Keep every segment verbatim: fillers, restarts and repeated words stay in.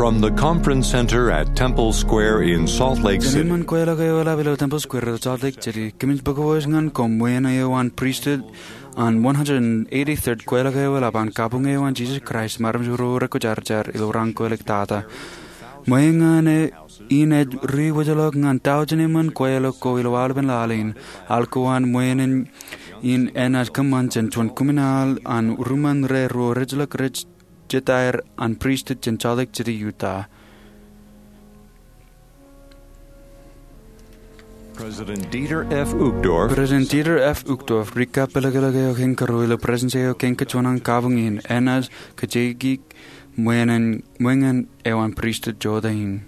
From the Conference Center at Temple Square in Salt Lake City. Jān eṃṃan kweilọk eo eḷap ilo Temple Square ilo Salt Lake City, kōmij bōk wōj ñan koṃ ṃweien eo an pristut an one hundred eighty-third kweilọk eo eḷap an kabuñ eo an Jisōs Kraist im armej ro rekwōjarjar ilo raan ko iliktata. Ṃweien in ej ri wōjḷọk ñan taujin eṃṃan kweilọk ko ilo aolepen laḷ in. Al ko an ṃweien in enaaj kōṃṃan jān juon kōṃṃan al an ruṃṃan ro rej ilọk rej jetaer an pristut jān Salt Lake City, Utah. President Dieter F. Uchtdorf. President Dieter F. Uchtdorf, ri kappelōklōk eo kein karuo ilo Presidensi eo kein kajuon an kabuñ in, enaaj kajjitōk ṃweien, ṃweien eo an pristut jota in.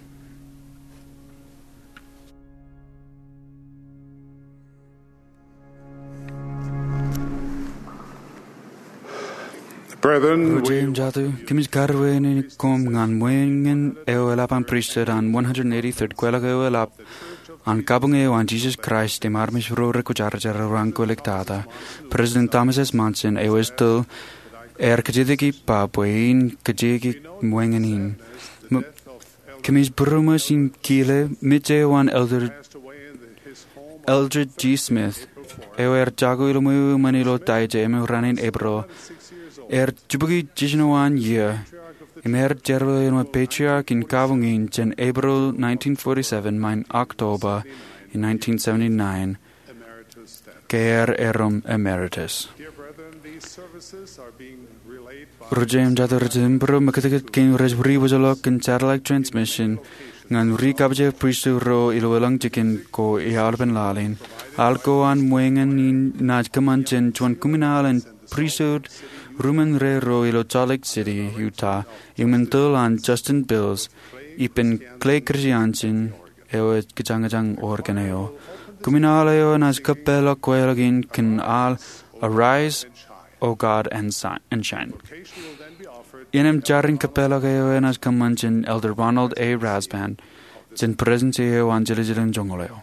Brethren, ro jeiū im jatū, kōmij karuwainene koṃ ñan ṃweien eo eḷap an pristut an one hundred eighty-third kweilọk eo eḷap an kabuñ eo an Jisōs Kraist im armej ro rekwōjarjar ilo raan ko iliktata. President Thomas S. Monson, eo ej tōl, ear kajjitōk ippa bwe in kajjitōk ṃweien in. Kōmij būroṃōj im kile mej eo an Elder, Eldred G. Smith, eo ear jako ilo ṃweo eṃṃan ilo Taije emān raan in Epril. Ear jibukwi jiljino an iiō, im ear jerbal ilo patriarch in kabuñ in jān Epril nineteen forty-seven ṃae October in nineteen seventy-nine. Ke ear erom emeritus. Ro jeiū im jatū, ri-jibūro, mekitkit kein rej ri wōjḷọk kōn satellite transmission ñan ri kabwebwe pristut ro ilo elōñ jikin ko aolepen laḷ in. Al ko an ṃweien in enaaj kōṃṃan jān juon kōṃṃan al an pristut ruṃṃan ro ilo Salt Lake City, Utah, im āinwōt an Justin Bills ippān Clay Christensen, eo ej kōjañjañ organ eo. Kōṃṃan al eo enaaj kōpeḷḷọk kweilọk in kōn al Arise, O God, and si-, and Shine. Innām jar in kōpeḷḷọk eo enaaj kōṃṃan jān Elder Ronald A. Rasband, jān Presidensi eo an Jiljilimjuonñoul eo.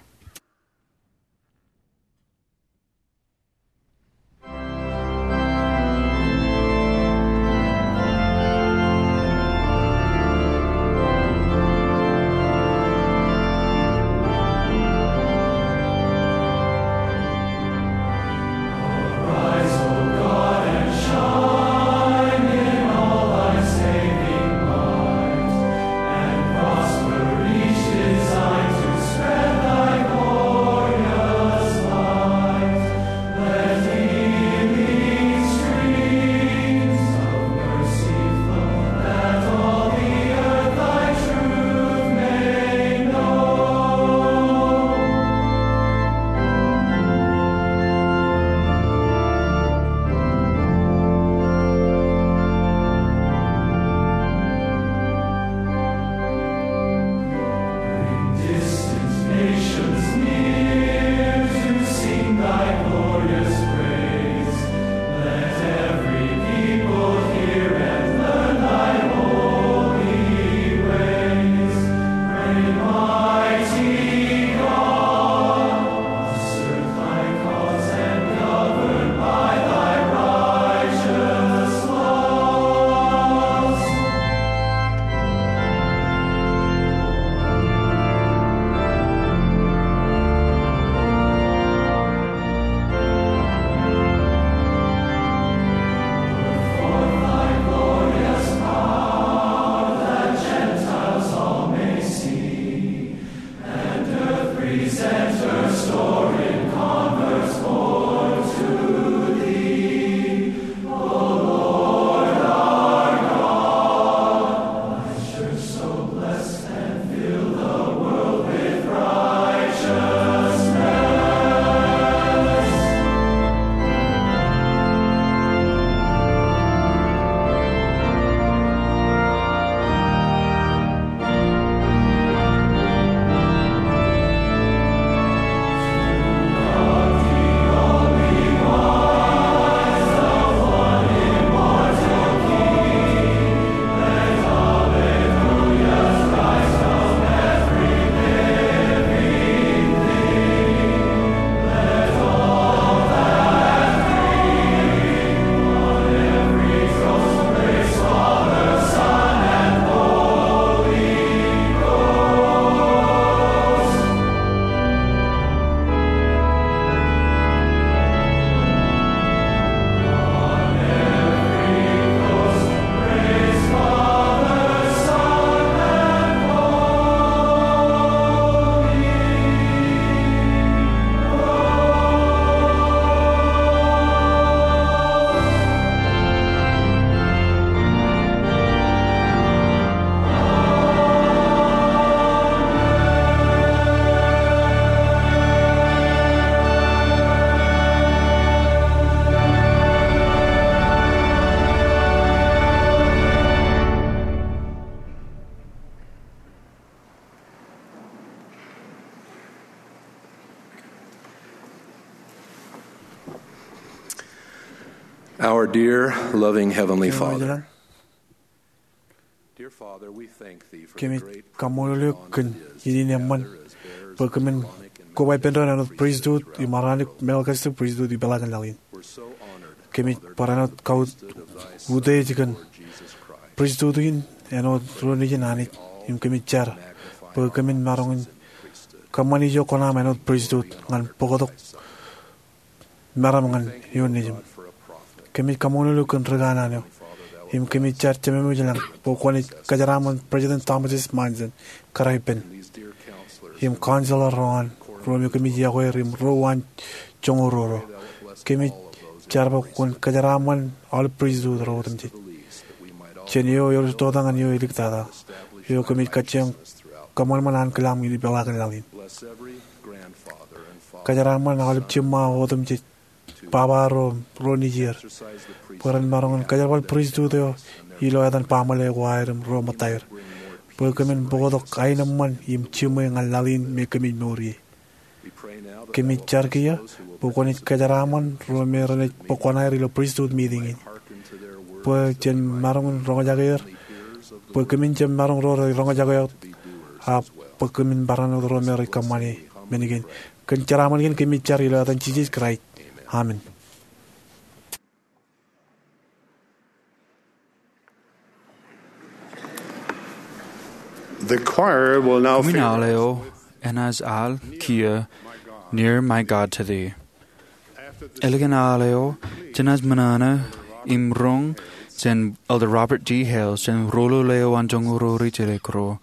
Our dear, loving Heavenly Father, kōmij kaṃṃoolol eok kōn innem eṃṃan bwe kōmin koba ippān doon āinwōt pristut im Aronik Melchizedek pristut ipeḷaakin laḷ in. Kōmij bar āinwōt kautiej kōn pristut in āinwōt ro nejin Anij, im kōmij jar bwe kōmin maroñ in kōṃṃani ijo kuṇaṃ āinwōt pristut ñan bōktok meram ñan ioon nejiṃ. Kōmij kaṃṃoolol eok kōn ri kanaan eo, im kōmij jar Jemem ilañ bwe kwōnaaj kōjeraaṃṃan President Thomas S. Monson, kōrā ippān, im counselor ro an, ro me kōmij yokwe er im ro uwaan joñoul ruo ro. Kōmij jar bwe kwōn kōjeraaṃṃan aolep pristut ro otemjej jān eo eor ej toktak ñan eo ej iliktata, eo kōmij kajjioñ kōṃanṃan ankilaaṃ in ipeḷaakin laḷ in. Kōjeraaṃṃan aolep jiṃṃa otemjej, baba ro, ro nejier, bwe ren maroñ in kōjerbal pristut eo ilo etan baaṃle ko aer im ro ṃōttaer, bwe kōmin bōktok aenōṃṃan im jiṃwe ñan laḷ in me kōmij mour ie. Kōmij jar kiiō bwe kwōnaaj kōjeraaṃṃan ro me renaaj bōk kuṇaer ilo pristut meeting in, bwe jen maroñ in roñjake er, bwe kōmin jab maroñ ro rej roñjake wōt, ak bwe kōmin bar āinwōt ro me rej kōṃṃane men kein. Kōn jeraaṃṃan kein kōmij jar ilo etan Jisōs Kraist. Amen. The choir will now Kōmij aḷ eo enaaj aḷ kiiō Near My God to Thee. Ālikin aḷ eo, jenaaj ṃōṇōṇō im roñ jān Elder Robert G. Hales jān Ruo Lule eo an Joñoul Ruo Ri Jelek Ruo.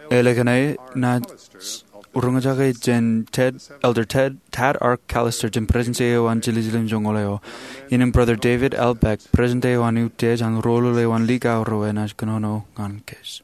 Ālikin e, enaaj roñjake jān Ted, Elder Ted, Tad R. Callister jān Presidensi eo an Jiljilimjuonñoul eo. Innem Brother David L. Beck, President eo an Utiej an Ruo Lule eo an Likao Ruo, enaaj kōnono ñan kōj.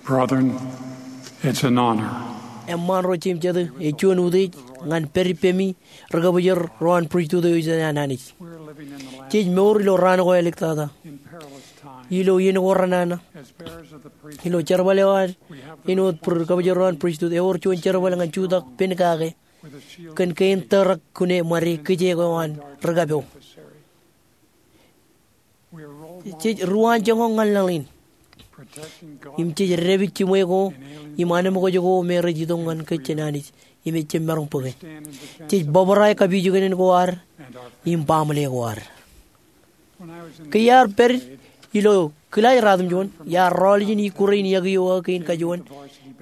Brethren, it's an honor. Eṃṃaan ro jeiū im jatū, ej juon utiej ñan pād ippemi ri kabōjor ro an pristut eo ej jān an Anij. We're living in the last Jej mour ilo raan ko āliktata, in perilous times, ilo iien ko renana, as bearers of the priesthood, ilo jerbal eo an, we have the āinwōt ri kabōjor ro an pristut, ewōr juon jerbal ñan jutak pen kake kōn kein tōrak kune ṃade kijeek eo an ri kapo. Jej ruwaanjoñak ñan laḷ in im jej dāpij jiṃwe ko im anemkwōj ko me rej itok ñan kōj jān Anij im ejjab maroñ bōke. Jej bōbrae kapijuknen ko ad im baaṃle ko ad. Ke iar pād ilo kilaaj ratimjuon, iar rọọl ijin ikkure in yokwe eo aō kein kajuon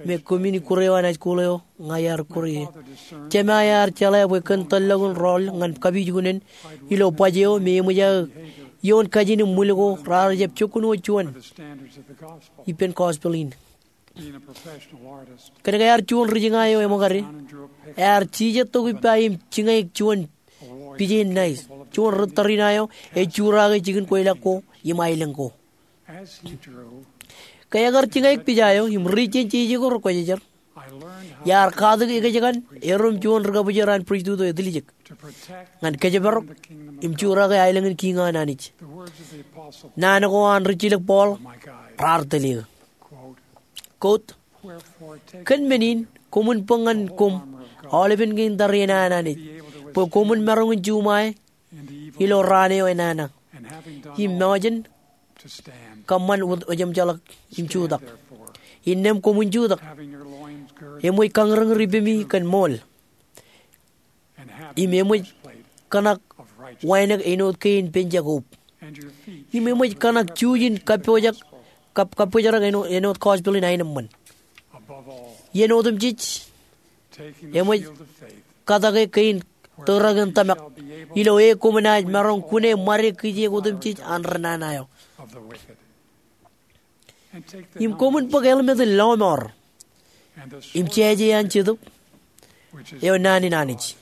me kōmin ikkure eo an high school eo ña iar ikkure ie. Jema ear jeḷā bwe kōn tōllọkin rọọl ñan kapijuknen ilo baj eo me eṃōj aō ioon kajin im ṃwil ko raar jab jokkuṇ wōt juon ippān gospel in. Kōnke ear juon ri jiña eo eṃōkade, ear jijet tok ippa im jiñaik juon pije in ṇae. Juon ri tariṇae eo ej jurake jikin kweilọk ko im aelōñ ko. Ke ekar jiñaik pija eo im ri jān jeje ko rekwōjarjar, iar katak ekōjkan erom juon ri kabōjor an pristut eo etiljek ñan kōjparok im jurake aelōñ in kiiñ an Anij. Naan ko an rijjilōk Paul raar tōl eō. Quote, kōn men in, koṃwin bōk ñan koṃ aolepen kein tariṇae an Anij, bwe koṃwin maroñ in juṃae ilo raan eo enana, im mejān kōṃṃan wōt ejjeḷọk im jutak. Innām koṃwin jutak, eṃōj kañūrñūr ippemi kōn ṃool, im eṃōj kōṇak wānōk āinwōt kein penjak oop, im eṃōj kōṇak juuj in kappojak, kap-, kappojrak āinwōt, āinwōt gospel in aenōṃṃan. Iien otemjej, eṃōj katake kein tōrak in tōmak, ilo e koṃ naaj maroñ kune ṃade kijeek otemjej an ri nana eo. Im koṃwin bōk helmet in lọmọọr im jāje an Jetōb, eo naan in Anij.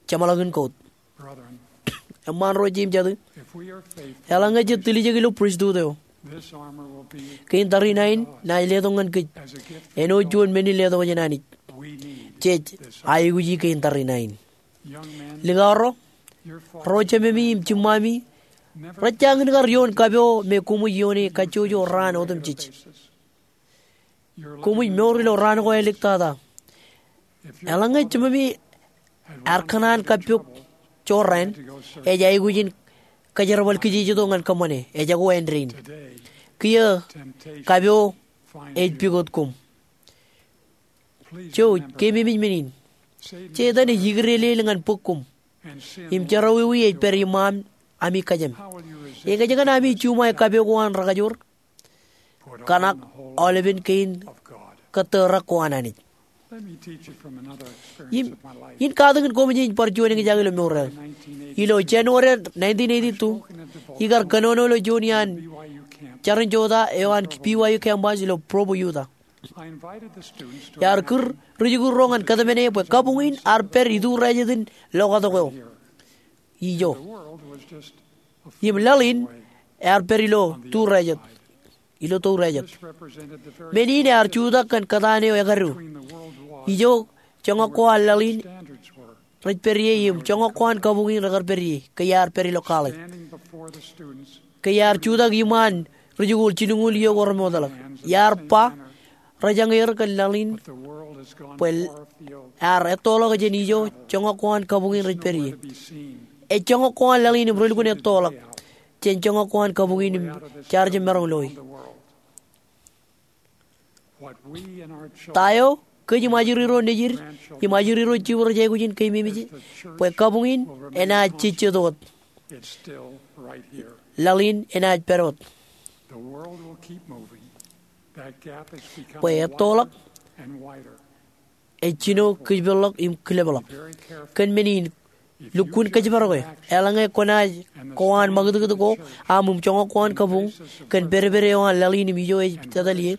Jeṃḷọkin quote. Eṃṃaan ro jeiū im jatū, eḷaññe jej tiljek ilo pristut eo, kein tariṇae in naaj letok ñan kōj āinwōt juon men in letok jān Anij. Jej aikuji kein tariṇae in. Likao ro, ro jememi im jiṃṃami rej jañin kar ioon kapo me koṃij ioone kajjojo raan otemjej. Koṃij mour ilo raan ko āliktata. Eḷaññe jememi ear kōṇaan kappok jorrāān, ej aikuj in kōjerbal kijejetok ñan kōṃṃane, ejako āindein. Kiiō kapo ej pukot koṃ. Jouj, keememej men in. Setan ej ikdeḷeḷ ñan bōk koṃ, im jerọwiwi ej pād iṃaan ami kōjām. Ekōjkan ami juṃae kapo ko an rekajoor? Kōṇak aolepen kein kōtōrak ko an Anij. Im, in katakin koṃij in bar juon eñjake ilo mour eo. Ilo January nineteen eighty-two, ikar kōnono ilo juon iaan jarin jota eo an B Y U campus ilo Provo, Utah. Iar kūr ri-jikuuḷ ro ñan kōtmāne bwe kabuñ in ear pād iturijet in lokatok eo ijo. Im laḷ in ear pād ilo turijet, ilo turijet. Men in ear jutak kōn kōtaan eo ekadu. Ijo joñak ko an laḷ in rej pād ie im joñak ko an kabuñ in rekar pād ie ke iar pād ilo college. Ke iar jutak iṃaan ri-jikuuḷ jilñuul iiō ko remootḷọk, iar ba rejañ er kōn laḷ in bwe ear ettoḷọk jān ijo joñak ko an kabuñ in rej pād ie. Ej joñak ko an laḷ in im relukkuun ettoḷọk jān joñak ko an kabuñ in im jaar jab maroñ loe. Ta eo kōj im ajri ro nejid im ajri ro jibwe rej aikuj in keememej bwe kabuñ in enaaj jejjet wōt. Laḷ in enaaj pād wōt. Bwe ettoḷọk, ej jino kōjpeḷḷọk im kilepḷọk. Kōn men in, lukkuun kōjparoke. Eḷaññe kwōnaaj ko an ṃakūtkūt ko aṃ im joñak ko an kabuñ kōn pedped eo an laḷ in im ijo ej tōtōl ie,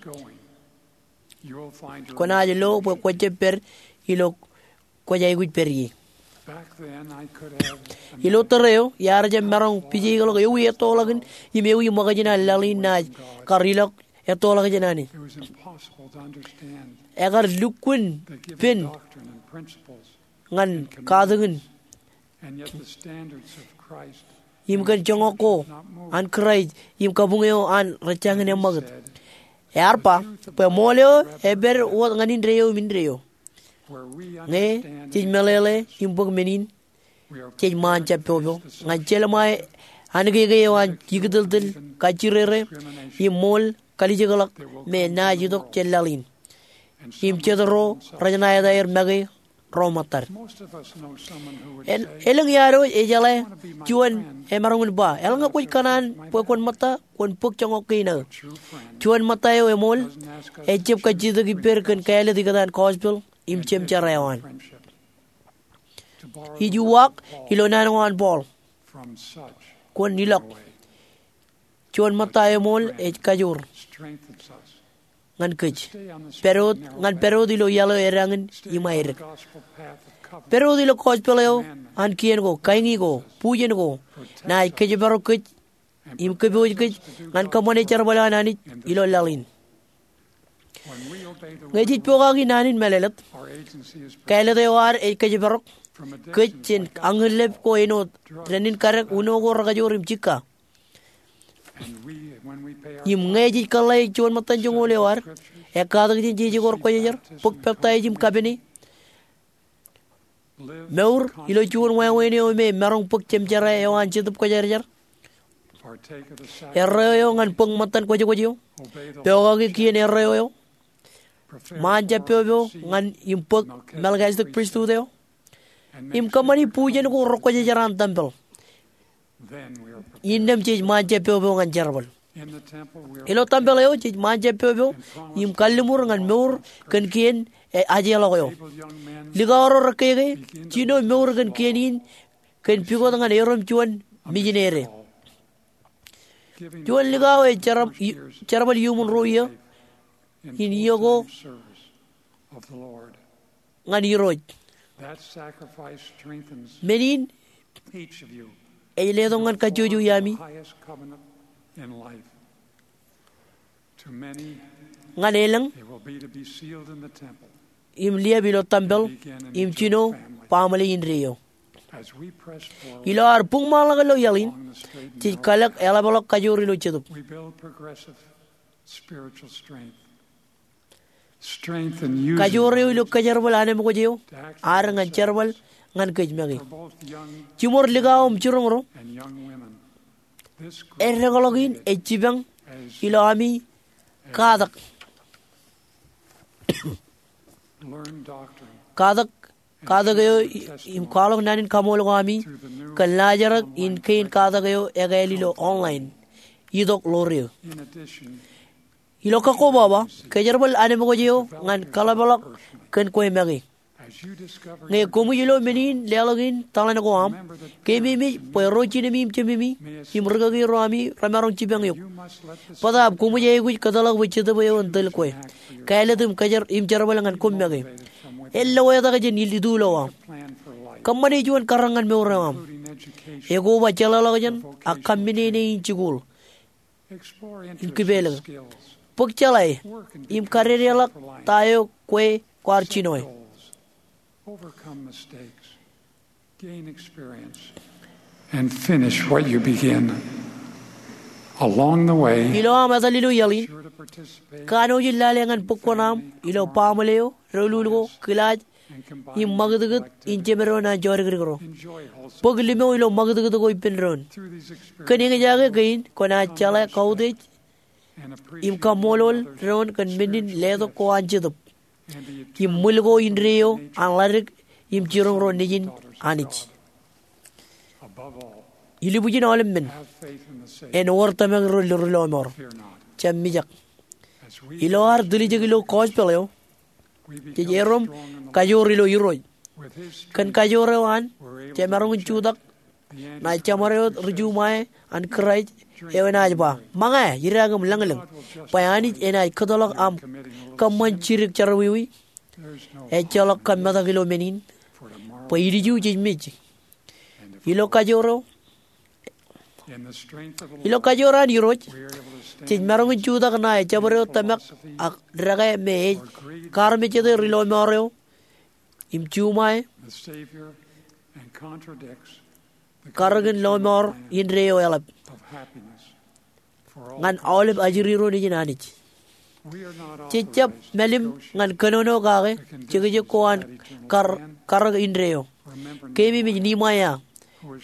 kwōnaaj lo bwe kwōjjab pād ilo kwōj aikuj pād ie. Ilo tōre eo, iar jab maroñ pijeikḷọk ewi ettoḷọkin im ewi ṃōkajin an laḷ in naaj kar ilọk ettoḷọk jān Anij. Ekar lukkuun pen ñan katakin im kōn joñak ko an Kraist im kabuñ eo an rej jañin eṃṃakūt. Ear ba bwe ṃool eo epād wōt ñan indeeo im indeeo. Ñe jej meḷeḷe im bōk men in, jej ṃaan jab peopeoḷ ñan jelṃae ankeeke eo an ikitōltōl, kajjirere, im ṃool kalijekḷọk me naaj itok jān laḷ in im jet ro rej ṇa etaer make ro ṃōttad. Elōñ iaad eo ejeḷā juon emaroñ in ba, eḷaññe kwōj kōṇaan bwe kwōn ṃōtta, kwōn bōk joñak kein aō. Juon ṃōtta eo eṃool ejjab kajjitōk ippād kōn kāālōt ikōtaan gospel im jemjerā eo an. Ij uwaak ilo naan ko an Paul, kwōn ilọk. Juon ṃōtta eṃool ej kajoor ñan kōj, pād wōt ñan pād wōt ilo iaḷ eo edañin im aedek. Pād wōt ilo gospel eo an kien ko, kañin ko, bujen ko, naaj kōjparok kōj im kōpooj kōj ñan kōṃṃane jerbal eo an Anij ilo laḷ in. Ñe jej pokake naan in mālōtlōt, kāālōt eo ad ej kōjparok kōj jān añinlep ko āinwōt dānin kadek, uno ko rekajoor im jikka. Im ñe jej kōḷḷāik juon ṃōttan joñoul eo ad, ekkatak jān jeje ko rej kwōjarjar, bōk peptaij im kapene, mour ilo juon wāween eo me maroñ bōk jemjerā eo an Jetōb Kwōjarjar, erreo eo ñan bōk ṃōttan kwōjkwōj eo, pokake kien erreo eo, ṃaan jab peopeoḷ ñan im bōk Melchizedek Pristut eo, im kōṃṃani bujen ko rej kwōjarjar an tempel, innām jej ṃaan jab peopeoḷ ñan jerbal. Ilo tempel eo jej ṃaan jab peopeoḷ im kalliṃur ñan mour kōn kien ajeḷọk eo. Likao ro rekkeke, jino mour kōn kien in kōn pukot ñan erom juon mijinede. Juon likao ej jerbal iuṃwin ruo iiō in iiō ko ñan Irooj. Men in ej letok ñan kajjojo iaami ñan elōñ im liab ilo tempel im jino baaṃle indeeo. Ilo ad buñṃaanḷọk ilo iaḷ in, jej kalōk eḷapḷọk kajoor ilo jetōb. Kajoor eo ilo kōjerbal anemkwōj eo ad ñan jerbal ñan kōj make. Jiṃor likao im jiroñro, eddekḷọk in ej jipañ ilo ami katak. Katak, katak eo im kwaḷọk naan in kaṃool ko ami kōn laajrak in kein katak eo ekāāl ilo online, itok ḷoor eō. Ilo kakkobaba, kōjerbal anemkwōj eo ñan kaḷapḷọk kōn kwe make. Ñe koṃij lo men in leḷọk in taḷan ko aṃ, keememej bwe ro jinemi im jememi im rikaki ro ami remaroñ jipañ eok. Bōtaab koṃij aikuj kōtḷọk bwe Jetōb eo en tōl kwe, kāālōt im jerbal ñan koṃ make. En lewōj tok jān itulowa. Kōṃṃane juon karōk ñan mour eo aṃ. Ekoba jeḷāḷọkjeṇ ak kaṃṃinene in jikuuḷ in kipeelōñ. Bōk jeḷā im kadedeḷọk ta eo kwe kwaar jinoe. Ilo aṃ etal ilo iaḷ in, kanooj in lale ñan bōk kuṇaaṃ ilo baaṃle eo, doulul ko, kilaaj, im ṃakūtkūt in jemed doon an jodikdik ro. Bōk limo ilo ṃakūtkūt ko ippān doon. Kōn eñjake kein kwōnaaj jeḷā kautiej im kaṃṃoolol doon kōn men in letok ko an Jetōb im ṃwil ko indeeo an ḷadik im jiroñ ro nejin Anij. Ilubwijin aolep men, en wōr tōmak ro lurulọmọọr. Jab mijak. Ilo ad tiljek ilo gospel eo, jej erom kajoor ilo Irooj. Kōn kajoor eo an, jemaroñ in jutak ṇae jeṃaad eo ri-Ju ṃae an Kraist eo enaaj ba, ṃōñā, idaak im lañlōñ, bwe Anij enaaj kōtḷọk aṃ kōṃṃan jidik jerọwiwi. Ejjeḷọk kōmmetak ilo men in, bwe ilju jej mej. Ilo kajoor eo, Ilo kajoor an Irooj, jej maroñ in jutak ṇae jabdewōt tōmak ak dekā me ej kaarmejjete ri-lọmọọr eo im juṃae karōkin lọmọọr indeeo eḷap ñan aolep ajri ro nejin Anij. Jej jab mālim ñan kōnono kake jekjek ko an kar- karōk indeeo. Keememej Niemaia,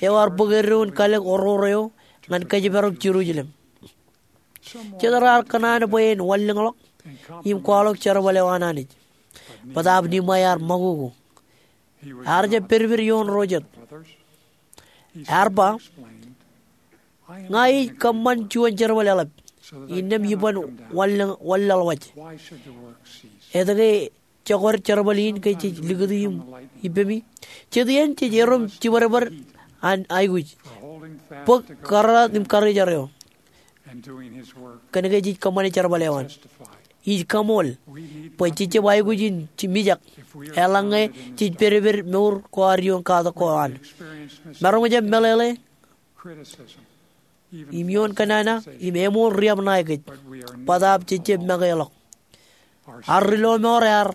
eo ear bōk eddoin kalōk oror eo ñan kōjparok Jerusalem. Jet raar kōṇaan bwe en wanlōñḷọk im kwaḷọk jerbal eo an Anij. Bōtaab Niemaia ear ṃakoko. Ear jab pedped ioon ro jet. Ear ba, ña ij kōṃṃan juon jerbal eḷap innām iban wanlōñ- wanlaḷwaj. Etke jekar jerbal in ke jej likūti im ippemi? Jet iien jej erom jibadbad an aikuj, bōk kōrrat im karijer eo, kōnke jej kōṃṃane jerbal eo an. Ij kaṃool bwe jej jab aikuj in mijak eḷaññe jej pedped mour ko ad ioon katak ko an. Maroñ jab meḷeḷe im ioon kōnnaan im eṃool riab ṇae kōj, bōtaab jej jab mekeḷọk. Ad ri-lọmọọr ear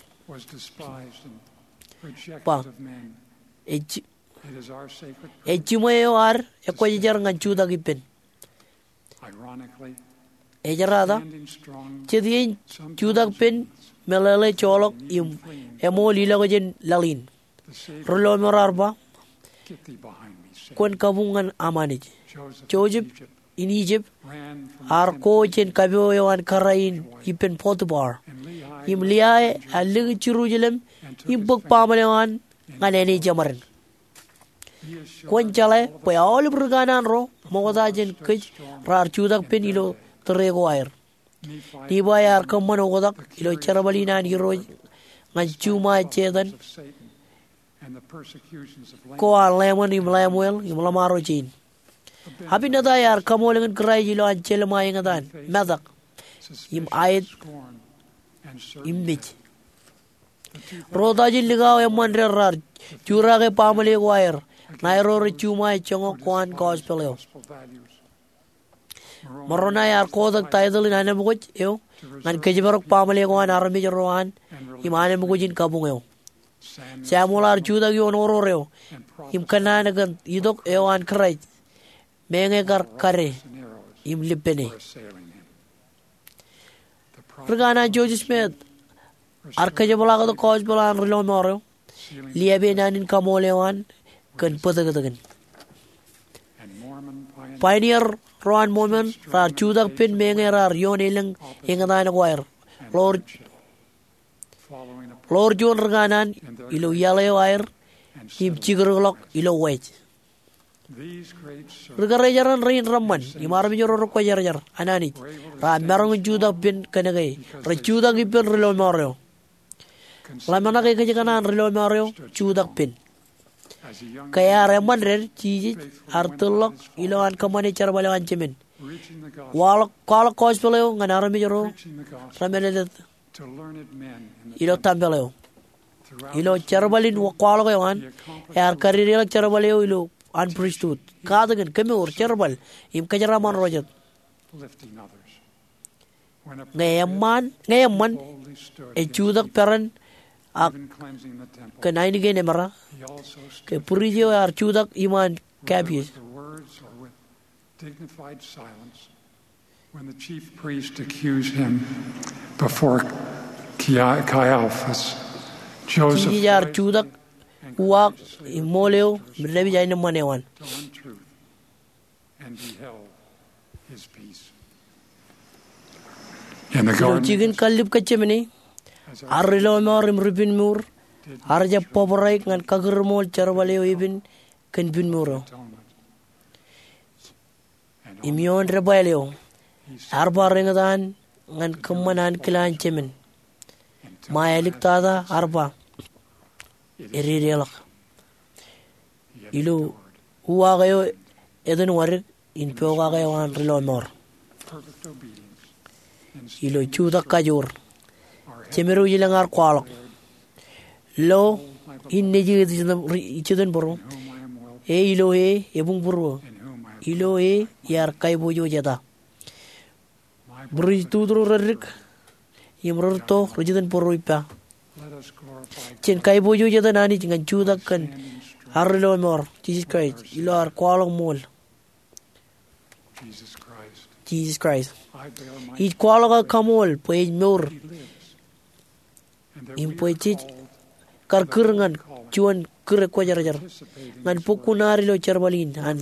ba, ej- ej jiṃwe eo ad ekwōjarjar ñan jutak ippān. Ejrata, jet iien jutak pen meḷeḷe joḷọk im eṃool ilọk jān laḷ in, ri-lọmọọr ear ba, kwōn kabuñ ñan aṃ Anij. Joseph in Ijip ear ko jān kapo eo an kōrā in ippān Potiphar. Im Liai ear likūt Jerusalem im bōk baaṃle eo an ñan āne jeṃaden. Kwōn jeḷā bwe aolep ri kanaan ro ṃokta jān kōj raar jutak pen ilo tōre ko aer. Nifai ear kōṃṃan oktak ilo jerbal in an Irooj ñan juṃae Setan ko an Laṃōn im Laṃweel im ḷōṃaro jein. Abinadai ear kaṃool kōn Kraist ilowaan jelṃae eñtaan, metak, im aet, im mej. Ro ta jān likao eṃṃan ded raar jurake baaṃle ko aer ṇae ro rej juṃae joñak ko an gospel eo. Moronai ear kotak taitōḷ in anemkwōj eo ñan kōjparok baaṃle ko an armej ro an im anemkwōj in kabuñ eo. Samuel ear jutak ioon oror eo im kōnnaan kōn itok eo an Kraist, meñe kar kade im lippene. Ri kanaan Joseph Smith ear kōjepḷaaktok gospel an ri-lọmọọr eo, liāpe naan in kaṃool eo an kōn bōtōktōkin. Pioneer ro an Mormon raar jutak pen meñe raar ioon elōñ eñtaan ko aer, ḷoor- ḷoor juon ri kanaan ilo iaḷ eo aer im jikdikḷọk ilo waj. Ri karijeran rein reṃṃan im armej ro rekwōjarjar an Anij raar maroñ in jutak pen kōnke rej jutak ippān ri-lọmọọr eo. Ḷōmṇak ekōjkan an ri-lọmọọr eo jutak pen. Ke ear eṃṃan ded, Jisōs ear tōl ḷọk ilowaan kōṃṃane jerbal eo an Jemān, kwaḷọk, kwaḷọk gospel eo ñan armej ro remālōtlōt ilo tempel eo. Ilo jerbal in kwaḷọk eo an, ear kadedeḷọk jerbal eo ilo an pristut, katakin, kemour, jerbal, im kōjeraaṃṃan ro jet. Ñe eṃṃan, ñe eṃṃan, ej jutak peran ak kōn ainikien emera, ke pris eo ear jutak iṃaan kapiej. Dignified silence when the chief priest accused him before Caiaphas. Joseph, Jisōs ear jutak uwaak im ṃool eo im dāpij aenōṃṃan eo an. And he held his peace. In the Ilo garden, jikin kallib Getsemane, ar ri-lọmọọr im ri-pinmour ear jab bōbraik ñan kakūrṃool jerbal eo epen kōn pinmour eo. Im ioon debwāāl eo, ear bar eñtaan ñan kōṃṃan ankilaan jemān. Ṃae āliktata ear ba, ededeḷọk. Ilo uwaak eo etan wadik in pokake eo an ri-lọmọọr. Ilo jutak kajoor, Jemed eo ilōñ ear kwaḷọk, lo in nejū jet im būruō, e ilo e ebuñbūruō, ilo e iar kaiboojoj eta. Būruj tutu ro reddik im rerto rej jitōnbōro ippa. Jen kaiboojoj etan Anij ñan jutak kōn arro ilo eṃoor, Jisōs Kraist, ilo ad kwaḷọk ṃool, Jisōs Kraist. Ij kwaḷọk aō kaṃool bwe ej mour im bwe jej kar kūr ñan juon kūr ekwōjarjar ñan bōk kuṇaad ilo jerbal in an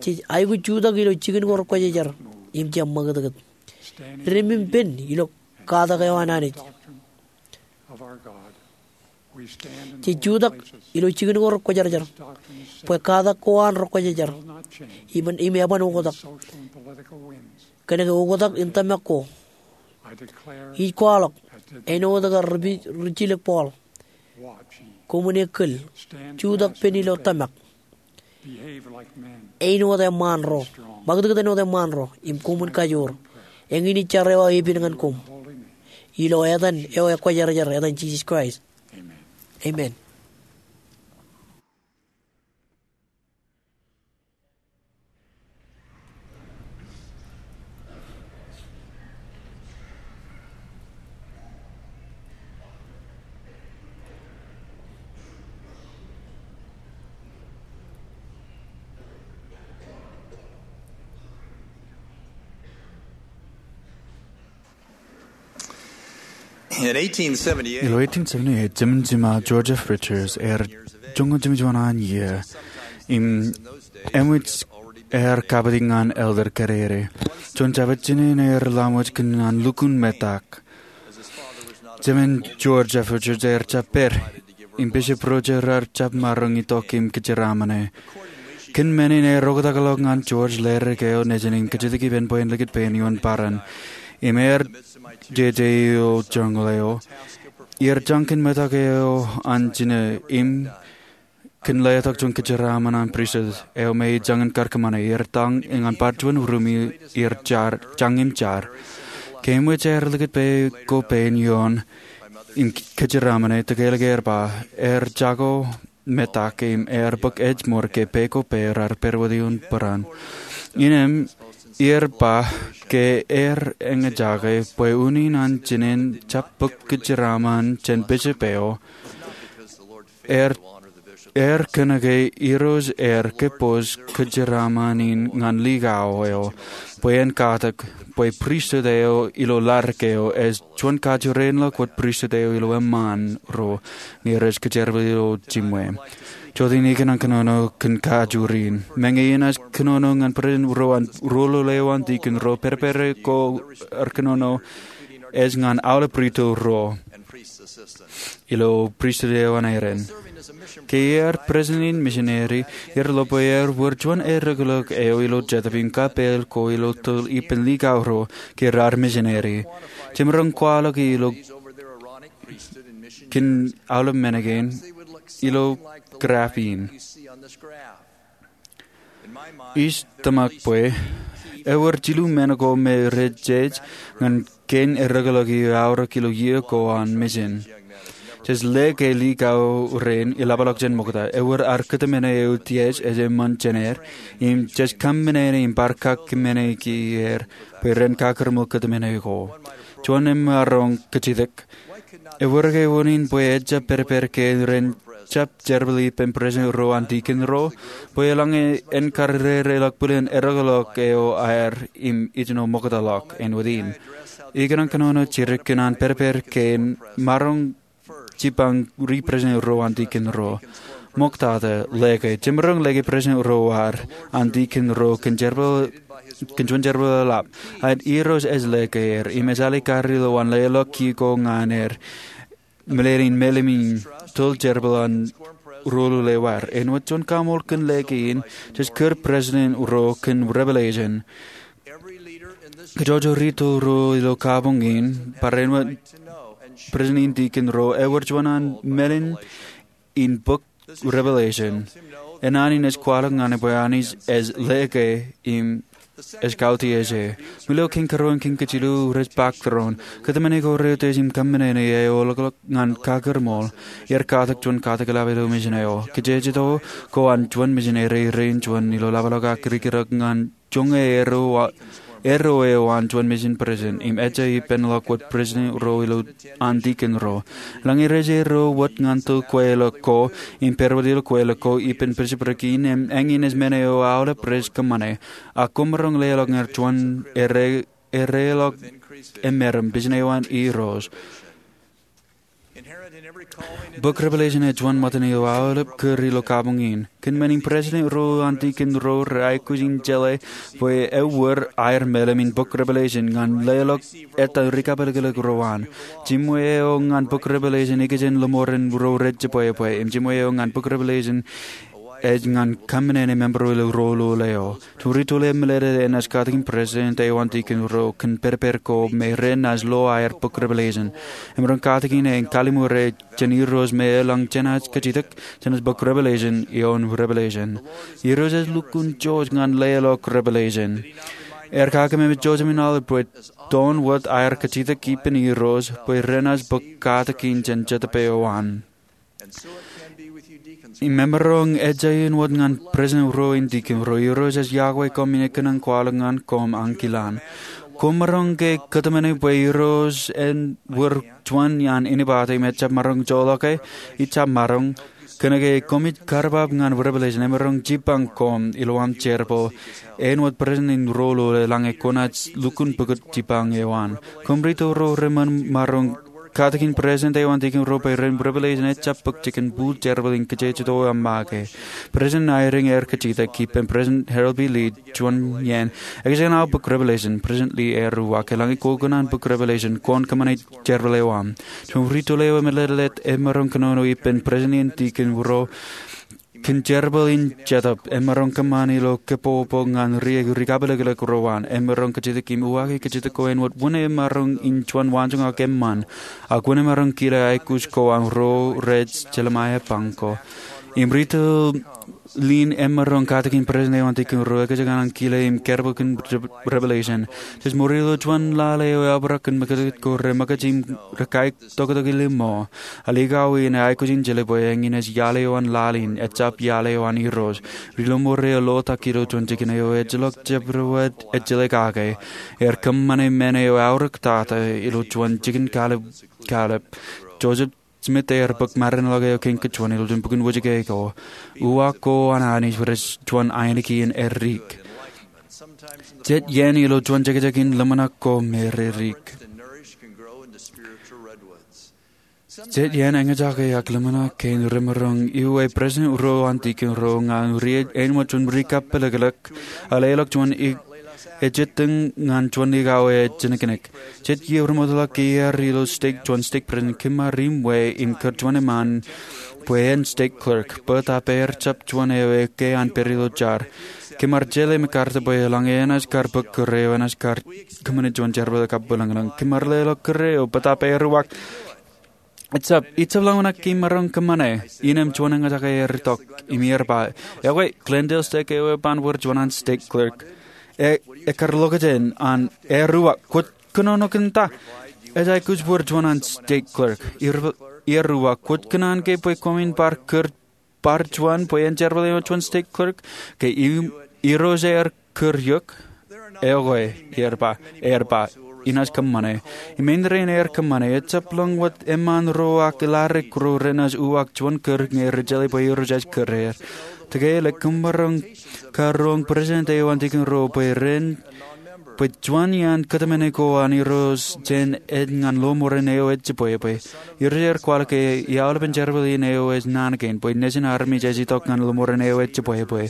jej aikuj jutak ilo jikin ko rekwōjarjar im jab ṃakūtkūt. Ri-ṃōṃ pen ilo katak eo an Anij. Jej jutak ilo jikin ko rekwōjarjar bwe katak ko an rekwōjarjar im eban oktak kōnke oktak in tōmak ko. Ij kwaḷọk āinwōt ke ri-jilōk Paul, koṃwin ekkōl, jutak pen ilo tōmak, āinwōt eṃṃaan ro, ṃakūtkūt āinwōt eṃṃaan ro im koṃwin kajoor. Eñin ij jar eo aō epād ñan koṃ ilo etan eo ekwōjarjar, etan Jisōs Kraist. Amen. Ilo eighteen seventy-eight, jemān jiṃa George F. Richards ear joñan jiljino juon iiō im eṃōj ear kapitik ñan elder kōdede. Juon jabōt jān er laṃōj kōn an lukkuun metak. Jemān George F. Richards ear jab pād im bishop ro raar jab maroñ itok im kōjeraaṃṃane. Kōn men in ear oktakḷọk ñan George ledik eo nejin im kajjitōk ippān bwe en likūt pein ioon bōran. Im ear jeje ilo jungle eo, iar jañ kōn metak eo an jinō im kōn letok juon kōjeraaṃṃan an pristut eo me ej jañin kar kōṃṃane. Iar tañ ñan bar juon ruum im iar jañ im jar. Ke eṃōj aer likūt pā ko pā ioon im kōjeraaṃṃane, tōkālik ear ba ear jako metak im ear bōk ājmour ke pā ko pā raar pād wōt ioon bōran. Innām iar ba ke ear eñjake bwe unin an jinōn jab bōk kōjeraaṃṃan jān bishop eo, ear kōnke Irooj ear kōpooj kōjeraaṃṃan in ñan likao eo bwe en katak bwe pristut eo ilo ladik eo ej juon kajjien ḷọk wōt pristut eo ilo eṃṃaan ro ñe rej kōjerbal ilo jiṃwe. Jota in ikōṇaan kōnono kōn kajjien. Meñe inaaj kōnono ñan president ro an ruo loleo an dikon ro, pād pād ko ar kōnono ej ñan aolep rūtto ro ilo pristut eo an Aaron. Ke ear president in misineri, ear lo bwe ear wōr juon erekolok eo ilo Jetōb im kapeel ko ilo tōl ippān likao ro ke raar misineri. Jemaroñ kwaḷọk ilo kōn aolep men kein ilo graph in. Ij tōmak bwe ewōr jilu men ko me rej jej ñan kein erekolok eo eaorōk ilo iiō ko an misin. Jej lōke likao rein iḷapḷọk jān ṃokta. Ewōr ad kōtmāne eo tiej ej eṃṃan jān er, im jej kōmāne im bar kōmāne er bwe ren kakūrmel kōtmāne ko. Juon emaroñ kajjitōk, ewōr ke unin bwe ejjab pād pād ke ren jab jerbal ippān president ro an dikon ro bwe eḷaññe en kar rereḷọk bwilin erekolok eo aer im ijino ṃokta ḷọk āinwōt in? Ikōṇaan kōnono jidik kōn an pād pād kein maroñ jipañ ri president ro an dikon ro. Ṃoktata, lōke. Jemaroñ lōke president ro ad an dikon ro kōn jerbal, kōn juon jerbal eḷap. Ak Irooj ej lōke er im ejjeḷọk kar ilo an leḷọk ki ko ñan er meḷeḷein melim in tōl jerbal an ruo loleo ad. Āinwōt juon kaṃool kōn lōke in, jej kūr president ro kōn revelation. Kajjojo rūtto ro ilo kabuñ in, barāinwōt president im dikon ro, ewōr juon an meḷeḷein in bok Revelation. Enañin ej kwaḷọk ñan e bwe Anij ej lōke im ej kauti ej e. Ilo kein karuo, kein kajilu, rej pak tōre in kōtmāne ko reutiej im kōmāne eo eḷḷọk ñan kakūrmool. Iar katak juon katak eḷap ilo mejān eo. Kajjitōk ko an juon mejān eo rein juon ilo lapḷọk ak rikirōk ñan joñan erro eo an juon mejān president im ejja ippān ḷọk wōt president ro ilo an tikin ro. Eḷaññe rej erro wōt ñan tōl kweilọk ko im pād wōt ilo kweilọk ko ippān bishopric in, eñin ej men eo aolep rej kōmāne. Ak koṃaroñ leḷọk ñan juon erro eo eḷḷọk emeram, vision eo an Irooj. Bok Revelation ej juon ṃōttan eo aolep kūr ilo kabuñ in. Kōn men in, president ro an tikin ro rej aikuj in jeḷā bwe ewōr aer meḷeḷe in bok Revelation ñan leḷọk ettā rikapelekḷọk ro an. Jiṃwe eo ñan bok Revelation ikijjien lọmọọren ro rej jibwe bwe im jiṃwe eo ñan bok Revelation ej ñan kōmāne member ro ilo ro loleo. Ri tōl eo emālōtlōt enaaj katakin president eo an tikin ro kōn pād pād ko me renaaj lo aer bok Revelation. Emaroñ katakin e im kallimur e jān Irooj me eḷaññe jenaaj kajjitōk, jenaaj bok Revelation ioon Revelation. Irooj ej lukkuun jooj ñan leḷọk Revelation. Ear kakememej jouj im ālikin bwe toon wōt aer kajjitōk ippān Irooj bwe renaaj bok katakin jān Jetōb eo an. Im emaroñ ejjañin wōt ñan president ro im tikin ro. Irooj ej yokwe koṃ im kōnono kwaḷọk ñan koṃ ankilaan. Koṃaroñ ke kōtmāne bwe Irooj ewōr juon iaan anibate im ejjab maroñ joḷọk e? Ijjab maroñ. Kōnke koṃij karbab ñan Revelation, emaroñ jipañ koṃ ilowaan jerbal āinwōt president in ro loleo eḷaññe kwōnaaj lukkuun pukot jipañ eo an. Koṃ ri tōl ro rej maroñ katakin president eo an tikin ro bwe ren Revelation ejjab bōk jikin bōl jerbal in kajjitōk eo aṃ make. President Eyring ear kajjitōk ippān President Harold B. Lee, juon iaan, ekōjkan aō bōk Revelation. President Lee ear uwaak, eḷaññe kwō kōṇaan bōk Revelation, kwōn kōṃṃane jerbal eo aṃ. Juon ri tōl eo emālōtlōt emaroñ kōnono ippān president im tikin ro kōn jerbal in Jetōb emaroñ kōṃṃan ilo kōpopo ñan ri rikapelekḷọk ro an. Emaroñ kajjitōk im uwaake kajjitōk ko āinwōt wūnin emaroñ in juon waanjoñak eṃṃan. Ak wūnin emaroñ kile aikuj ko an ro rej Jeremiah Pangko. Im ri tōl in emaroñ katakin president eo an tikin ro ekōjkan an kile im jerbal kōn Revelation. Jej ṃool ilo juon lale eo eobrak kōn ṃōkaj ko reṃōkaj im rej kaitoktok iliṃo. Al ikawōj in ej aikuj in jeḷā bwe eñin ej iaḷ eo an laḷ in, ejjab iaḷ eo an Irooj. Ri lọmọọr eo eḷotak ilo juon jikin eo ejjeḷọk jabdewōt ejjeḷā kake. Ear kōṃṃane men eo aorōk tata ilo juon jikin kalep. Joseph Smith ear bōk mārainḷọk eo kein kajuon ilo juon bok in wōjke ko. Uwaak ko an Anij rej juon ainikien edik. Jet iien ilo juon jekjekin ḷōmṇak ko me redik. Jet iien eñjake ak ḷōmṇak kein remaroñ iuwe president ro an tikin ro ñan ri āinwōt juon rikapelekḷọk, a leḷọk juon ejjettōñ ñan juon ikawōj ej jinōknōk. Jet iiō remootḷọk ke iar ilo stake, juon stake president, kōm ar iṃwe im kūr juon eṃṃan bwe en stake clerk, bōtaab ear jab juon eo ekkā an pād ilo jar. Kōm ar jeḷā MacArthur bwe eḷaññe enaaj kar bōk kūr eo enaaj kar kōṃṃane juon jerbal eo kab bwilōñlōñ. Kōm ar leḷọk kūr eo, bōtaab ear uwaak, ejjab, ijjab ḷōmṇak ke imaroñ kōṃṃane. Innām juon eñjake ear itok im ear ba, ekwe, Glendale stake eo eban wōr juon an stake clerk. E, ekkar ḷọk jān an, ear uwaak, kwōj kōnono kōn ta? Ej aikuj wōr juon an stake clerk. Ear, ear uwaak, kwōj kōṇaan ke bwe koṃwin bar kūr bar juon bwe en jerbal eo an juon stake clerk? Ke Irooj ear kūr eok? Ekwe, ear ba, ear ba, inaaj kōṃṃane. Im āindein ear kōṃṃane, ejjab ḷọk wōt eṃṃan ro ak ḷadik ro renaaj uwaak juon kūr ñe rej jeḷā bwe Irooj ej kūr er. Tōre, koṃaroñ karoñ president eo an tikin ro bwe ren bwe juon iaan kōtmāne ko an Irooj jān ej ñan lọmọọren eo ej jibwebwe. Irooj ear kwaḷọk ke iaḷ eo pen jerbal in eo ej naan kein, bwe nejin armej ej itok ñan lọmọọren eo ej jibwebwe.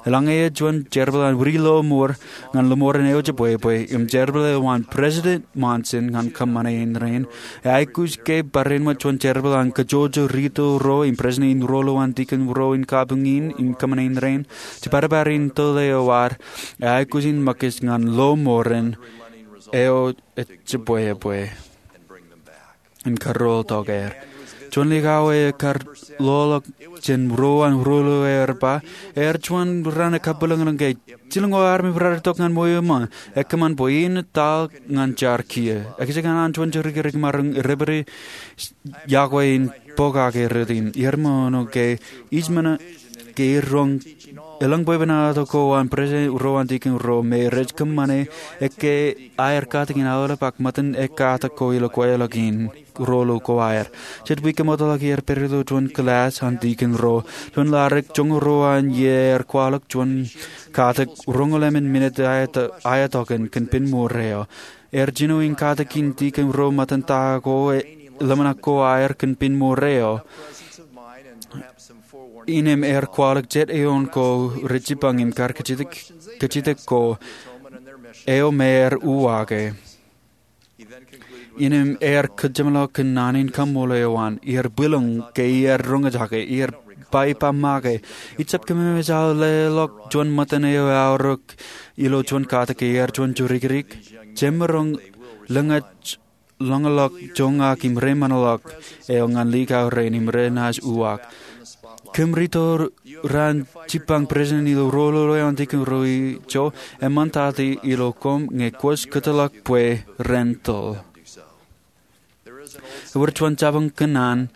Eḷaññe ej juon jerbal an wūnin lọmọọr ñan lọmọọren eo jibwebwe, im jerbal eo an President Monson ñan kōṃṃane in rainin, e aikuj ke barāinwōt juon jerbal an kajjojo ri tōl ro im president in ro ilo an tikin ro in kabuñ in im kōṃṃane in rainin, jibadbad in tōl eo ad, e aikuj in ṃōkaj ñan lọmọọren eo ej jibwebwe im karuo tok er. juon likao eo ekar loḷọk jān ruo an ruo eo, ear ba, ear juon raan ekabwilōñlōñ ke jilñoul armej rej itok ñan ṃweo ṃō. Ekōṃṃan bwe in etal ñan jar kiiō. Ekajjien an juon jorikirik maroñ deputy yokwe in pokake rot in. Iar ṃōṇōṇō ke ij men ke roñ elōñ bwebwenato ko an president ro an deacon ro me rej kōṃṃane ekkā aer katakin aolep ak ṃōttan ekkā ko ilo kweilọk in. Ruo ḷọk ko aer. Jet wiik eṃootḷọk iar pād ilo juon kilaaj an deacon ro. Juon ladik joñoul ruo an iiō ear kwaḷọk juon katak roñoul emān minit aetok, aetokan kōn pen ṃour eo. Ear jino in katakin deacon ro ṃōttan ta ko, ḷōmṇak ko aer kōn pen ṃour eo. Innām ear kwaḷọk jet eoon ko rej jipañ im kar kajjitōk, kajjitōk ko eo me ear uwaake. Innām ear kōjeṃḷọk kōn naan in kaṃṃoolol eo an. Iar bwilōñ ke iar roñjake, iar ba ippa make, ij jab kōmemej aō leḷọk juon ṃōttan eo eaorōk ilo juon katak ke ear juon jorikirik. Jemaroñ lōñḷọk joñak im reiṃaanḷọk eo ñan likao rein im renaaj uwaak. Kōm rito raan jipañ president ilo ruo eo an deacon ro ijo, eṃṃantata ilo koṃ ñe kwōj kōtḷọk bwe ren tōl. Ewōr juon jabōn kōnnaan,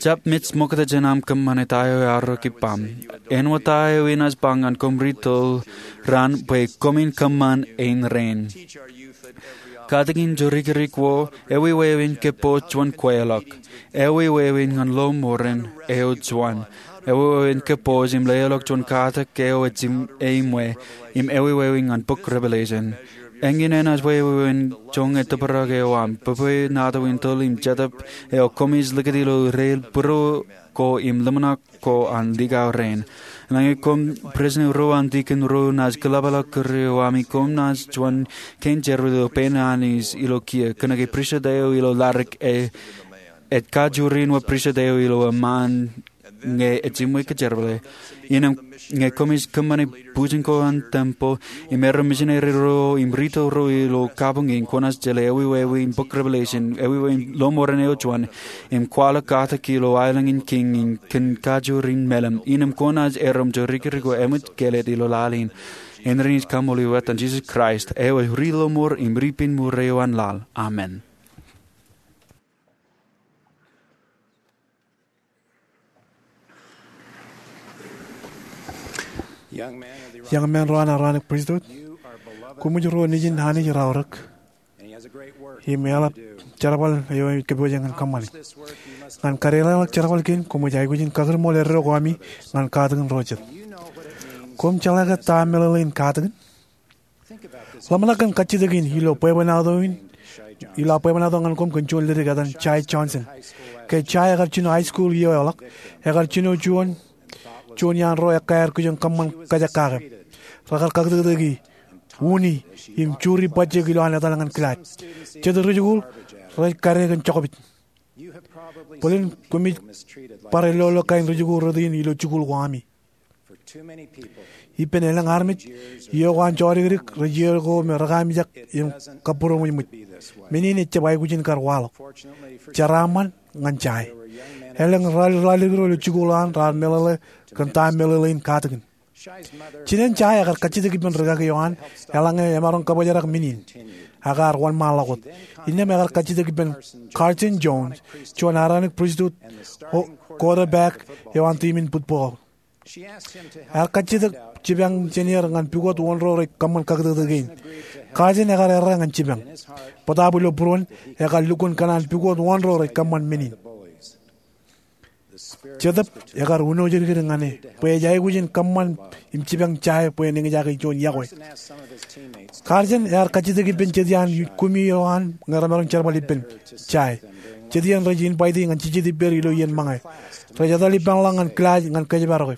jab mej ṃokta jān aṃ kōṃṃane ta eo eaorōk ippaṃ. Āinwōt ta eo enaaj ba ñan koṃ rito raan bwe koṃin kōṃṃan ein rein. Katakin jorikirik wōt, ewi wāween kōpooj juon kweilọk, ewi wāween ñan lọmọọren eo juon, ewi wāween kōpooj im leḷọk juon katak eo ej im eṃṃan, im ewi wāween ñan bok Revelation. Eñin enaaj wāween joñan tōprak eo aṃ, bwebwenato in tōl im jetōb eo koṃij likūt ilo rael būruō ko im ḷōmṇak ko an likao rein. Eḷaññe koṃ president ro an deacon ro naaj kōḷapḷọk kūr eo ami, koṃ naaj juon kein jerbal ilo pein Anij ilo kiiō, kōnke pristut eo ilo ladik ej kajjioñ wōt pristut eo ilo eṃṃaan ñe ej jiṃwe kōjerbale. Innām ñe koṃij kōṃṃane bwijin ko an tempel im erro misineri ro im rito ro ilo kabuñ in, kwōnaaj jeḷā ewi wāween bok Revelation, ewi wāween lọmọọren eo juon, im kwaḷọk katak ilo aelōñ in kiiñ in kōn kajjioñ mālim. Innām kwōnaaj erom jorikirik ko eṃōj kāālōt ilo laḷ in. Āindein ij kaṃṃoolol eok etan Jisōs Kraist, eo ej ri lọmọọr im ri pen ṃour eo an laḷ. Amen. Young men ro an Aaronic Priesthood, koṃij ruo nejin Anij raorōk. Im eḷap jerbal eo ej kōpooje ñan kōṃṃane. Ñan kadeḷọñ jerbal kein, koṃij aikuj in kakūrṃool eddo ko ami ñan katakin ro jet. Koṃ jeḷā ke ta meḷeḷein katakin? Ḷōmṇak kōn kajjitōk in ilo bwebwenato in, ilo aō bwebwenato ñan koṃ kōn juon ledik etan Jay Johnson. Ke Jay ekar jino high school iiō eo ḷọk, ekar jino juon, juon iaan ro ekkā aer kijoñ kōṃṃan kajekake. Rekar kakūtkōtōki, uni, im juri bajjek ilowaan etal ñan kilaaj. Jet rijikuuḷ rej kade kōn jokpej. Bōlen koṃij bar elolo kain rijikuuḷ rot in ilo jikuuḷ ko ami. Ippān elōñ armej, iiō ko an jodikdik rej iiō ko me rekaamijak im kabūroṃōjṃōj. Men in ejjab aikuj in kar waḷọk. Jeraaṃṃan ñan Jay. Elōñ ralitōl ro ilo jikuuḷ an raar meḷeḷe kōn ta meḷeḷein katakin. Jinen Jay ekar kajjitōk ippān rikaki eo an eḷaññe emaroñ kabōjrak men in. Ak ear wōnṃaanḷọk wōt. Innām ekar kajjitōk ippān Carson Jones, juon Aaronic Priesthood quarterback eo an tiim in football. Ear kajjitōk jipañ jān er ñan pukot wōn ro rej kōṃṃan kakūtkōtōk kein. Carson ekar errā ñan jipañ. Bōtaab ilo būruon, ekar lukkuun kōṇaan pukot wōn ro rej kōṃṃan men in. Jetōb ekar uno jidikdik ñan e bwe ej aikuj in kōṃṃan im jipañ Jay bwe en eñjake juon yokwe. Carson ear kajjitōk ippān jet iaan kumi eo an ñe remaroñ jerbal ippān Jay. Jet iien rej invite ñan jejjet ippāer ilo iien ṃōñā. Rej etal ippānḷọk ñan kilaaj ñan kōjparoke.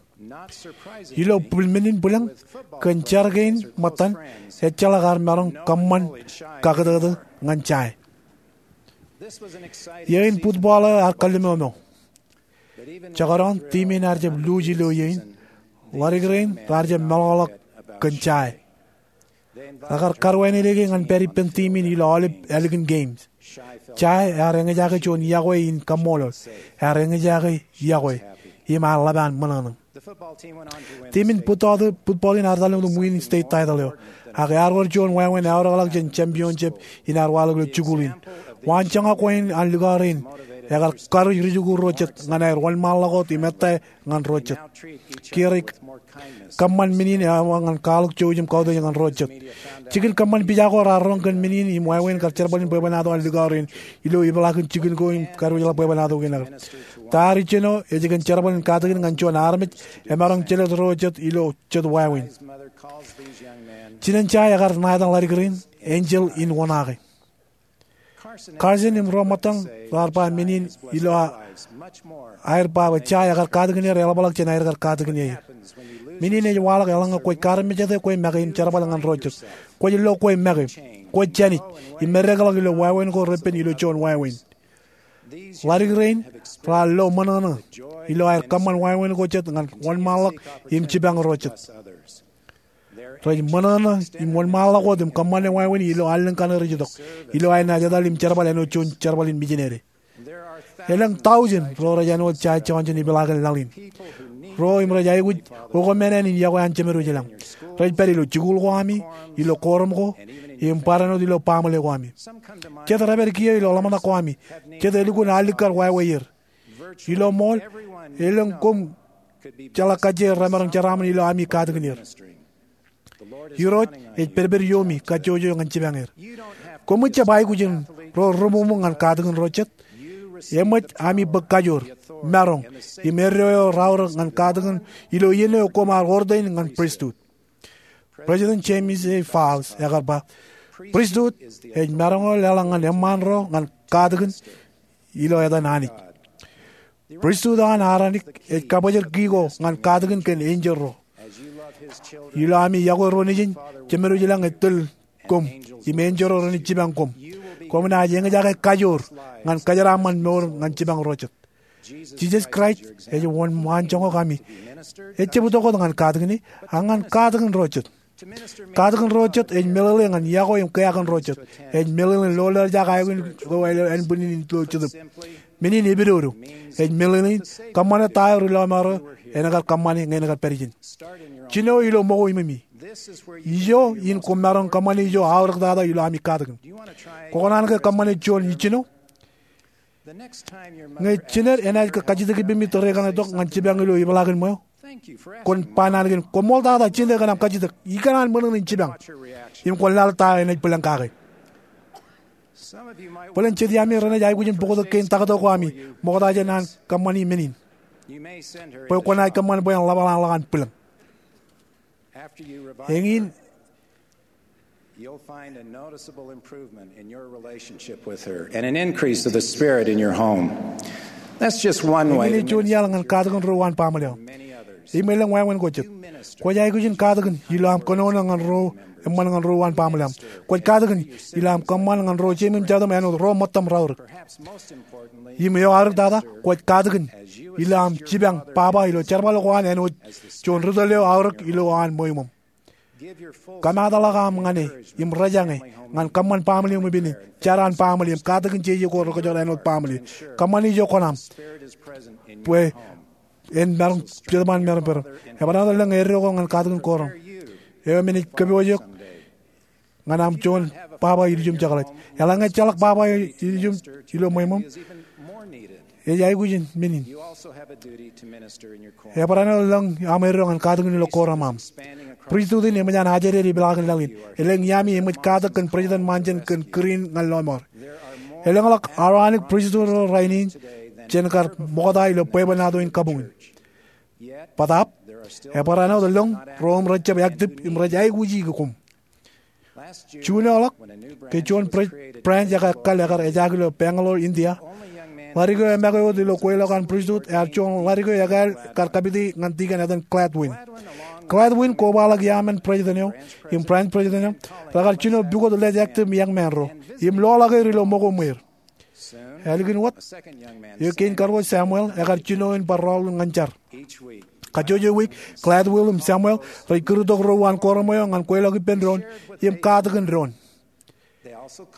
Ilo bwil men in bwilōñ, kōn jar kein ṃōttan, ejjeḷọk ear maroñ kōṃṃan kakūtkōtōk ñan Jay. Iiō in football eo ear kalliṃoṃo. Jekdọọn tiim in ear jab lose ilo iiō in, ḷadik rein raar jab meḷọkḷọk kōn Jay. Rekar karuwaindeiki ñan pād ippān tiim in ilo aolep ālikin games. Jae ear eñjake juon iọkwe in kaṃṃoolol. Ear eñjake iọkwe im ear ḷap an ṃōṇōṇō. Timin bōtball in ear etal im win state title eo, ak ear wōr juon wāween eaorōkḷọk jān championship in ear waḷọk ilo jikuuḷ in. Waanjoñak ko an likao rein ekar karuj rijikuuḷ ro jet ñan aer wōnṃaanḷọk wōt im ettā ñan ro jet. Kiiō rej kōṃṃan men in eawa ñan kwaḷọk jouj im kautiej ñan ro jet. Jikin kōṃṃan pija ko raar roñ kōn men in im wāween kar jerbal in bwebwenato an likao rein ilo ipeḷaakin jikin ko im kadiwōjḷọk bwebwenato kein aō. Ta ear ijjino ej kōn jerbal in katakin ñan juon armej emaroñ jelōt ro jet ilo jet wāween. Jinen Jae ekar ṇa etan ḷadik rein enjeḷ in oṇaake. Carson im ro ṃōttaṃ raar ba men in ilo aer ba bwe Jae ekar katakin er eḷapḷọk jān aer kar katakin er. Men in ej waḷọk eḷaññe kwōj kaarmejate kwe make im jerbal ñan ro jet. Kwōj lo kwe make, kwōj jānij, im meddekḷọk ilo wāween ko repen ilo juon wāween. Ḷadik rein raar lo ṃōṇōṇō ilo aer kōṃṃan wāween ko jet ñan wōnṃaanḷọk im jipañ ro jet. Rej ṃōṇōṇō im wōnṃaanḷọk wōt im kōṃṃane wāween ilo allōñ kaṇe rej itok, ilo aer naaj etal im jerbal āinwōt juon jerbal in mijinere. Elōñ tọujin ro rej āinwōt Jae Johnson ipeḷaakin laḷ in, ro im rej aikuj okamān in iọkwe an Jemedwōj ilañ. Rej pād ilo jikuuḷ ko ami, ilo koorom ko, im barāinwōt ilo baaṃle ko ami. Jet rej pād kiiō ilo ḷōmṇak ko ami. Jet elukkuun alikkar wāweier. Ilo ṃool, elōñ koṃ jeḷā kajjien remaroñ jeraaṃṃan ilo ami katakin er. Irooj ej pedped iiomi kajjojo ñan jipañ er. Koṃij jab aikuj in ro reṃoṃōk ñan katakin ro jet. Eṃōj ami bōk kajoor, maroñ, im eddo eo raorōk ñan katakin ilo iien eo koṃ ar ordain ñan pristut. President James A. Faust ekar ba, pristut ej maroñ eo leḷọk ñan eṃṃaan ro ñan katakin ilo etan Anij. Pristut eo an Aronik ej kabōjrak ki ko ñan katakin kōn enjeḷ ro. Ilo ami iọkwe ro nejin, Jemedwōj ilañ ej tōl koṃ im enjeḷ ro renaaj jipañ koṃ. Koṃ naaj eñjake kajoor ñan kōjeraaṃṃan mour ñan jipañ ro jet. Jisōs Kraist ej wōnṃaanjoñak ami, ejjab itok wōt ñan katakin e, ak ñan katakin ro jet. Katakin ro jet ej meḷeḷe ñan iọkwe im kea kōn ro jet. Ej meḷeḷe in lo leḷọk aikuj ko ānbwinnin in lo jetōb. Men in epidodo. Ej meḷeḷe in kōṃṃane ta eo ri lọmọọr eo en kar kōṃṃane ñe en kar pād ijin. Jino ilo ṃōko iṃōmi. Ijo in koṃ maroñ kōṃṃane ijo aorōk tata ilo ami katakin. Kwō kōṇaan ke kōṃṃane juon ijjino? Ñe jined enaaj ke kajjitōk ippemi tōre kaṇe tok ñan jipañ ilo ipeḷaakin ṃweo, kwōn ba naan kein, koṃṃool tata, jined kōn aṃ kajjitōk. Ikōṇaan ṃōṇōṇō in jipañ. Im kwōn laḷ ta eo enaaj bwilōñ kake. Bōlen jet iaami renaaj aikuj in bōktok kein taktō ko ami ṃokta jān an kōṃṃani men in, bwe kwōnaaj kōṃṃan bwe en ḷapḷọk an bwilōñ. Eñin, you'll find a noticeable improvement in your relationship with her and an increase of the Spirit in your home. That's just one way. Eñin ej juon iaḷ ñan katakin ro uwaan baaṃle eo. Im elōñ wāween ko jet. Kwōj aikuj in katakin ilo aṃ kōnono ñan ro, eṃṃan ñan ro uwaan baaṃle eo. Kwōj katakin ilo aṃ kōṃṃan ñan ro jeiṃ im jatūṃ āinwōt ro ṃōttaṃ raorōk. Im eo aorōk tata, kwōj katakin ilo aṃ jipañ baba ilo jerbal ko an āinwōt juon ri tōl eo aorōk ilo an ṃweo iṃōṃ. Kōmaatḷọk aṃ ñan e im rejañe ñan kōṃṃan baaṃle iṃōn ippān, jar an baaṃle im katakin jeje ko rekōjkan āinwōt baaṃle. Kōṃṃan ijo kōṇaṃ bwe en maroñ, jet ṃaan maroñ peran. Ebar āinwōt elōñ eddo ko ñan katakin kooraṃ eo me ej kōpooj eok ñan aṃ juon baba ilju im jekḷaj. Eḷaññe ejjeḷọk baba ilju ilo ṃweo iṃōṃ, ej aikuj in men in. Ebar āinwōt elōñ aṃ eddo ñan katakin ilo kooraṃ aṃ. Pristut in eṃōj an ajri eo ipeḷaakin laḷ in. Elōñ iaami eṃōj katak kōn President Monson kōn kūr in ñan lọmọọr. Elōñḷọk Aronik pristut ro rainin jān kar ṃokta ilo bwebwenato in kabuñ in. Bōtaab, ebar āinwōt elōñ ro im rejjab active im rej aikuji koṃ. June eo ḷọk, ke juon pre-, branch ekar ekkal ekar ejaak ilo Bangalore, India, ḷadik eo emake wōt ilo kweilọk an pristut ear juon ḷadik eo ekāāl kar kapiti ñan dikon etan Gladwin. Gladwin kobaḷọk iaamān president eo im branch president eo, rekar jino pukot lej active young man ro im loḷọk er ilo ṃōko ṃweer. Ālikin wōt, eo kein karuo Samuel ekar jino in bar rọọlḷọk ñan jar. Kajjojo wiik, Gladwin im Samuel rej kūrtok ro uwaan kooraṃ eo ñan kweilọk ippān doon im katakin doon.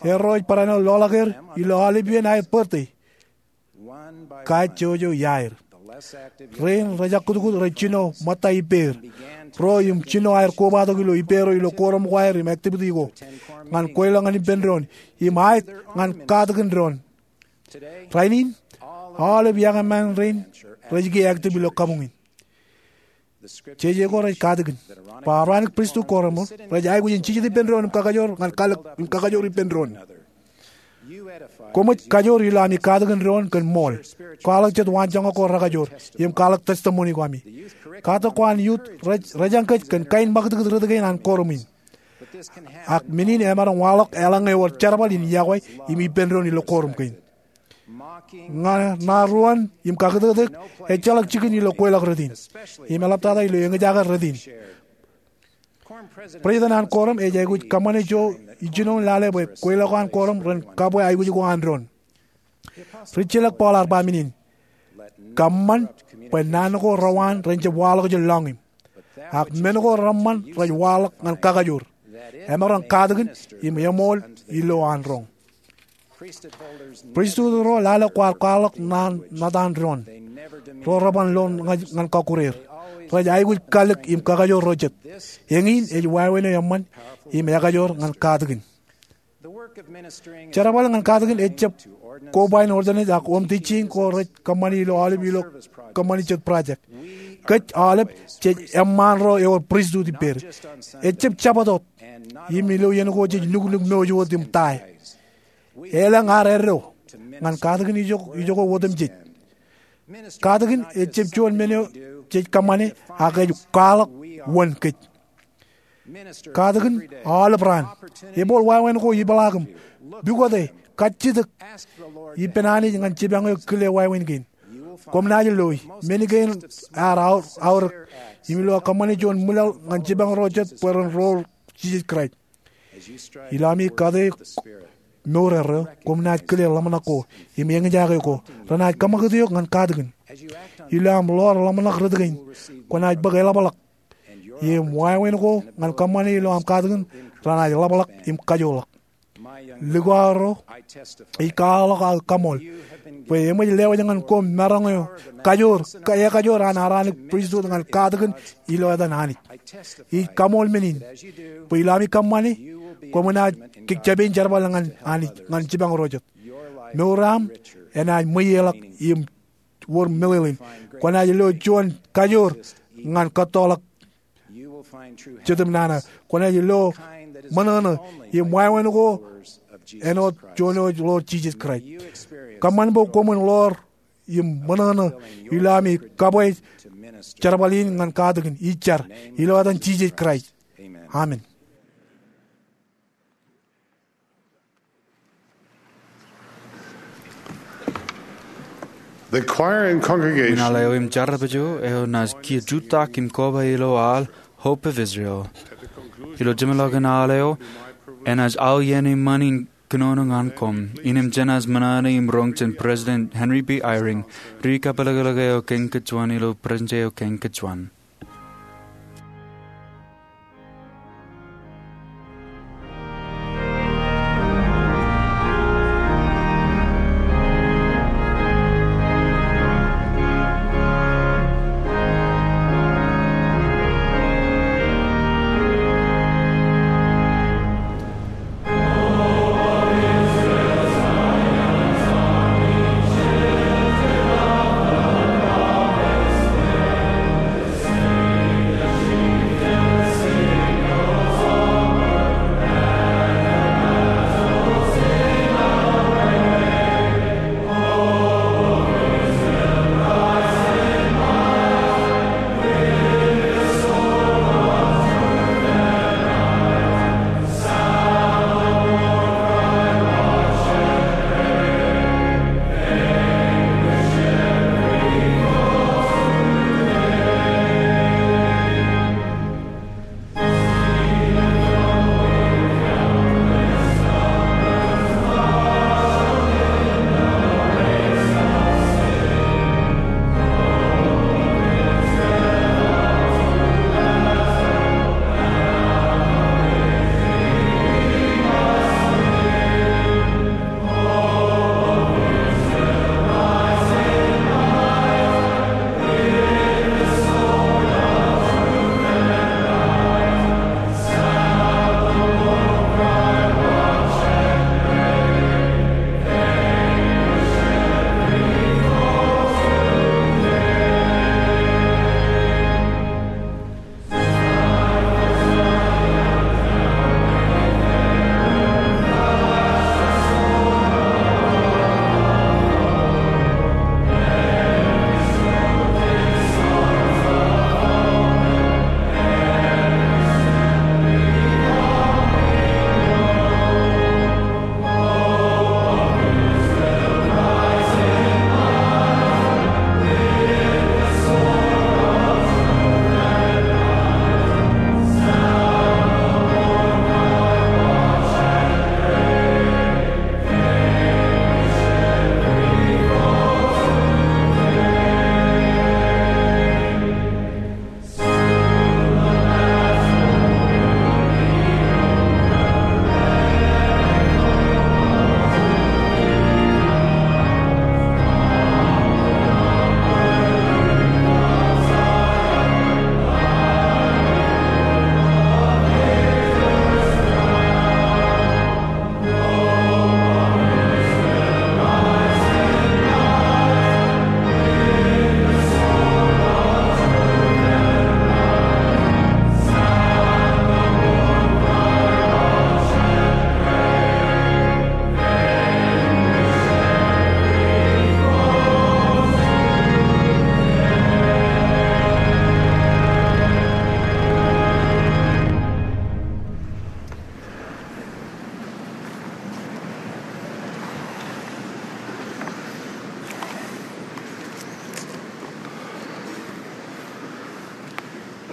Erro ej barāinwōt loḷọk er ilo aolep iien aer birthday, kajjojo iaer. Rein rej jakkūtkūt rej jino ṃōtta ippāer. Ro im jino aer kobatok ilo ippāer ilo quorum ko aer im activity ko ñan kweilọk ñan ippān doon im aet ñan katakin doon. Rainin, aolep iọkwe ṃaan rein rej kiiō active ilo kabuñ in. Jeje ko rej katakin bwe Aaronic Priesthood Quorum rej aikuj in jijet ippān doon im kakajoor ñan kalōk im kakajoor ippān doon. Koṃij kajoor ilo ami katakin doon kōn ṃool, kwaḷọk jet waanjoñak ko rekajoor, im kwaḷọk testimony ko ami. Katak ko an youth rej, rej eñkōj kōn kain ṃakūtkūt rot kein an quorum in. Ak men in emaroñ waḷọk eḷaññe ewōr jerbal in iọkwe im ippān doon ilo quorum kein. Ña, ṇa ruon im kakūtkūt eok, ejjeḷọk jikin ilo kweilọk rot in im eḷaptata ilo eñjake rot in. President an quorum ej aikuj kōṃṃane ijo ijinoin lale bwe kweilọk ko an quorum ren kabwe aikuj ko an doon. Rijjelōk Paul ear ba men in, kōṃṃan bwe naan ko rewaan ren jab waḷọk jān lọñiṃ, ak men ko reṃṃan rej waḷọk ñan kakajoor. Emaroñ katakin im eṃool ilo an roñ. Priesthood ro lale kwaar kwaḷọk naan ṇa etan doon. Ro reban lo ñan kọkkure er. Rej aikuj kalōk im kakajoor ro jet. Eñin ej wāween eo eṃṃan im ekajoor ñan katakin. Jerbal ñan katakin ejjab koba in ordinance ak home teaching ko rej kōṃṃani ilo aolep ilo kōṃṃani jet project. Kōj aolep jej eṃṃaan ro ewōr priesthood ippāer. Ejjab Jabōt wōt im ilo iien ko jej nuknuk mouj wōt im tie. Elōñ ad eddo ñan katakin ijoko, ijoko otemjej. Katakin ejjab juon men eo jej kōṃṃane ak ej kwaḷọk wōn kōj. Katakin aolep raan. Ebooḷ wāween ko ipeḷaakim. Pukote, kajjitōk ippān Anij ñan jipañ eo kile wāween kein. Koṃ naaj loi. Men kein ear aorōk. Im ilo aō kōṃṃane juon ṃwilaḷ ñan jipañ ro jet bwe ren rool Jisōs Kraist. Ilo ami kate mour erreo, koṃ naaj kile ḷōmṇak ko im eñjake ko. Renaaj kōṃakūt eok ñan katakin. Ilo aṃ ḷoor ḷōmṇak rot kein, kwōnaaj bōk eḷapḷọk. Im wāween ko ñan kōṃṃane ilo aṃ katakin renaaj ḷapḷọk im kajoḷọk. Likao ro, ij kwaḷọk aō kaṃool bwe eṃōj lewōj ñan koṃ maroñ eo kajoor, ekajoor an Aaronic Priesthood ñan katakin ilo etan Anij. Ij kaṃool men in bwe ilo ami kōṃṃane, koṃ naaj kōjjab in jerbal ñan Anij ñan jipañ ro jet. Mour eo aṃ enaaj ṃweieḷọk im wōr meḷeḷein. Kwōnaaj lo juon kajoor ñan kōttoḷọk Jetōb Nana. Kwōnaaj lo ṃōṇōṇō im wāween ko āinwōt juon eo ej Lord Jisōs Kraist. Kōṃṃan bwe koṃwin ḷoor im ṃōṇōṇō ilo ami kabwe jerbal in ñan katakin. Ij jar ilo etan Jisōs Kraist. Amen. The choir and congregation. Inaḷ eo im jar eo eo enaaj kiiō jutak im koba ilo aḷ Hope of Israel. Ilo jeṃḷọkin aḷ eo, enaaj aō iien eṃṃan in kōnono ñan koṃ. Innem jenaaj ṃōṇōṇō im roñ jān President Henry B. Eyring, ri kapeḷḷọk eo kein kōjuon ilo Presidency eo kein kōjuon.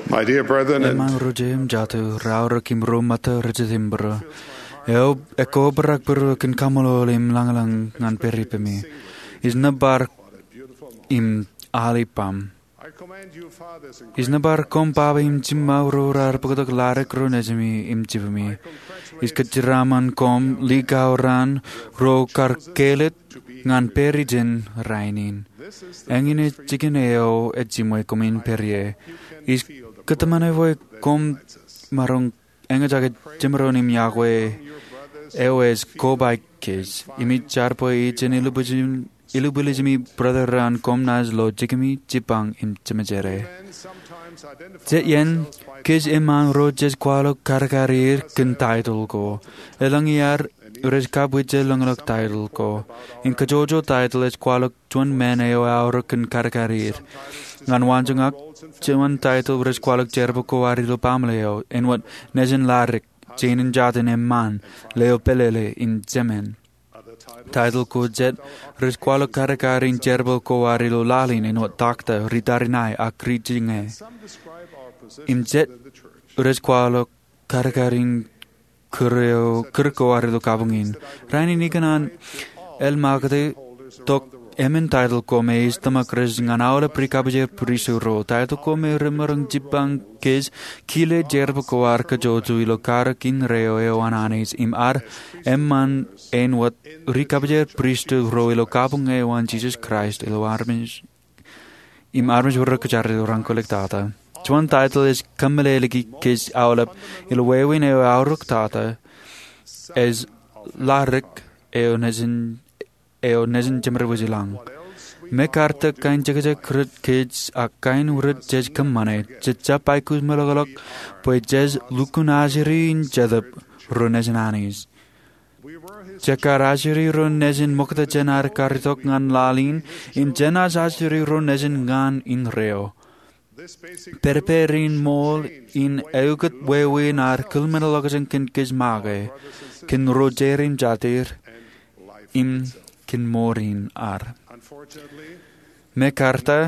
My dear brethren, eṃṃan ro jeiū im jatū, raorōk im ro ṃōtto rej jitōnbōro, eo ekobrak bōro kōn kaṃṃoolol im lañlōñ ñan pād ippemi. Ij nōbar im al ippaṃ. Ij nōbar koṃ baba im jiṃṃa ro raar bōktok ladik ro nejimi im jibimi. Ij kōjeraṃṃan koṃ likao raan ro kar kāālōt ñan pād ijin rainin. Eñin ej jikin eo ejiṃwe koṃwin pād ie. Ij kōtmāne bwe koṃ maroñ eñjake jemdoon im yokwe eo ej kobaik kōj. Im ij jar bwe ijin ilubwilejimi brother raan koṃ naaj lo jikimi jibbañ im jeṃjeḷā. Jet iien, kōj eṃṃan ro jej kwaḷọk kadkad er kōn taitōl ko. Elōñ iaad rej kab ijjel lōñḷọk taitōl ko. Im kajjojo taitōl ej kwaḷọk juon men eo aorōk kōn kadkad er. Ñan waanjoñak, juon taitōl rej kwaḷọk jerbal ko ad ilo baaṃle eo, āinwōt Nejin Ladik, Jein in Jatin, eṃṃan, Leo Pālele, im Jemān. Taitōl ko jet rej kwaḷọk kadkad in jerbal ko ad ilo laḷ in, āinwōt Doctor, Ri Tariṇae, ak Ri Jiñe. Im jet rej kwaḷọk kadkad in kūr eo, kūr ko ad ilo kabuñ in. Rainin ikōṇaan eḷmaakūti tok emān taitōl ko me ej tōmak rej ñan aolep ri kabwijer pristut ro. Taitōl ko me remaroñ jibbañ kōj kile jerbal ko ad kajjojo ilo karōk indeeo eo an Anij im ad eṃṃan āinwōt ri kabwijer pristut ro ilo kabuñ eo an Jisōs Kraist ilo armej im armej ro kwōjarjar ilo raṇ kwōlōktata. Juon taitōl ej kōmeḷeḷeiki kōj aolep ilo wāween eo aorōktata ej Ladik eo nejin, eo nejin jeṃredwōj i lañ. Mekaarte kain jekjek rot kōj ak kain rot jej kōṃṃane, jej jab aikuj meḷọkḷọk bwe jej lukkuun ajri in Jetōb ro nejin Anij. Jekar ajri ro nejin ṃokta jān ad karitok ñan laḷ in, im jenaaj ajri ro nejin ñan indeeo. Pedped in ṃool in eukōt wāween ad kilmeḷeḷọkjeṇ kōn kōj make, kōn ro jeid im jatid, im kōn mour in ad. Mekaarte,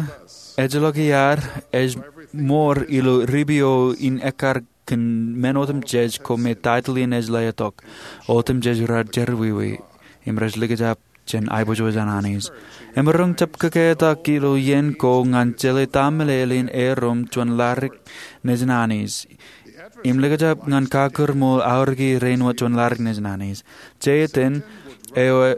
ejjeḷọk iaad ej mour ilo ribio in ekkar kōn men otemjej ko me taitōl in ej letok. Otemjej raar jerọwiwi im rej likjab jān aiboojoj an Anij. Emaroñ jab kōketak ilo iien ko ñan jeḷā ta meḷeḷein erom juon Ladik nejin Anij im likjab ñan kakūrmool aorōki rein wōt juon Ladik nejin Anij. Jeiten eo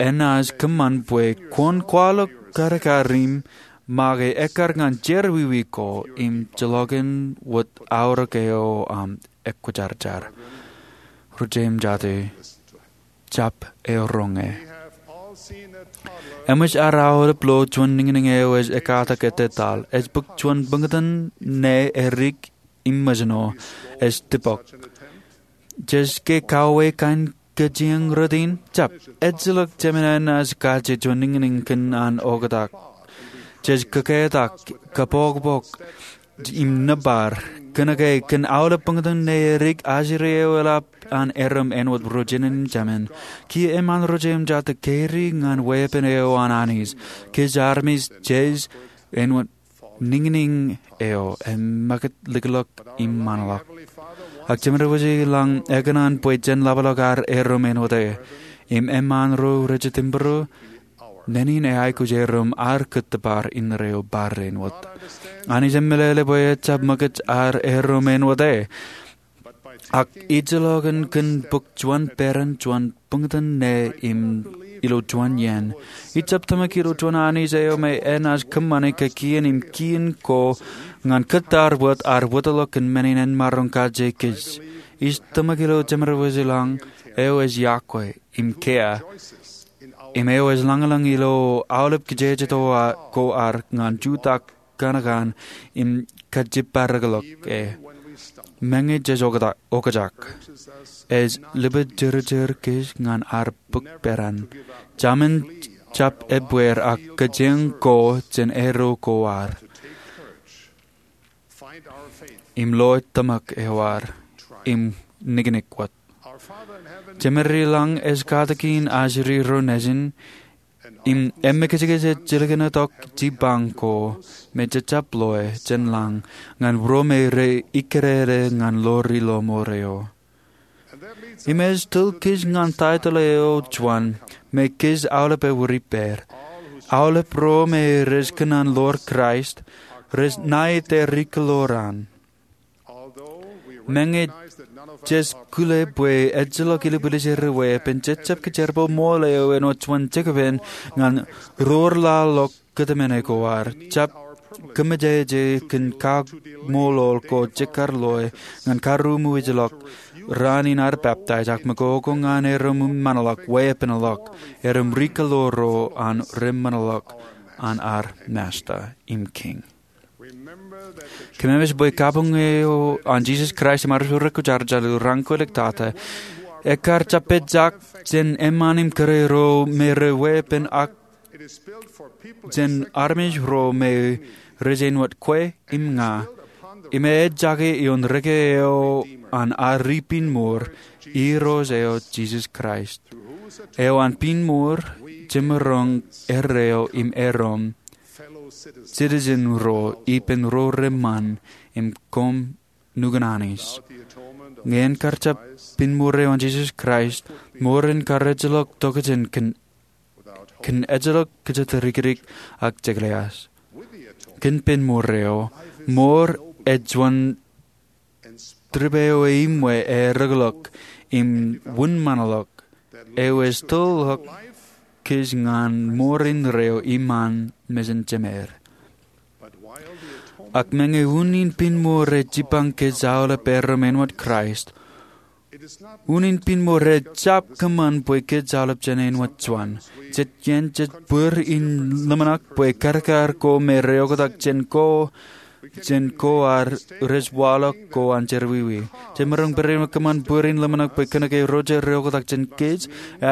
enaaj kōṃṃan bwe kwōn kwaḷọk kadkad im make ekkar ñan jerọwiwi ko im jeḷọkin wōt aorōk eo aṃ ekwōjarjar. Ri-jeiū im jatū, jab eoroñe. Eṃōj ad aolep lo juon niñniñ eo ej ekkatak ettetaḷ. Ej bōk juon buñtōn ne edik im mōjṇo, ej tipọk. Jej ke kauwe kain kajjieñ rot in? Jab. Ejjeḷọk jemān enaaj kaje juon niñniñ kōn an oktak. Jej kōketak, kōpokpok, im nōbar. Kōnke kōn aolep buñtōn ne edik, ajri eo eḷap an erom āinwōt ro jinōn im jemān. Kiiō eṃṃan, ri-jeiū im jatū, kōjro ñan weeppān eo an Anij. Kōj armej jej āinwōt niñniñ eo, im ṃakūt likḷọk im ṃanḷọk. Ak Jemedwōj ilañ ekōṇaan bwe jen ḷapḷọk ad erom āinwōt e. Im eṃṃan ro rej jitōnbōro, neen in eaikuj erom ad kōttōpar indeeo bar āinwōt. Anij emeḷeḷe bwe ejjab ṃōkaj ad erom āinwōt e. Ak ejjeḷọkin kōn bōk juon peran juon buñtōn ne im ilo juon iien. Ij jab tōmak ilo juon Anij eo me enaaj kōṃṃane kōkien im kien ko ñan kōttar wōt ad wōtlọk kōn men in en maroñ kaje kōj. Ij tōmak ilo Jemedwōj ilañ eo ej yokwe im kiiō, im eo ej lañlōñ ilo aolep kijeje ko ad ñan jutak kaṇ kaṇ im kajjippareḷọk e. Meñe jej okjak, ej lipejirjir kōj ñan ad bōk peran. Jemān jab ebbeer ak kōjeañ ko jān erro ko ad im lo tōmak eo ad im niknik wōt. Jemed ilañ ej katakin ajri ro nejin im emmekijkij ej jilkintok jipañ ko me jejjab loe jān lañ ñan ro me rej ikkidede ñan lo ri-lomour eo. Im ej tōl kōj ñan taitōl eo juon me kōj aolep ewōr ippāer. Aolep ro me rej kōṇaan loor Kraist rej ṇa ite ri-kōḷoran. Meñe jej kile bwe ejjeḷọk ilipilis er weeppān, jej jab kijerroñ ṃool eo āinwōt juon jekpen ñan ro raar lo kōtmāne ko ad, jab kōmmejeje kōn kaṃṃoolol ko jekar loe ñan karuṃwij ḷọk raan in ad peptaij ak ṃōko ko ñan erom ṃanḷọk, weeppān ḷọk, erom ri-kōḷoor ro an reṃanḷọk an ad Masta im Kiiñ. Kōmemej bwe kabuñ eo an Jisōs Kraist im Armej Ro Rekwōjarjar ilo Raan Kwōj Liktata ekkar jab pejjak jān eṃṃan im kōrā ro me rej weeppān ak jān armej ro me rej āinwōt kwe im ña. Im ej jake ioon reke eo an ad ri pinnmour, Irooj eo Jisōs Kraist, eo an pinnmour jemaroñ erreo im erom citizen ro ippān ro reṃṃan im koṃ nukun Anij. Ñe en kar jab pinnmour eo an Jisōs Kraist, mour en kar ejjeḷọk tokjān kōn, kōn ejjeḷọk kōjatdikdik ak jekḷeas. Kōn pinnmour eo, mour ej juon trip eo eṃṃan ereḷọk im wūnṃanḷọk eo ej tōl ḷọk kōj ñan mour indeeo iṃaan mejān jemed. Ak meñe unin pinnmour ej jipañ kōj aolep erom āinwōt Kraist, unin pinnmour ej jab kōṃṃan bwe kōj aolep jān āinwōt juon. Jet iien jej bōr in ḷōmṇak bwe karkar ko me rej oktak jān ko jān ko ad rej waḷọk ko an jerọwiwi. Jemaroñ barāinwōt kōṃṃan bōr in ḷōmṇak bwe kōnke ro rej oktak jān kōj,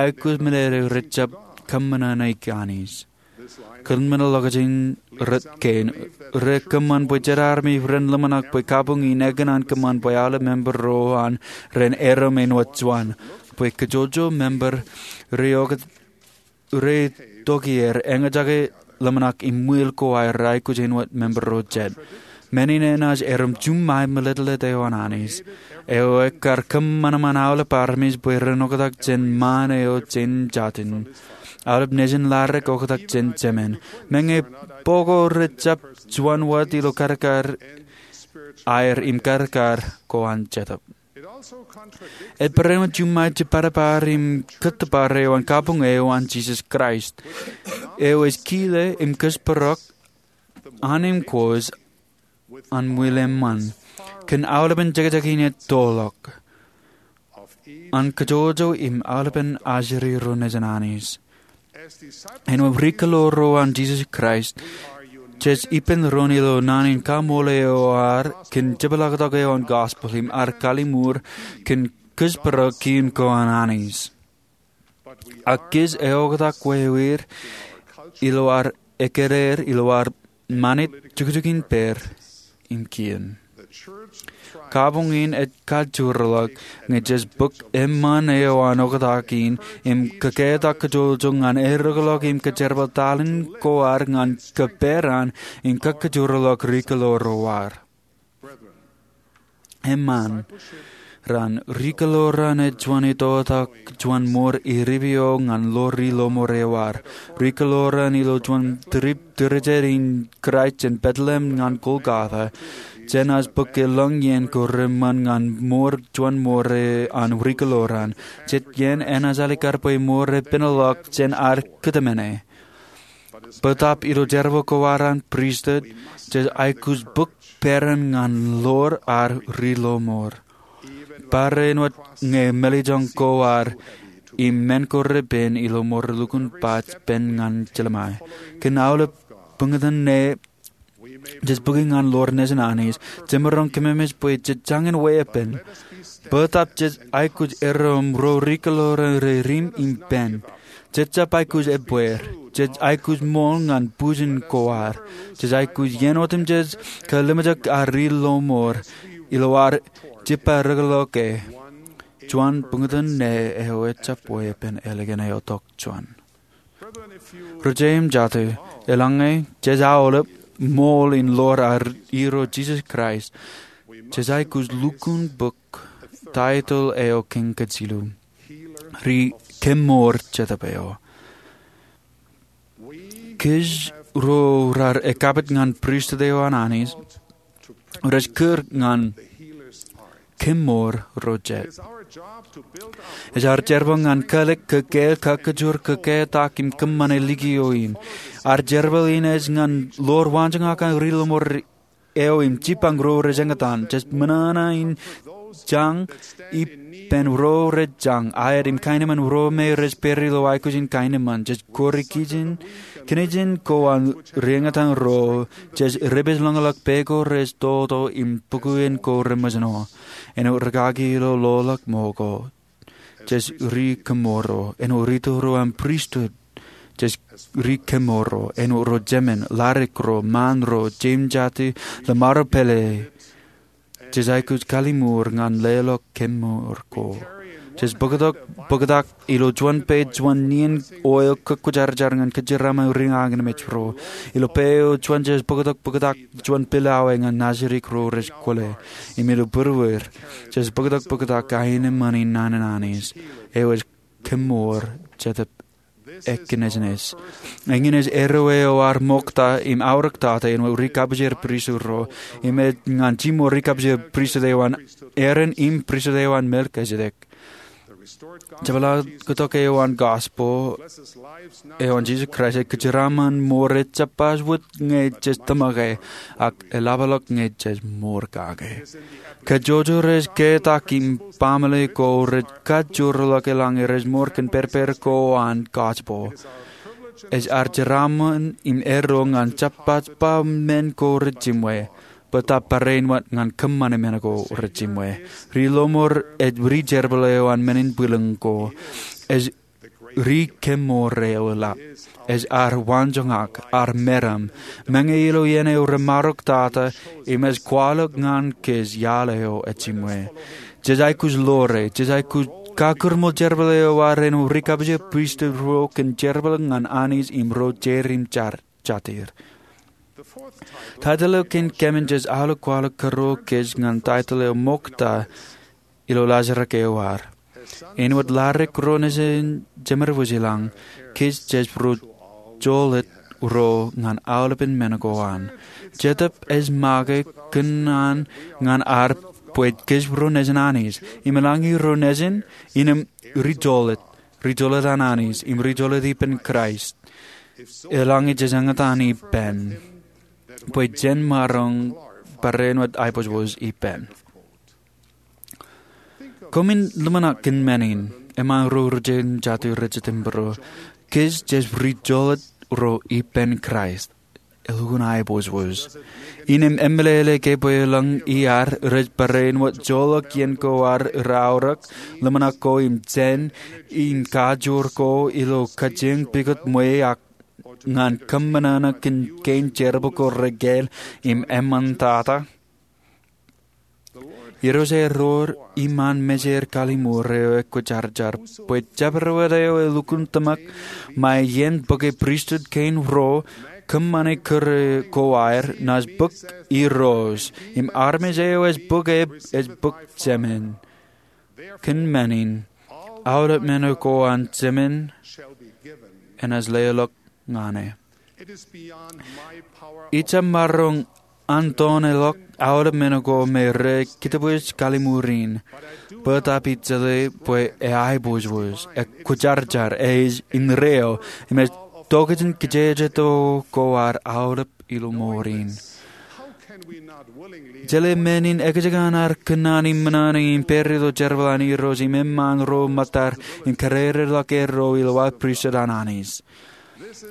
aikuj men eo rej jab kōṃṃan ṇe Anij. Kōn men eo ḷọkjein rot kein, rej kōṃṃan bwe jet armej ren ḷōmṇak bwe kabuñ in ekōṇaan kōṃṃan bwe aolep member ro an ren erom āinwōt juon. Bwe kajjojo member rej oktak rej tokāer, eñjake ḷōmṇak im ṃwiil ko aer aikuj āinwōt member ro jet. Men in enaaj erom juṃae mālōtlōt eo an Anij, eo ekkar kōṃanṃan aolep armej bwe ren oktak jān ṃaan eo jān jatū. Aolep nejin ḷadik oktak jān jemān. Meñe bok ko rej jab juon wōt ilo karkar aer im karkar ko an Jetōb. Ej barāinwōt juṃae jibadbad im kōttōpar eo an kabuñ eo an Jisōs Kraist, eo ej kile im kōjparok an im kōj an ṃwiil eṃṃan kōn aolepen jekjek in ettoḷọk an kōjwōjwo im aolepen ajri ro nejin Anij. Āinwōt ri-kōḷoor ro an Jisōs Kraist, jej ippān doon ilo naan in kaṃṃoolol eo ad kōn jepḷaaktok eo an gospel im ad kalliṃur kōn kōjparok kien ko an Anij. Ak kōj eoktak wāween ilo ad ekkāneer ilo ad ṃanit jukjuk in pād im kien. Kabuñ in ej kajoorḷọk ñe jej bōk eṃṃan eo an oktak in im kōketak kōjwōjwo ñan ereḷọk im kōjerbal talent ko ad ñan kōperan im kakajoorḷọk ri-kōḷoor ro ad. Eṃṃan, ri-kōḷoran ej juon itoitak juon mour eddo eo ñan lo ri-lomour eo ad. Ri-kōḷoran ilo juon trip tūrijed in Kraist jān Bethlehem ñan Golgotha, jenaaj bōk elōñ iien ko reṃṃan ñan mour juon mour an ri-kōḷoran. Jet iien enaaj alikar bwe mour ej pineḷọk jān ad kōtmāne. Bōtab ilo jerbal ko ad an pristut, jej aikuj bōk peran ñan loor ad ri-lomour, barāinwōt ñe mālejjoñ ko ad im men ko repen ilo mour lukkuun baj pen ñan jeḷā ṃae. Kōn aolep buñtōn ṇe jej bōki ñan loor nejin Anij, jemaroñ kōmemej bwe jej jañin weeppān. Bōtab jej aikuj erom ro ri-kōḷoran rej dim im pen. Jej jab aikuj ebbeer. Jej aikuj ṃool ñan bujen ko ad. Jej aikuj iien otemjej kōḷmānḷọkjeṇ ad ri-lomour ilo ad jeppareḷọke. Juon buñtōn ṇe eo ejjab weeppān ālikin eo tok juon. Ri-jeim jatū, eḷaññe jej aolep ṃool in ḷoor ad irooj Jisōs Kraist, jej aikuj lukkuun bōk taitōl eo kōn kōj jilu, ri-kemour jetōb eo. Kōj ro raar ekkapit ñan pristut eo an Anij, rej kūr ñan kemour ro jet. Ej ad jerbal ñan kālik, kōkāāl, kakajoor, kōkātak im kōṃṃane likio in. Ad jerbal in ej ñan ḷoor waanjoñak an ri-lọmọọr eo im jipañ ro rej eñtaan. Jej ṃōṇōṇō in jañ ippān ro rej jañ, aet im kaenōṃṃan ro me rej pād ilo aikuj in kaenōṃṃan. Jej kọọri kijenkijen ko an ri-eñtaan ro. Jej repeej ḷōñḷọk pā ko rej toto im pukien ko reṃōjṇọ. Āinwōt rūkaki ilo ḷoḷḷọk ṃōko, jej ri-kemour ro. Āinwōt ri-tōl ro an pristut, jej ri-kemour ro. Āinwōt ro jemān, ladik ro, ṃaan ro, jeim jatū, ḷōṃaro pālle, jej aikuj kalliṃur ñan leḷọk kemour ko. Jej bōktok bōktak ilo juon pā juon nien oil kōkkwōjarjar ñan kōjeraaṃṃan ri-ña ñan mej ro. Ilo pā eo juon jej bōktok bōktak juon pilawā ñan najidik ro rej kwōle. Im ilo būruer, jej bōktok bōktak kaenōṃṃan in naan in Anij eo ej kemour jetōb ekōṇōṇō. Eñin ej eddo eo ad ṃokta im aorōktata āinwōt ri-kapijer pristut ro, im ej ñan jiṃor ri-kapijer pristut eo an Aaron im pristut eo an Melchizedek. Jepḷaaktok eo an gospel eo an Jisōs Kraist ej kōjeraaṃṃan ṃoor ej jab baj wōt ñe jej tōmake, ak eḷapḷọk ñe jej ṃoor kake. Kajjojo rej ketak im baaṃle ko rej kajoorḷọk eḷaññe rej ṃoor kōn pedped ko an gospel. Ej ad jeraaṃṃan im eddo ñan jab baj ba men ko rej jiṃwe, bōtab barāinwōt ñan kōṃṃane men ko rej jiṃwe. Ri-lọmọọr ej ri-jerbal eo an men in bwilōñ ko. Ej ri-kemour eo eḷap. Ej ad waanjoñak, ad meram, meñe ilo iien eo remaroktata, im ej kwaḷọk ñan kōj iaḷ eo ejiṃwe. Jej aikuj ḷoore, jej aikuj kakūrṃool jerbal eo ad āinwōt ri-kapijer pristut ro kōn jerbal ñan Anij im ro jeid im jatid. Taitōl eo kōn kōmin jej aolep kwaḷọk kōrọọl kōj ñan taitōl eo ṃokta ilo laajrak eo ad. Āinwōt ladik ro nejin jemed wōj i lañ, kōj jej ri-joḷōt ro ñan aolepen men ko an. Jetōb ej make kōnono ñan ad bwe kōj ro nejin Anij. Im eḷaññe ro nejin, innem ri-joḷōt, ri-joḷōt an Anij, im ri-joḷōt ippān Kraist. Eḷaññe jej eñtaan ippān, bwe jen maroñ barāinwōt aiboojoj ippān. Koṃwin ḷōmṇak kōn men in, eṃṃaan ro rijin jatū rej jitōnbōro, kōj jej ri-joḷōt ro ippān Kraist. Elukkuun aiboojoj. Innem emeḷeḷe ke bwe elōñ iaad rej barāinwōt joḷọk iien ko ad raorōk, ḷōmṇak ko im jān, im kajoor ko ilo kajjioñ pukot ṃwe ak ñan kōṃṃan kōn kein jerbal ko rekāāl im eṃṃantata. Irooj eo ewōr iṃaan mejeir kalliṃur eo ekwōjarjar bwe jabdewōt eo elukkuun tōmak ṃae iien bōke pristut kein ro kōṃṃane kūr ko aer naaj bōk irooj, im armej eo ej bōk eb ej bōk jemān. Kōn men in, aolep men ko an jemān enaaj leḷọk ñan e. Ij jab maroñ antoneḷọk aolep men ko me rej kitōpwij kalliṃur in, bōtab ij jeḷā bwe eaiboojoj, ekwōjarjar, ej indeeo, im ej tokjān kijeje to ko ad aolep ilo mour in. Jeḷā men in ekjek an ad kōnono im ṃōṇōṇō im pād ilo jerbal an Irooj im eṃṃaan ro ṃōttad im kadedeḷọk eddo ilo aō pristut an Anij.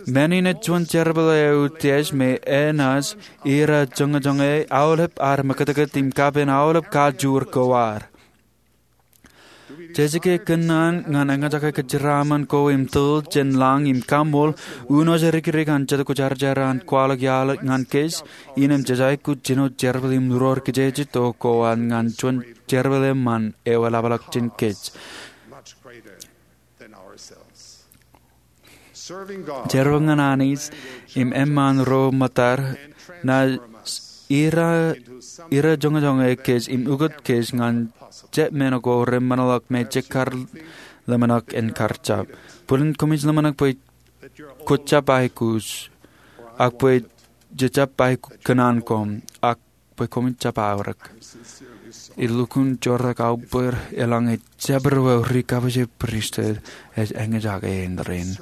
Men in ej juon jerbal eo utiej me enaaj ira joñejoñe aolep ad mekūtkūt im kapen aolep kajoor ko ad. Jej ke kōnono ñan eñjake kōjeraaṃṃan ko im tōl jān lañ im kaṃool, uno ej dikdik an Jetōb Kwōjarjar an kwaḷọk iaḷ ñan kōj, innem jej aikuj jino jerbal im ro kijeje to ko ad ñan juon jerbal eṃṃan eo eḷapḷọk jān kōj. Jerbal ñan Anij im eṃṃaan ro ṃōttad naaj ira, ira joñojoñe kōj im ukōt kōj ñan jet men ko reṃṃanḷọk me jekar ḷōmṇak en kar jab. Bōlen koṃij ḷōmṇak bwe kwōjab aikuj, ak bwe jejab aikuj kōṇaan koṃ, ak bwe koṃij jab aorōk. Ilukkuun jorrāān aō bōd eḷaññe jabdewōt ri-kabbokbok pristut ej eñjake in rainin.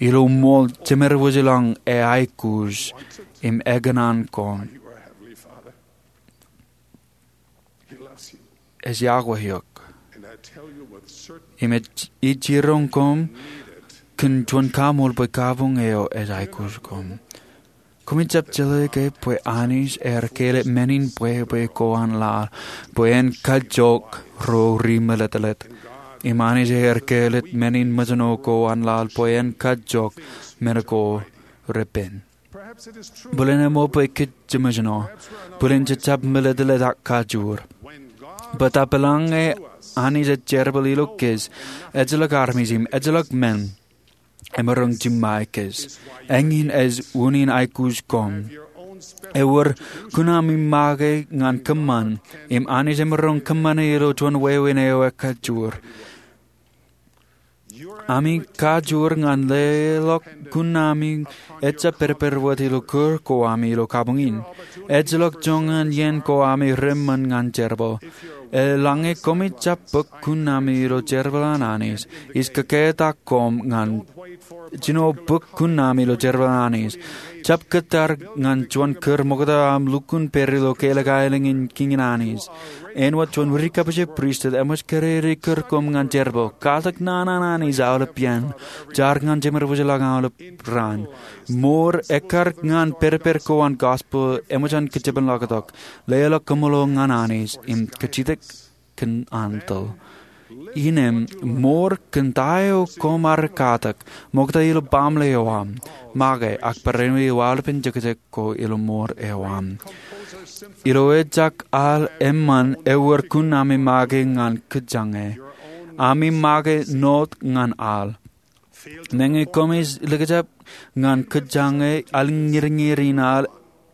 Ilo ṃool, Jemed wōjḷọk ej aikuj im ekōṇaan koṃ. Ej iọkwe eok. Im ij jiroñ koṃ kōn juon kaṃool bwe kabuñ eo ej aikuj koṃ. Koṃij jab jeḷā ke bwe Anij ear kāālōt men in bwebwe ko an laḷ bwe en kajjook ro ri-meletlet. Im Anij ear kāālōt men in mejān ko an laḷ bwe en kajjook men ko repen. Bōlen eṃṃan bwe kōj jemejān, bōlen jejab meletlet ak kajoor. Bōtab eḷaññe Anij ej jerbal ilo kōj, ejjeḷọk armej im ejjeḷọk men emaroñ jiṃṃae kōj. Eñin ej unin aikuj koṃ. Ewōr kuṇaami make ñan kōṃṃan, im Anij emaroñ kōṃṃane ilo juon wāween eo ekajoor. Ami kajoor ñan leḷọk kuṇaami ejjab pedped wōt ilo kūr ko ami ilo kabuñ in. Ejjeḷọk joñan iien ko ami reṃṃan ñan jerbal. Eḷaññe koṃij jab bōk kuṇaami ilo jerbal an Anij, ij kōkātak koṃ ñan jino bōk kuṇaami ilo jerbal an Anij. Jab kōttar ñan juon kūr ṃokta aṃ lukkuun pād ilo kālōk aelōñ in kiiñ in Anij. Āinwōt juon ri-kabbokbok pristut, eṃōj kōrā kūr koṃ ñan jerbal. Katak naan an Anij aolep iien. Jar ñan Jemed wōjḷọk aolep raan. Mour ekkar ñan pedped ko an gospel eṃōj an kōjepanḷọktok. Leḷọk kaṃṃoolol ñan Anij im kajjitōk kōn Anij. Innām, mour kōn ta eo koṃ ar katak, ṃokta ilo baaṃle eo aṃ, make ak barāinwōt ilo aolepen jekjek ko ilo mour eo aṃ. Ilo ejak al eṃṃan ewōr kuṇaami make ñan kōjjañe. Ami make ṇot ñan al. Meñe koṃij likjab ñan kōjjañe, aliñirñir in al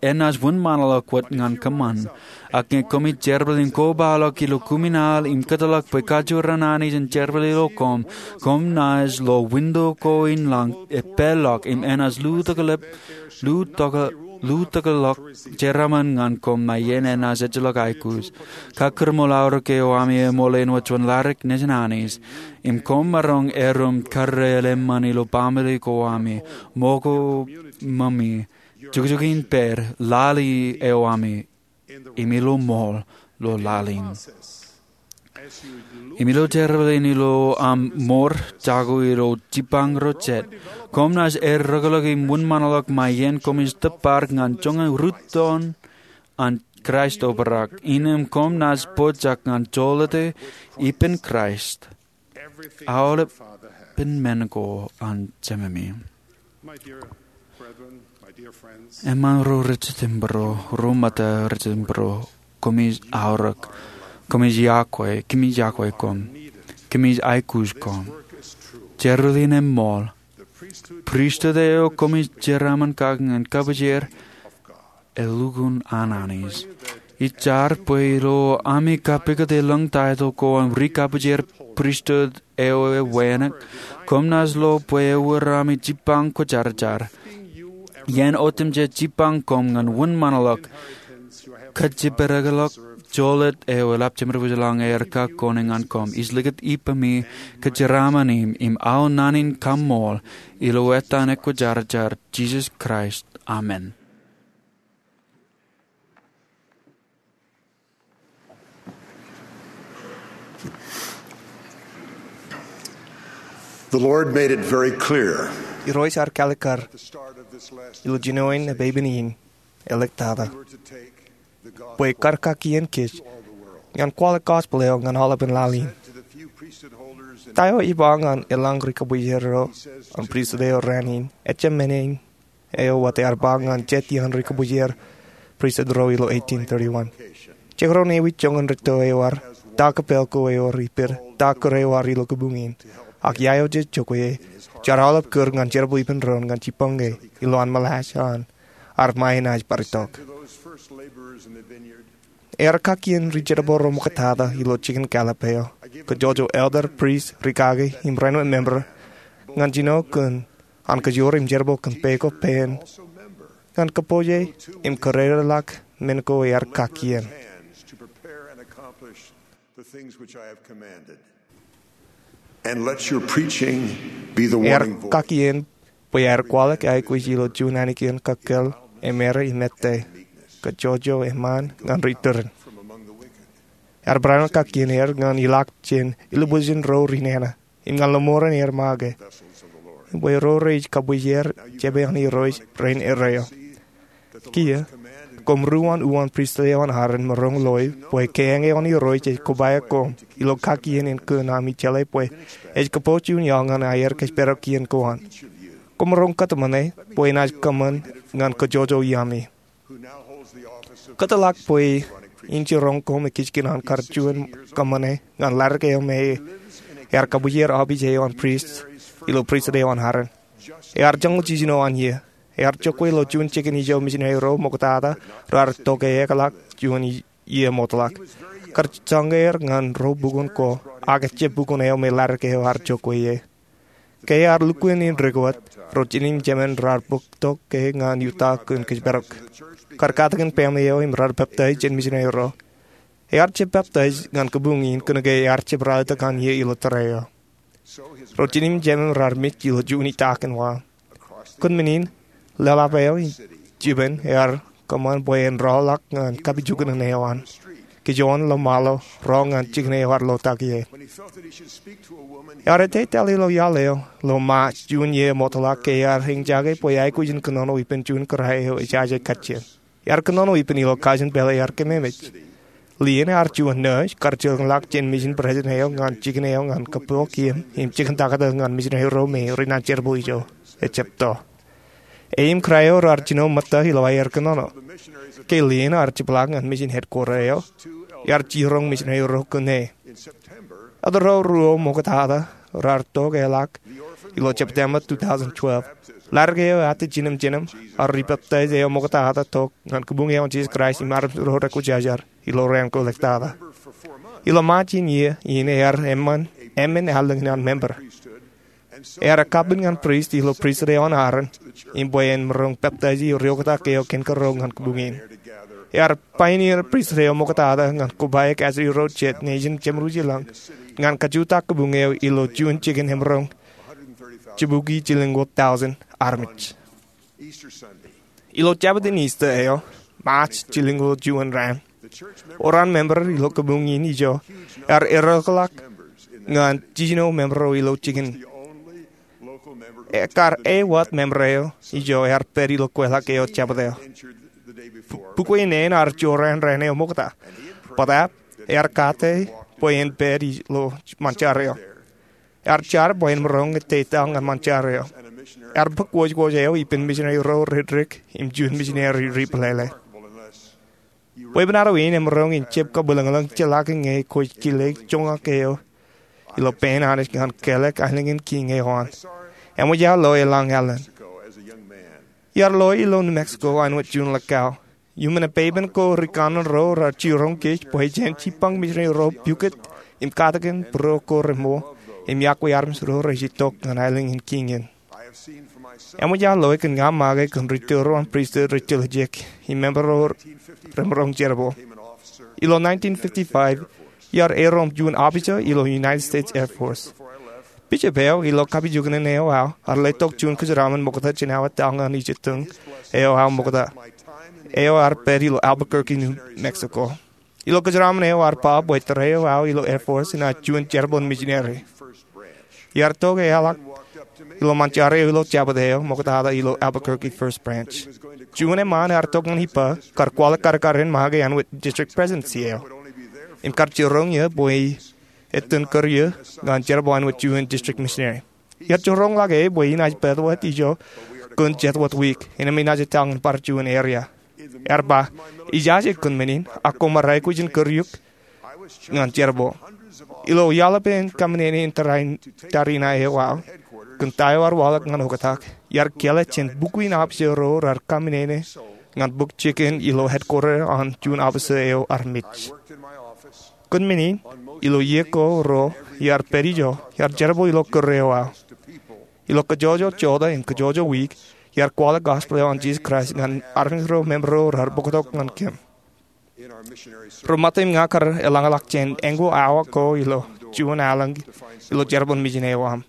enaaj wōnṃaanḷọk wōt ñan kōṃṃan. Ak ñe koṃij jerbal im kobaḷọk ilo kumin al im kōtḷọk bwe kajoor an Anij en jerbal ilo koṃ, koṃ naaj lo winto ko in lañ epālọk im enaaj lutōkḷọk, lutōkḷọk jeraaṃṃan ñan koṃ ṃae iien enaaj ejjeḷọk aikuj. Kakūrmool aorōk eo ami eṃool āinwōt juon ladik nejin Anij. Im koṃ maroñ erom karreel eṃṃan ilo baaṃle ko ami, ṃōko ṃōmi, jukjuk in pād, lale eo ami, im ilo ṃool ilo laḷ in. Im ilo jerbal in ilo aṃ mour jako ilo jipañ ro jet, koṃ naaj errọkḷọk im wōnṃaanḷọk ṃae iien koṃij tōpar ñan joñan rūttoon an Kraist obrak, innām koṃ naaj pojak ñan jolōte ippān Kraist aolepen men ko an Jememi. Eṃṃaan ro rej jitōnbōro, ro ṃōtta rej jitōnbōro, koṃij aorōk, koṃij iọkwe, koṃij iọkwe koṃ, koṃij aikuj koṃ. Jerbal in eṃṃool. Pristut eo koṃij jeraaṃṃan kake ñan kabuj er, elukkuun an Anij. Ij jar bwe ilo ami kapikōt elōñ taitōḷ ko an ri-kabuj er pristut eo ewānōk, koṃ naaj lo bwe ewōr ami jipañ kwōjarjar. Iien otemjej jipañ koṃ ñan wōnṃaanḷọk kajjipedekḷọk jolōt eo eḷap jemed wōjḷọk ñe ear kak kone ñan koṃ. Ij likūt ippemi kōjeraaṃṃan im, im aō naan in kaṃṃool, ilo etan ekwōjarjar Jisōs Kraist. Amen. The Lord made it very clear Irooj ear kalikkar ilo jinoin epepen in, āliktata, bwe kar kaki kōj ñan kwaḷọk gospel eo ñan aolepen laḷ in. Ta eo ej ba ñan eḷaññe ri-kabuj er ro an pristut eo raan in, ejjab men in eo wōt ear ba ñan jet iaan ri-kabuj er pristut ro ilo eighteen thirty-one. Jekdọọn ewōr joñan rūtto eo ear, ta kōpel ko ewōr ippād, ta kūr eo ear ilo kabuñ in. Ak iiō jej jokwe e, Jar aolep kūr ñan jerbal ippān doon ñan jibboñe ilo an meḷeḷe an armej enaaj bar itok. Ear kakkien ri-jerbal ro ṃoktata ilo jikin Gallup eo, kōjjojo elder, priest, rikaki im rainwōt member ñan jino kōn an kajoor im jerbal kōn peko pein ñan kōpooje im kōrā ḷọk men ko ear kakkien. And let your preaching be the warning voice. Ear kakkien bwe aer kwaḷọk aikuj ilo juon annikiōn kōkōl, emera im ettā, kōjjojo eṃṃan ñan ri-tūrin. Ear barāinwōt kakkien er ñan ilọk jān ilibusin ro ri-nana im ñan lọmọọren er make, im bwe ro rej kabwijer jepañ an Irooj rein erreo. Kiiō, koṃ ri-uwaan pristut eo an Aaron, maroñ loe bwe keañ eo an Irooj ej kobaik koṃ ilo kakkien in kōn ami jeḷā bwe ej kōpooj juon iaḷ ñan aer kōjparok kien ko an. Koṃ maroñ kōtmāne bwe enaaj kōṃṃan ñan kōjjojo iaami. Kōtḷọk bwe in jiroñ koṃ ekijkien an kar juon kōṃṃane ñan laddik eo me ear kabwijer aobij eo an prist ilo pristut eo an Aaron. Ear joñoul jiljino an iiō. Ear jokwe ilo juon jikin ijo misineri ro ṃoktata raar tok eokḷọk juon iiō ṃootḷọk. Kar jañin er ñan ro bukun ko, ak ejjab bukun eo me laddik eo ear jokwe ie. Ke ear lukkuun in dik wōt, ro jinen im jemān raar bōk tok ke ñan Utah kōn kōjparok. Kar katakin pāāmle eo im raar peptaij jān misineri ro. Ear jab peptaij ñan kabuñ in kōnke ear jab ralitōk an iiō ilo tōre eo. Ro jinen im jemān raar mej ilo juon itakin wa. Kōn men in, leḷap eo im jipen ear kōṃṃan bwe en rọọlḷọk ñan kapijuknen eo an. Kijoon ḷōṃaḷo, rọọl ñan jikin eo ear lotak ie. Ear ettā etal ilo iaḷ eo ilo March juon iiō ṃootḷọk ke ear eñjake bwe aikuj in kōnono ippān juon kōrā eo ejaje kajjien. Ear kōnono ippān ilo kajin pālle ear kememej. Lien ear juon nurse kar jilkinḷọk jān misin president eo ñan jikin eo ñan kōpooj im jikin taktō ñan misineri ro me ri-naan jerbal ijo. Ejjab to. E im kōrā eo raar jino ṃōtta ilo aer kōnono. Ke lien ear jepḷaak ñan misin headquarter eo, ear jiroñ misineri ro kōn e. Elder ro ruo ṃoktata raar tok eokḷọk ilo September two thousand twelve. Laddik eo ear jinem jinem, ak ri-peptaij eo ṃoktata tok ñan kabuñ eo an Jisōs Kraist im armej ro rekwōjarjar ilo raan ko ḷọktata. Ilo March in iiō in ear eṃṃan, eṃṃan allōñ in an member. Ear kapen ñan prist ilo pristut eo an Aaron, im bwe en maroñ peptaij ri-oktak eo kōn kōrọọl ñan kabuñ in. Ear pioneer pristut eo ṃoktata ñan kobaik ajri ro jet nejin jeṃḷọkin lañ, ñan kajutak kabuñ eo ilo juon jikin emaroñ jibukwi jilñuul tọujin armej. Ilo Jabōt in Easter eo, March jilñuul juon raan, oran member ilo kabuñ in ijo ear erōkḷọk ñan jiljino member eo ilo jikin. Ekar ewōr member eo ijo ear pād ilo kweilọk eo Jabōt eo. Bukwe neen ear jorrāān raan eo ṃokta. Bōtab, ear kate bwe en pād ilo ṃaanjar eo. Ear jar bwe en maroñ ettā etal ñan ṃaanjar eo. Ear bōk wōjwōj eo ippān misineri ro ri-dik im juon misineri ri-plele. Weeppān adwōj in emaroñ in jab kabwilōñlōñ jeḷā ke ñe kwōj kile joñak eo ilo pein Anij ñan kālọk aelōñ in kiiñ eo an. Eṃōj aō loe eḷaññe alen. Iar loe ilo New Mexico āinwōt juon ḷọk aō. Iuṃwin epeipen ko ri-kanaan ro raar jiroñ kōj bwe jen jibboñ misineri ro pukot im katakin būruo ko reṃool im iọkwe armej ro rej itok ñan aelōñ in kiiñ in. Eṃōj aō loe kōn ña make kōn ri-tōl ro an pristut rej tiljek im member ro remaroñ jerbal. Ilo nineteen fifty-five, iar erom juon officer ilo United States Air Force. Bishop eo ilo kapijuknen eo aō ear letok juon kōjeraṃṃan ṃokta jān aō etal ñan ijitōñ eo aō ṃokta. Eo ear pād ilo Albuquerque, New Mexico. Ilo kōjeraṃṃan eo ear ba bwe tōre eo aō ilo Air Force enaaj juon jerbal in misineri. Iar tok eokḷọk ilo ṃaanjar eo ilo Jabōt eo ṃoktata ilo Albuquerque First Branch. Juon eṃṃaan ear tok ñan ippa kar kwaḷọk kadkad in make āinwōt district presidency eo im kar jiroñ eō bwe etan kūr eō ñan jerbal āinwōt juon district missionary. Iar jiroñḷọk e bwe enaaj pād wōt ijo kōn jet wōt wiik, innām enaaj etal ñan bar juon area. Ear ba, ijaje kōn men in, ak koṃ ar aikuj in kūr eok ñan jerbal. Ilo iaḷ ippān kaṃōṇōṇō in tariṇae eo aō, kōn ta eo ear waḷọk ñan oktak, iar kāālōt jān bukwi in officer ro raar kaminene ñan bōk jikin ilo headquarter an juon officer eo armej. Kōn men in, ilo iiō ko ro iar pād ijo, iar jerbal ilo kūr eo aō. Ilo kōjwōjwōj jota im kōjwōjwōj wiik, iar kwaḷọk gospel eo an Jesus Christ ñan armej ro, member ro raar bōktok ñan kōm. Ri-Ṃōttan im ña kar eḷañḷọk jān āngu awa ko ilo juon aelōñ ilo jerbal in mission eo aṃ.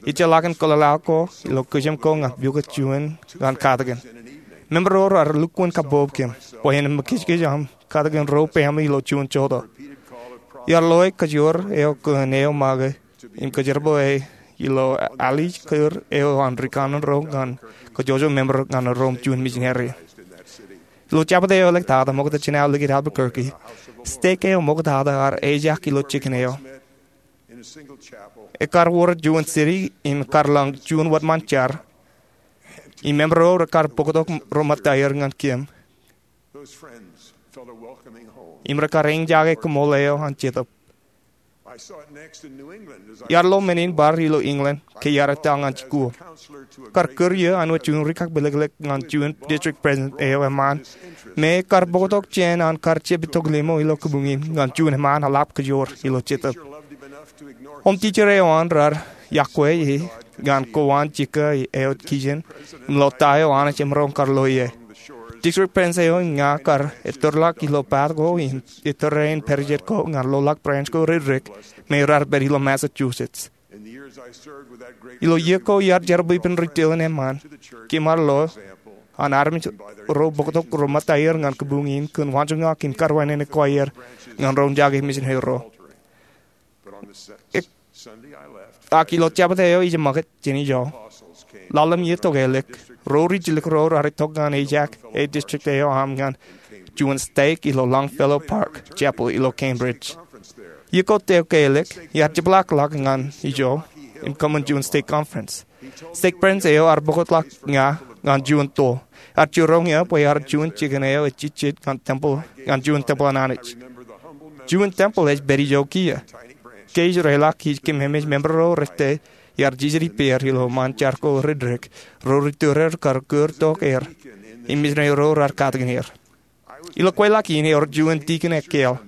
Ejjeḷọkin kōḷḷā ko ilo kijem ko ñan pukot juon ñan katakin. Member ro raar lukkuun kabbokbok kōm bwe en mejkijkij aṃ katakin ro family ilo juon jota. Iar loe kōjoor eo kōn eo make im kōjerbale ilo alij kūr eo an ri kanaan ro ñan kōjwōjwōj member ñan ro im juon missionary. Ilo jabōt eo ḷọk tata ṃoktata jān aō likūt Albuquerque, stek eo ṃoktata ear ejak ilo jikin eo. Ekar wōr juon city im kar lōñ juon wōtṃaan jar. Im member ro rekar bōktok ro ṃōtta er ñan kōm im rekar eñjake koṃṃool eo an Jetōb. Iar lo men in bar ilo England ke iar etal ñan jikuuḷ. Kar kūr iiō āinwōt juon rikakpilōklōk ñan juon district president eo eṃṃaan me kar bōktok jān an kar jab itok limo ilo kabuñ in ñan juon eṃṃaan eḷap kōjoor ilo Jetōb. Home teacher eo an raar iọkwe e ñan kowaan jikka eo kijen im lo ta eo Anij emaroñ kar lo ie. District president eo im ña kar ettōrḷọk ilo path ko im ettōr rein pād jet ko ñan loḷọk branch ko ri dik me raar pād ilo Massachusetts. Ilo iiō ko iar jerbal ippān ri tōl in eṃṃaan, kōm ar lo an armej ro bōktok ro ṃōtta er ñan kabuñ in kōn waanjoñak im kar wānene ko aer ñan ro jake missionary ro. Ak ilo jabōt eo ijeṃṃakūt jān ijo, lale im iiō tok ālikin, ro ri jilkinḷọk ro raar itok ñan ejak e district eo aṃ ñan juon stek ilo Longfellow Park Chapel ilo Cambridge. Iiō ko tok ālikin, iar jepḷaakḷọk ñan ijo im kōṃṃan juon stake conference. Stake president eo ear bōkḷọk ña ñan juon tool. Ear jiroñ eō bwe ear juon jikin eo ejejjet ñan tempeḷ, ñan juon tempeḷ an Anij. Juon tempeḷ ej pād ijo kiiō. Ke ij reiḷọk ij kememej member ro rej tōl, iar jijet ippāer ilo ṃaan jar ko ri dik, ro ri tōre kar kūr tok er im missionary ro raar katakin er. Ilo kweilọk in ewōr juon tikin ekkāāl.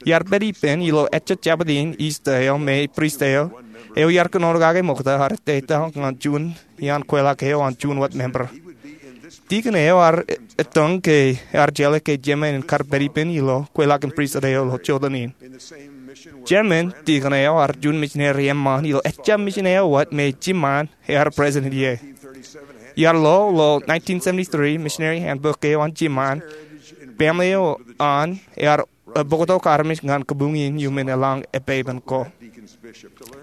Iar pād ippān ilo ejja jabōt in Easter eo me priest eo, eo iar kōnono kake ṃokta ear ettā ñan juon iaan kweilọk eo an juon wōt member. Tikin eo ear ettōñ ke ear jeḷā ke jemān en kar pād ippān ilo kweilọk in priesthood eo ilo jota in. Jemān tikin eo ear juon missionary eṃṃaan ilo ejja mission eo wōt me jiṃṃaan ear president ie. Iar lo, ilo nineteen seventy-three missionary handbook eo an jiṃṃaan, family eo an ear bōktok armej ñan kabuñ in iuṃwin eḷaññe epāpān ko.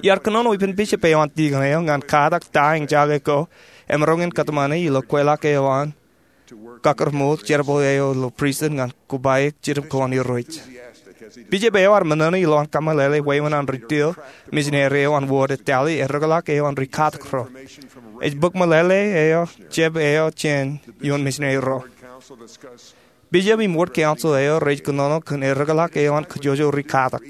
Iar kōnono ippān bishop eo an tikin eo ñan katak ta eñjake ko emaroñ in kōtmāne ilo kweilọk eo an kakōrmool jerbal eo ilo priesthood ñan kobaik Jetōb ko an Irooj. Bishop eo ear ṃōṇōṇō ilowaan kōmeḷeḷe wāween an ri tōl missionary eo an ward etale erōkḷọk eo an ri katak ro. Ej bōk meḷeḷe eo jab eo jān ioon missionary ro. Bishop im ward council eo rej kōnono kōn erōkḷọk eo an kōjwōjwōj ri katak.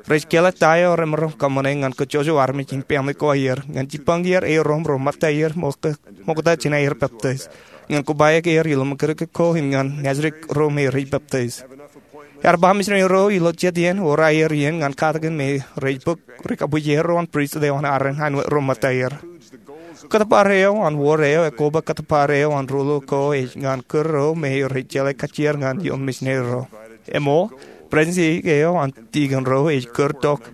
Rej kāālōt ta eo remaroñ kōṃṃane ñan kōjwōjwōj armej im family ko aer ñan jibbañeer er ro im ro ṃōtta er ṃokta jān aer peptaij, ñan kobaik er ilo ṃōkaj ko im ñan nōsdik ro me rej peptaij. Ear ba missionary ro ilo jet iien or aer iien ñan katakin me rej bōk rikabuji er ro an priesthood eo an Aaron āinwōt ro ṃōtta er. Kōttōpar eo an ward eo ekoba kōttōpar eo an ruo ko ej ñan kūr ro me rej jeḷā kajjier ñan ioon missionary ro. Eṃool, president eo an tikin ro ej kūr tok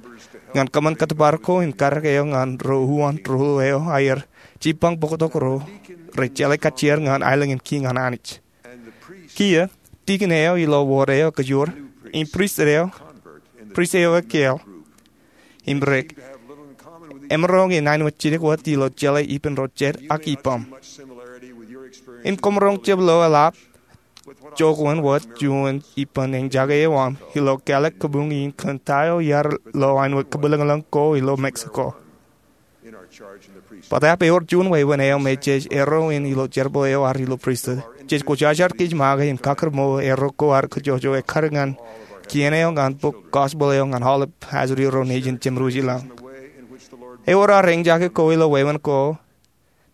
ñan kōṃṃan kōttōpar ko im karōk eo ñan ro uwaan ruo eo aer jibbañ bōktok ro rej jeḷā kajjier ñan aelōñ in kiiñ an Anij. Kiiō, tikin eo ilo ward eo kōjoor im priest eo, priest eo ekkāāl im dik, emaroñ in āinwōt jidik wōt ilo jeḷā ippān ro jet ak ippaṃ. Im koṃ roñ jab lo eḷap jokwe wōt juon ippān eñjake eo aṃ ilo kāālōt kabuñ in kōn ta eo iar lo āinwōt kabwilōñlōñ ko ilo Mexico. Bōtab ewōr juon wāween eo me jej erro in ilo jerbal eo ad ilo priesthood. Jej kwōjarjar kōj make im kakōrmool erro ko ad kōjwōjwōj ekkar ñan kien eo ñan bōk gospel eo ñan aolep hazuri ro nejin jemed wūjilōñ. Ewōr ad eñjake ko ilo wāween ko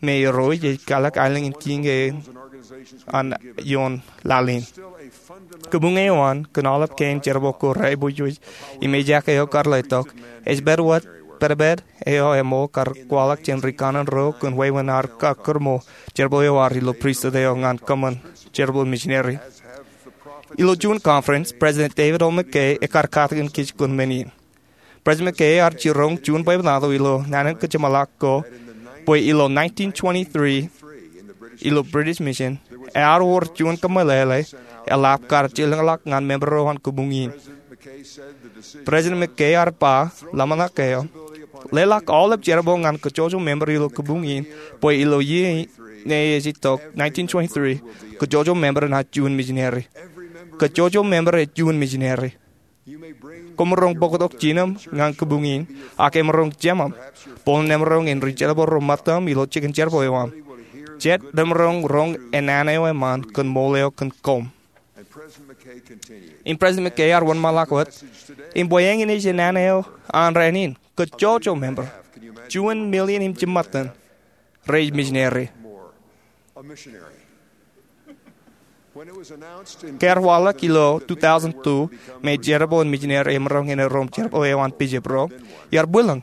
me irooj ej kalōk aelōñ in kiiñ kein an ioon laḷ in. Kabuñ eo an kōn aolep kein jerbal ko repooj im ejaak eo kar letok ej pād wōt pād pād eo emmōj kar kwaḷọk jān ri kanaan ro kōn wāween ad kakūrṃōj jerbal eo ad ilo pristut eo ñan kōṃṃan jerbal misineri. Ilo juon conference, President David O. McKay ekar katakin kōj kōn men in. President McKay ear jiroñ juon bwebwenato ilo naan in kōjeṃḷọk ko bwe ilo nineteen twenty-three ilo British Mission ear wōr juon kōmeḷeḷe eḷap kar jilkinḷọk ñan member ro an kabuñ in. President McKay ear ba ḷōmṇak eo, leḷọk aolep jerbal ñan kōjjojo member ilo kabuñ in bwe ilo iiō ṇe ej itok nineteen twenty-three, kōjjojo member enaaj juon misineri. Kōjjojo member ej juon misineri. Koṃ maroñ bōktok jinen aṃ ñan kabuñ in, ak emaroñ jemām, bōlen emaroñ en ri-jerbal ro ṃōttaṃ ilo jikin jerbal eo aṃ. Jet remaroñ roñ enana eo eṃṃan kōn ṃool eo kōn koṃ. Im President McKay ear wōnṃaanḷọk wōt, im bwe eñin ej enana eo an rainin, kōjjojo member, juon million im jimṃōttan, rej misineri. Ke ear waḷọk ilo two thousand two me jerbal in misineri emaroñ en erom jerbal eo an bishop ro, iar bwilōñ.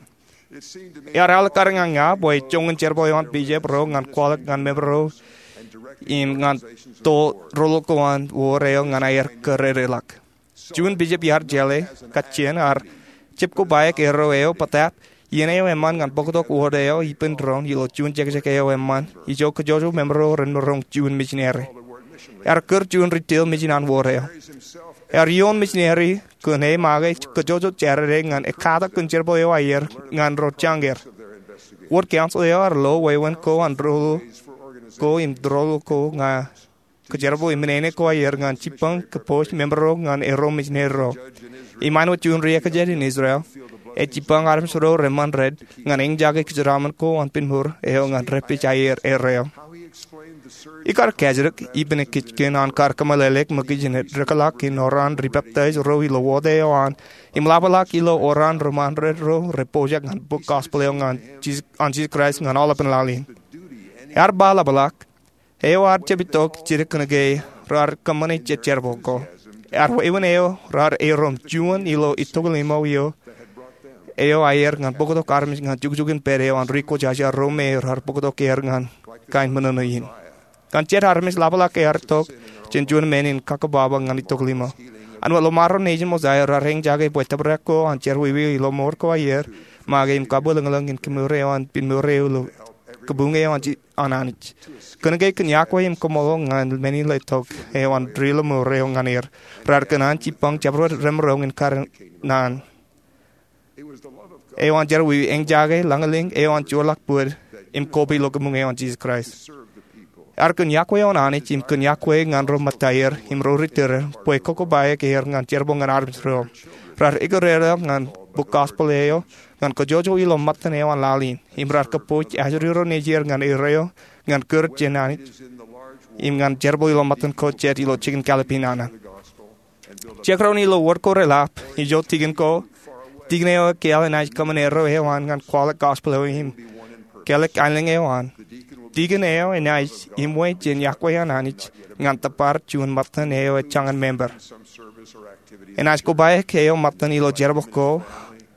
Iar alikkar ñan ña bwe joñan jerbal eo an bishop ro ñan kwaḷọk ñan member ro im ñan to rōḷḷoḷ ko an wōr eo ñan aer kōrōdeḷọk. Juon bishop iar jeḷā kajjien ear jab kobaik erro eo bōtab iien eo eṃṃan ñan bōktok wōr eo ippān doon ilo juon jekjek eo eṃṃan ijo kōjjojo member ro remaroñ juon misineri. Ear kūr juon ri-tōl mission an wōr eo. Ear ioon misineri kōn e make kōjjojo Jādede ñan ekkatak kōn jerbal eo aer ñan ro jañin er. Ward council eo ear lo wāween ko an rōḷḷoḷ ko im rōḷḷoḷ ko ñan kōjerbal im men eo aer ñan jibboñ kōpooj member ro ñan erro misineri ro. Im āinwōt juon ri-ekjān in Israel, ej jibboñ armej ro reṃṃan red ñan eñjake kōjeraaṃṃan ko an pinmour eo ñan repej aer erreo. Ikar kajjitōk ippān kōj kōn an kar kōmeḷeḷeik ṃōkaj in edekḷọk in oran ri-peptaij ro ilo ward eo an im ḷapḷọk ilo oran reṃṃan red ro repojak ñan bōk gospel eo an Jisōs Kraist ñan aolepān laḷ in. Ear ba ḷapḷọk, eo ad jab itok jidik kōnke raar kōṃṃane jet jerbal ko. Ear wāween eo raar erom juon ilo itok limo eo eo aer ñan bōktok armej ñan jukjuk in pād eo an ri-kwōjarjar ro me raar bōktok er ñan kain ṃōṇōṇō in. Ñan jet armej ḷapḷọk ear tok jān juon men in kakababa ñan itok limo. Āinwōt ḷōṃaro nejin Mosaia raar eñjake bwe tōprak ko an jerọwiwi ilo mour ko aer make im kabwilōñlōñ in kōmour eo an pinmour eo ilo kabuñ eo an Anij. Kōnke kōn yokwe im kaṃṃoolol ñan men in letok eo an ri-lōṃour eo ñan er, raar kōṇaan jibboñ jabdewōt remaroñ in kar naan eo an jerọwiwi, eñjake lañlōñ eo an joorḷọk bōd im koba ilo kabuñ eo an Jisōs Kraist. Ear kōn yokwe eo an Anij im kōn yokwe ñan ro ṃōttaer im ro ri-tōre bwe kokobaik er ñan jerbal ñan armej ro. Raar ekkar er ñan bōk gospel eo ñan kōjjojo ilo ṃōttan eo an laḷ in im raar kōpooj ajri ro nejier ñan erreo ñan kūr jān Anij im ñan jerbal ilo ṃōttan ko jet ilo jikin kalōb in nana. Jekdọọn ilo wōt ko reḷap ijo tikin ko, tikin eo ekāāl enaaj kōṃṃan erreo eo an ñan kwaḷọk gospel eo im kālik aelōñ eo an. Tikin eo enaaj iṃwe jān yokwe an Anij ñan tōpar juon ṃōttan eo ej jañin member. Enaaj kobaik eo ṃōttan ilo jerbal ko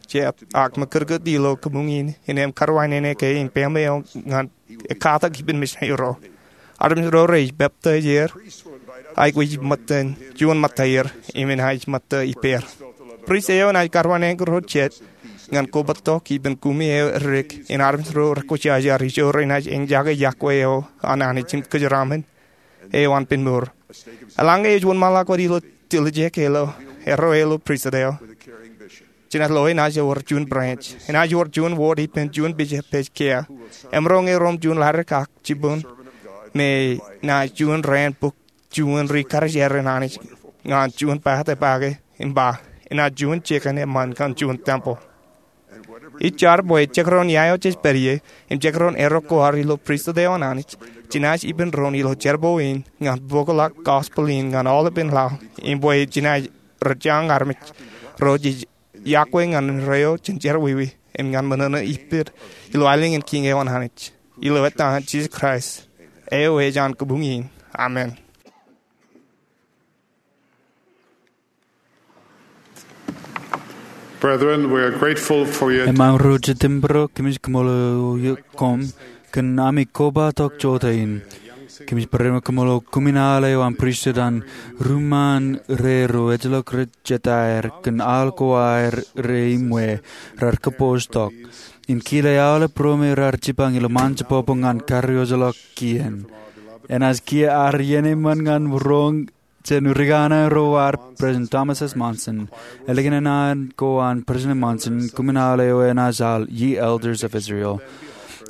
jet ak ṃakūtkūt ilo kabuñ in im karuwainene ke im pāmle eo ñan ekkatak ippān mission ro. Armej ro rej peptaij er, aikuj ṃōttan juon ṃōttaer im enaaj ṃōtta ippāer. Prist eo enaaj karuwainene ro jet ñan kobōjtok ippān kumi eo edik in armej ro rekwōjarjar ijo renaaj eñjake yokwe eo an Anij im kōjeraaṃṃan eo an pinmour. Eḷaññe ej wōnṃaanḷọk wōt ilo tiljek ilo erreo eo ilo pristut eo, jenaaj lo enaaj wōr juon branch. Enaaj wōr juon ward ippān juon bishop ej kiiō. Emaroñ erom juon ḷaddik ak jibboñ me enaaj juon raan bōk juon ri-karijer an Anij ñan juon pād ipake im ba, enaaj juon jikin eṃṃan ñan juon tempeḷ. Ij jar bwe jekdọọn ia eo jej pād ie im jekdọọn erreo ko ad ilo pristut eo an Anij, jenaaj ippān doon ilo jerbal in ñan bōkḷọk gospel in ñan aolepān laḷ im bwe jenaaj rōjañ armej ro jej yokwe ñan erreo jān jerọwiwi im ñan ṃōṇōṇō ippād ilo aelōñ in Kiiñ eo an Anij. Ilo etan Jisōs Kraist, eo ej an kabuñ in. Amen. Brethren, we are grateful for your Emaroñ ro Jetōb ro, kōmij kaṃṃoolol eok koṃ kōn ami kobatok jota in. Kōmij barāinwōt kaṃṃoolol kōmij ilo an pristut an ri ṃaan ro ejjeḷọk rej jetaer kōn aḷ ko aer rej iṃwe raar kōpooj tok im kile aolep ro me raar jipañ ilo ṃaan jebwebwe ñan karijeḷọk kien. Enaaj kiiō ad iien eṃṃan ñan roñ jān ri kanaan ro ad, President Thomas S. Monson. Ālikin naan ko an President Monson, kōmij ilo eo enaaj al Ye Elders of Israel.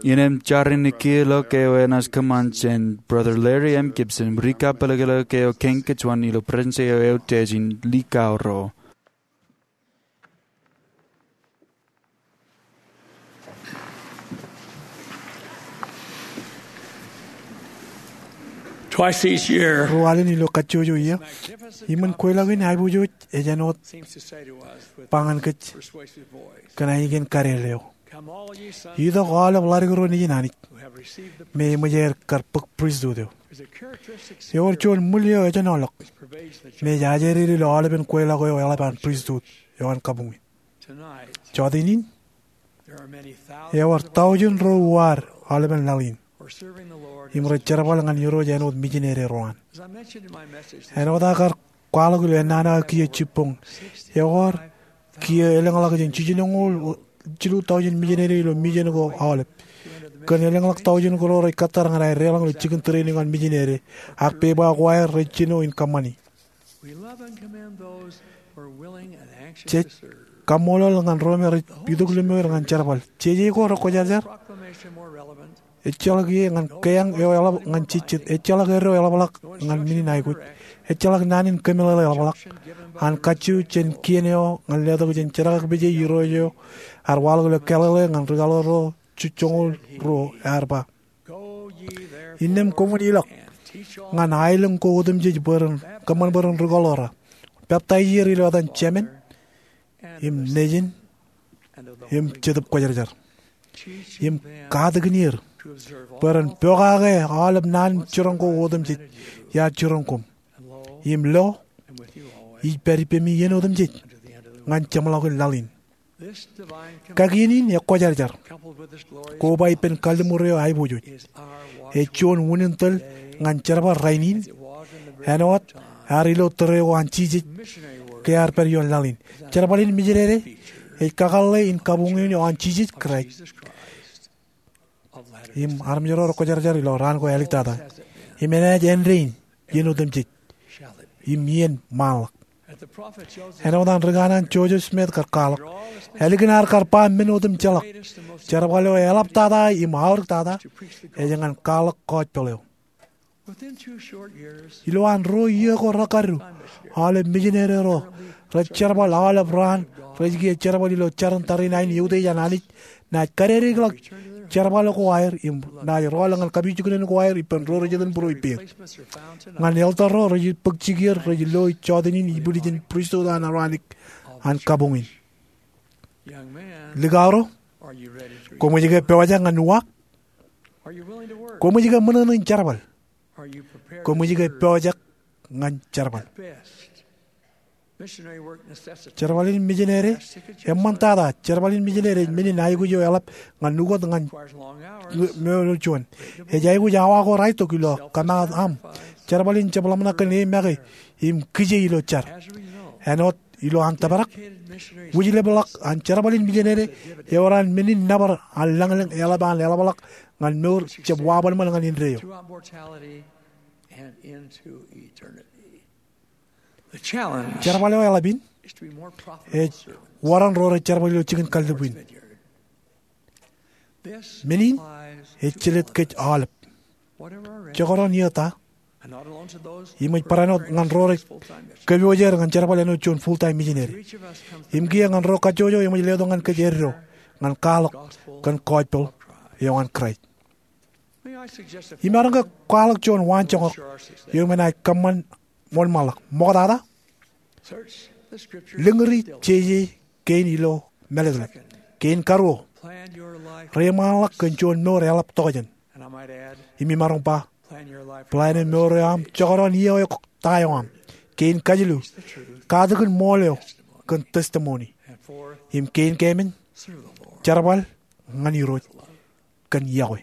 Innām jar in kiiō ḷọk eo enaaj kōṃṃan jān Brother Larry M. Gibson, ri kapelekelek eo kein kōjuon ilo Prestutu eo eutiej in likao ro. Twice each year, ruo alen ilo kajjojo iiō, iṃōn kweilọk in aiboojoj ej āinwōt seems to say to us with ba ñan kōj persuasive voice, kōn ainikien kadeḷḷe eo. Come all ye sons, itok aolep ḷaddik ro nejin Anij, who have received the me eṃōj aer kar bōk pristut eo. Ewōr juon ṃwil eo ejenoḷọk me ej ajri ilo aolepen kweilọk eo eḷap an pristut eo an kabuñ in. Jota in, ewōr taujin ro uwaad aolepen laḷ in im rej jerbal ñan Irooj āinwōt mijineri ro an. Āinwōt aō kar kwaḷọk ilo ennaan aō kiiō jibboñ, ewōr kiiō elōñḷọk jān jiljinoñoul jilu taujin mijineri ilo mijen ko aolep, kōn elōñḷọk taujin ko ro rej kōttar ñan aer deḷọñ ilo jikin training an mijineri, ak pepa ko aer rej jino in kōṃṃani. Jej kaṃṃoolol ñan ro me rej itok lōṃour ñan jerbal. Jeje ko rekwōjarjar. Ejjeḷọk ie ñan keañ eo eḷap ñan jejjet. Ejjeḷọk eddo eḷapḷọk ñan men in aikuj. Ejjeḷọk naan in kōmeḷeḷe eḷapḷọk. An kajju jān kien eo ñan letok jān jerkakpeje Irooj eo ear waḷọk ilo Galili ñan ri kaḷoor ro jiljoñoul ruo, ear ba, innām koṃwin ilọk ñan aelōñ ko otemjej bwe ren kōṃṃan bwe ren ri kaḷoor, peptaij er ilo etan Jemān im Nejin im Jetōb Kwōjarjar, im katakin er bwe ren pokake aolep naan jiroñ ko otemjej iar jiroñ koṃ. Im lo, ij pād ippemi iien otemjej ñan jeṃḷọkin laḷ in. Kakien in ekwōjarjar, koba ippān kalliṃur eo aiboojoj, ej juon unin tōl ñan jerbal rainin āinwōt ear ilo tōre ko an Jisōs ke ear pād ioon laḷ in. Jerbal in mijineri ej kakōḷḷe in kabuñ in eo an Jisōs Kraist im armej ro rekwōjarjar ilo raan ko āliktata. Im enaaj āindein iien otemjej im iien ṃaanḷọk. Āinwōt an ri kanaan Joseph Smith kar kwaḷọk, ālikin ad kar ba men otemjeḷọk, jerbal eo eḷaptata im aorōktata ej ñan kwaḷọk gospel eo. Ilo an ruo iiō ko rekadu, aolep mijineri ro rej jerbal aolep raan rej kiiō jerbal ilo jarin tariṇae in eutiej an Anij naaj kadedikḷọk jerbal ko aer im naaj rọọl ñan kapijuknen ko aer ippān ro rej iten būruo ippāer. Ñan elder ro rej bōk jikier rej lo jọteen in ibwiljin pristut an Aronik an kabuñ in. Likao ro, koṃij ke pojak ñan uwaak? Koṃij ke ṃōṇōṇō in jerbal? Koṃij ke pojak ñan jerbal? Jerbal in mijineri eṃṃantata. Jerbal in mijineri ej men in aikuj eo eḷap ñan ukōt ñan mour eo juon. Ej aikuj awa ko raetok ilo kōmaat aṃ. Jerbal in jab ḷōmṇak kōn e make im kije ilo jar. Āinwōt ilo an tōprak, wūjlepḷọk an jerbal in mijineri ewōr an men in nōbar an lañlōñ eḷap an eḷapḷọk ñan mour jab waṃanṃan ñan indeeo. Jerbal eo eḷap in ej wōr an ro rej jerbal ilo jikin kallib in. Men in ej jelōt kōj aolep, jekdọọn iiō ta, im ej barāinwōt ñan ro rej kōpooje er ñan jerbal āinwōt juon full-time mijineri. Im kiiō ñan ro kajjojo, eṃōj letok ñan kōj eddo ñan kwaḷọk kōn gospel eo an Kraist. Imaroñ ke kwaḷọk juon waanjoñak eo enaaj kōṃṃan ṃool ṃaanḷọk. Ṃoktata, lōñri jeje kein ilo mālōtlōt. Kein karuo, reiṃaanḷọk kōn juon mour eḷap tokjān. Im imaroñ ba, plāne mour eo aṃ jekdọọn iiō ta eo aṃ. Kein kajilu, katakin ṃool eo kōn testimony. Im kein keemān, jerbal ñan Irooj kōn iọkwe.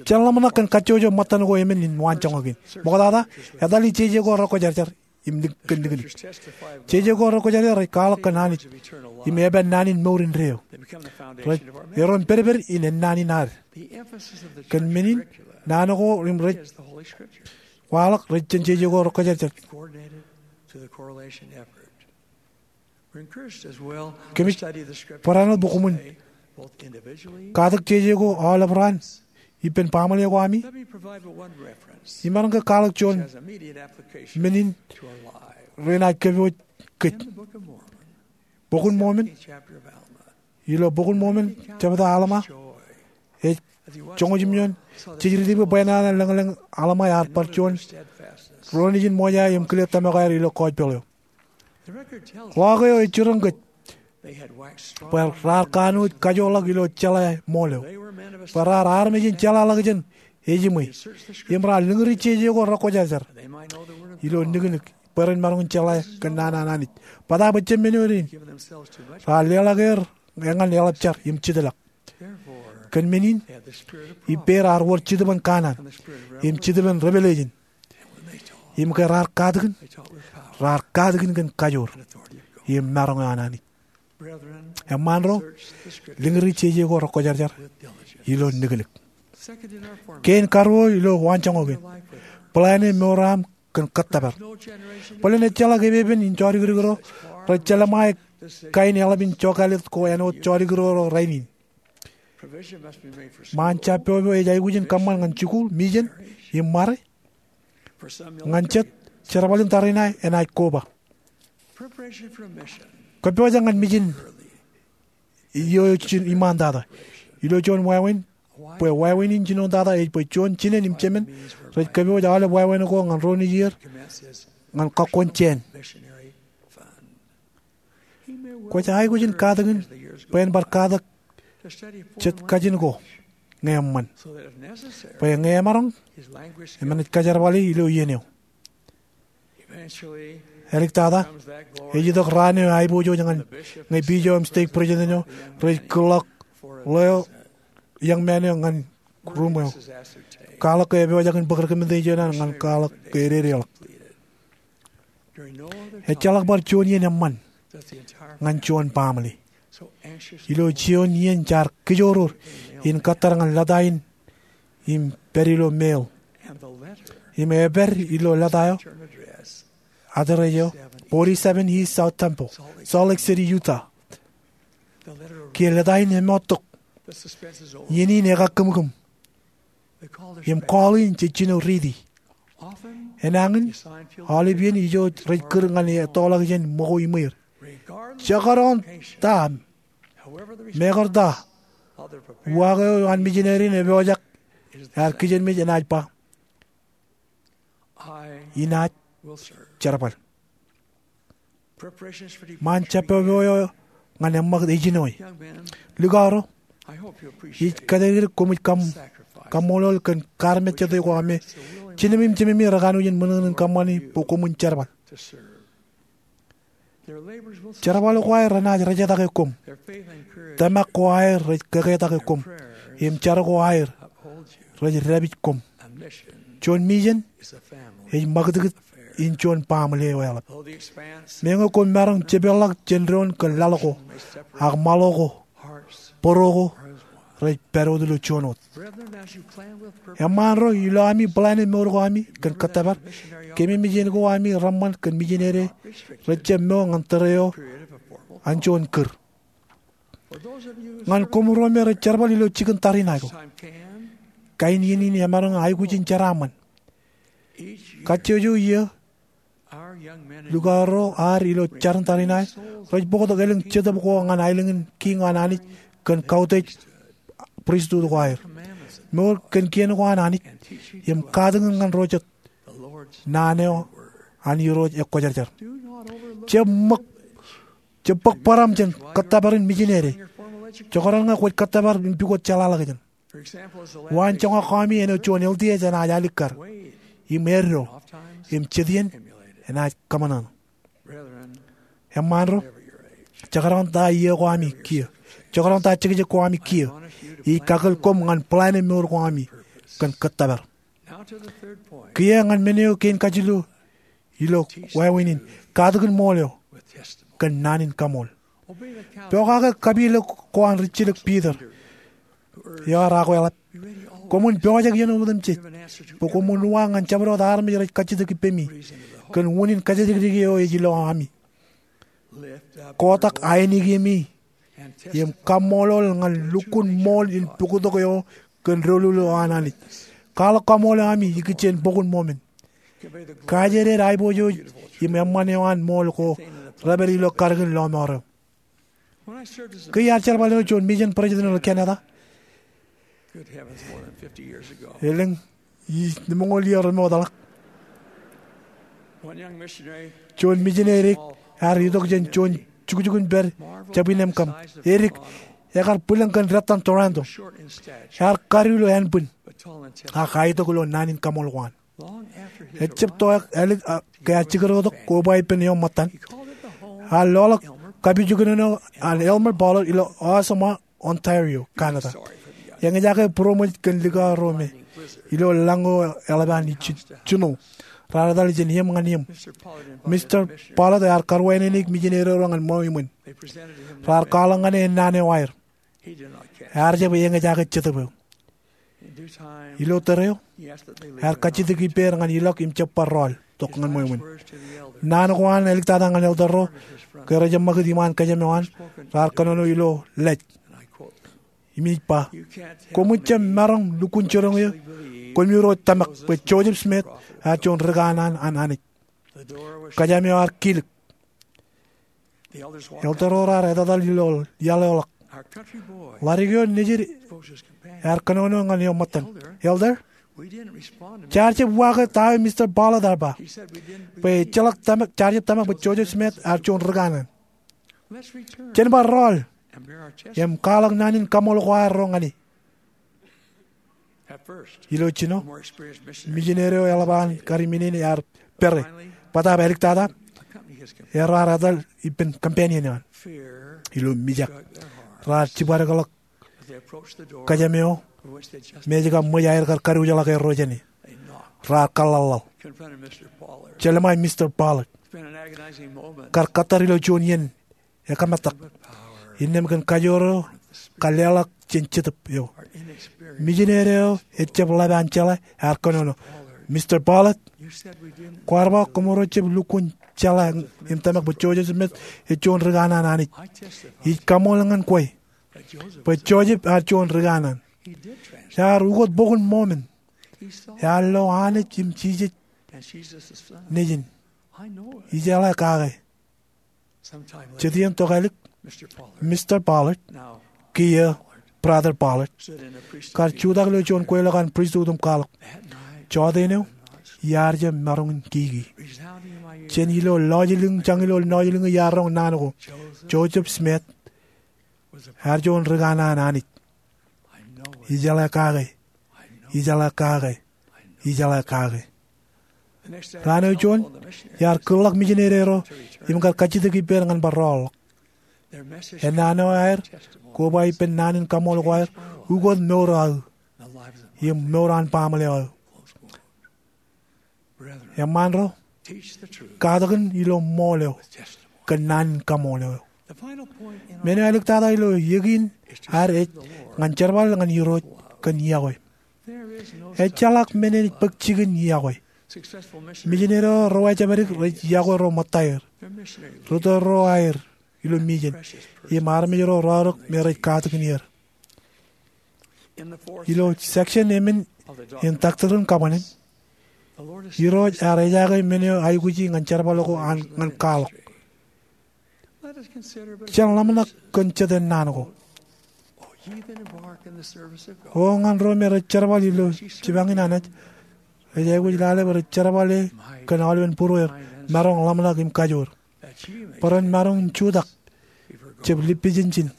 Jen ḷōmṇak kōn kajjojo ṃōttan ko emān in waanjoñak in. Ṃoktata, etal ej jeje ko rekwōjarjar im nik- kōn niknik. Jeje ko rekwōjarjar rej kwaḷọk kōn Anij im eban naan in mour indeeo. Rej erom pedped in ennaan in ad. Kōn men in, naan ko im rej waḷọk rej jān jeje ko rekwōjarjar. Kōmij barāinwōt bwe koṃwin katak jeje ko aolep raan ippān baaṃle ko ami. Imaroñ ke kwaḷọk juon men in renaaj kōpooj kōj. Bok in Mormon, ilo Bok in Mormon, jebta Alma, ej joñoul jimjuon. Jej riiti bwe bwe naan lōñlōñ Alma ear bar juon ro nejin ṃōja im kile tōmak aer ilo kọjpeḷ eo. Ḷọk eo ej jiroñ kōj bwe raar kanooj kajoorḷọk ilo jeḷā ṃool eo, bwe raar armej in jeḷāḷọkjeṇ ejiṃwe, im raar lōñri jeje ko rekwōjarjar ilo niknik, bwe ren maroñ in jeḷā kōn naan an Anij. Bōtaab ejjab men eo in, raar leḷọk er ñan eḷap jar im jitḷọk. Kōn men in, ippāer ear wōr Jetōb in kanaan im Jetōb in revelation. Im ke raar katakin, raar katakin kōn kajoor im maroñ eo an Anij. Eṃṃaan ro, lōñri jeje ko rekwōjarjar ilo niknik. Kein karuo ilo waanjoñak in, plāne mour eo aṃ kōn kōttōpar. Bōlen ejjeḷọk epepen in jodikdik ro rej jelṃae kain eḷap in jokāālōt ko āinwōt jodikdik ro rainin. Ṃaan jab popo ej aikuj in kōṃṃan ñan jikuuḷ, mijen, im ṃare. Ñan jet, jerbal in tariṇae enaaj koba. Kōppojak ñan mijen iiō jin iṃaantata. Ilo juon wāween, bwe wāween in jinoin tata ej bwe juon jinen im jemān rej kōpooj aolep wāween ko ñan ro nejier ñan kakkon jāān. Kwōj aikuj in katakin bwe en bar katak jet kajin ko ñe eṃṃan, bwe ñe emaroñ, eṃōj kajerbale ilo iien eo. Āliktata, ej itok raan eo aiboojoj ñan ñe bishop im stake president eo rej kūrḷọk ḷeo, young man eo ñan ruuṃ eo. Kwaḷọk ke epojak in bōk recommendation eo an ñan kwaḷọk ke ededeḷọk. Ejjeḷọk bar juon iien eṃṃan ñan juon baaṃle ilo juon iien jaar kijooror in kōttar ñan lōta in im pād ilo mail. Im epād ilo lōta eo, address eo, forty-seven East South Temple, Salt Lake City, Utah. Kiiō lōta in eṃoottok. Iien in ekakkōmkōm. Im call in jej jino riiti. Enañin, aolep iien ijo rej kūr ñan ettoḷọk jān ṃōko iṃweir. Jekdọọn ta, mekarta uwaak eo an misineri in epojak, ear kijenmej enaaj ba, inaaj jerbal. Ṃaan jab popo eo ñan eṃṃakūt ejinoe. Likao ro, ij kōjatdikdik koṃij kaṃ-, kaṃṃoolol kōn kaarmejjete ko aṃ me jinemi im jememi rekanooj in ṃōṇōṇō in kōṃṃani bwe koṃwin jerbal. Jerbal ko aer renaaj rejetake koṃ. Tōmak ko aer rej kōkeetake koṃ. Im jar ko aer rej dāpij koṃ. Juon mijen ej ṃakūtkūt in juon baaṃle eo eḷap. Meñe koṃ maroñ jepeḷḷọk jān doon kōn laḷ ko, ak ṃaḷo ko, bōro ko rej pād wōt ilo juon wōt. Eṃṃaan ro, ilo ami plāne mour ko ami kōn kōttōpar, kememej iien ko ami reṃṃan kōn misineri rej jab mo ñan tōre eo an juon kūr. Ñan koṃro me rej jerbal ilo jikin tariṇae ko, kain iien in emaroñ aikuj in jeraaṃṃan. Kajjojo iiō, likao ro ad ilo jarin tariṇae rej bōktok elōñ jetōb ko ñan aelōñ in kiiñ an Anij kōn kautiej pristut ko aer. Mour kōn kien ko an Anij im katakin ñan ro jet naan eo an Irooj ekwōjarjar. Jab ṃōk Jab bōk bōraṃ jān kōttōpar in mijinede. Jekdọọn ñe kwōj kōttōpar im pukot jeḷāḷọkjeṇ. Waan joñak kami āinwōt juon L D S enaaj alikkar im eddo im jet iien enaaj kōṃanṃan. Eṃṃaan ro, jekdọọn ta iiō ko ami kiiō, jekdọọn ta jekjek ko ami kiiō, ij kakōl koṃ ñan plan e mour ko ami kōn kōttōpar. Kiiō ñan men eo kein kajilu ilo wāween in, katakin ṃool eo kōn naan in kaṃool. Pokake kapilōk ko an rijjilōk Piter eo ear akweḷap. Koṃwin pojak iien otemjej bwe koṃwin uwaak ñan jabdewōt armej rej kajjitōk ippemi kōn unin kajjidikdik eo ej ilo ami. Kotak ainikieṃ im kaṃṃoolol ñan lukkuun ṃool in pukot eo kōn doulul eo an Anij. Kwaḷọk kaṃool eo ami ikijjien bok in ṃool men. Kajeeded aiboojoj im eṃṃan eo an ṃool ko repād ilo katakin lọmọọr eo. Ke iar jerbal ilo juon mission president ilo Canada, elōñ lemñoul iiō remootḷọk, juon mijineri ear itok jān juon jukjukun pād jab inemkaṃ. Edik, ekar bwilōñ kōn dettan Toronto. Ear kadiwōj ilo ānbwin, ak aitok ilo naan in kaṃool ko an. Ejab to ālik ke ear jikerotok koba ippān eṃṃan. Ear loḷọk kapijuknen eo an Elmer Pollard ilo Oshawa, Ontario, Canada. Eñjake būroṃōj kōn likao ro me ilo lañ eo eḷap an snow. Raar etal jān eṃ ñan eṃ. Mister Pollard ear karuwainene mijineri ro ñan ṃweo iṃōn. Raar kwaḷọk ñan e naan eo aer. Ear jab eñjake jetōb eo. Ilo tōre eo, ear kajjitōk ippāer ñan ilọk im jab bar rọọl tok ñan ṃweo iṃōn. Naan ko an āliktata ñan elder ro ke rej eṃṃakūt iṃaan kōjām eo an, raar kōnono ilo lej im ej ba, koṃij jab maroñ lukkuun jiroñ eō koṃiro tōmak bwe Joseph Smith ear juon ri kanaan an Anij. Kōjām eo ear kilōk. Elder ro raar etetal ilo iaḷ eo ḷọk. Ḷadik eo nejid ear kōnono ñan eṃṃan. Elder, jaar jab uwaake ta eo Mister Pollard ear ba, bwe ejjeḷọk tōmak, jaar jab tōmak bwe Joseph Smith ear juon ri kanaan. Jen bar rọọl im kwaḷọk naan in kaṃool ko ad ro ñan e. Ilo jino, mijineri eo eḷap an karimin in ear pere. Bōtaab āliktata, erro raar etal ippān companion eo an. Ilo mijak, raar jibadekḷọk kōjām eo me ej kab ṃōj aer kar kadiwōjḷọk erro jāne. Raar kōḷḷaḷḷaḷ. Jelṃae Mister Pollard. Kar kōttar ilo juon iien ekōmetak. Innām kōn kajoor eo kar leḷọk jān Jetōb eo. Mijineri eo ejjab ḷap an jeḷā ear kōnono, Mister Pollard, kwaar ba koṃro jab lukkuun jeḷā im tōmak bwe Joseph Smith ej juon ri kanaan an Anij. Ij kaṃool ñan kwe bwe Joseph ear juon ri kanaan. Ear ukōt bok in ṃool men. Ear lo Anij im Jisōs Nejin. Ijeḷā kake. Jet iien tok ālik, Mister Pollard, kiiō Brother Pollard, kar jutak ilo juon kweilọk an pristut im kwaḷọk, jọteen eo iar jab maroñ in kiki. Jān ilo lọjilñiñ, jañin ilo lọjilñiñ iar roñ naan ko, Joseph Smith ear juon ri kanaan an Anij. Ijeḷā kake. Ijeḷā kake. Ijeḷā kake. Raan eo juon, iar kūrḷọk mijineri ro im kar kajjitōk ippāer ñan bar rọọl ḷọk. Ennaan eo aer, koba ippān naan in kaṃool ko aer, ukōt mour eo aō im mour an baaṃle eo aō. Eṃṃaan ro, katakin ilo ṃool eo kōn naan in kaṃool eo. Men eo āliktata ilo iiō kein ad ej ñan jerbal ñan Irooj kōn iọkwe. Ejjeḷọk men enaaj bōk jikin iọkwe. Mijineri ro ejjab edik rej iọkwe ro ṃōttaer, ri tōl ro aer ilo mission, im armej ro raorōk me rej katakin er. Ilo section emān in Doctrine and Covenants, Irooj ear ejaake men eo aikuji ñan jerbal ko an ñan kwaḷọk. Jen ḷōmṇak kōn jete naan ko. O ñan ro me rej jerbal ilo jipañ in Anij, ej aikuj lale bwe rej jerbale kōn aolepen būrueer, maroñ ḷōmṇak im kajoor, bwe ren maroñ in jutak jab lippejenjin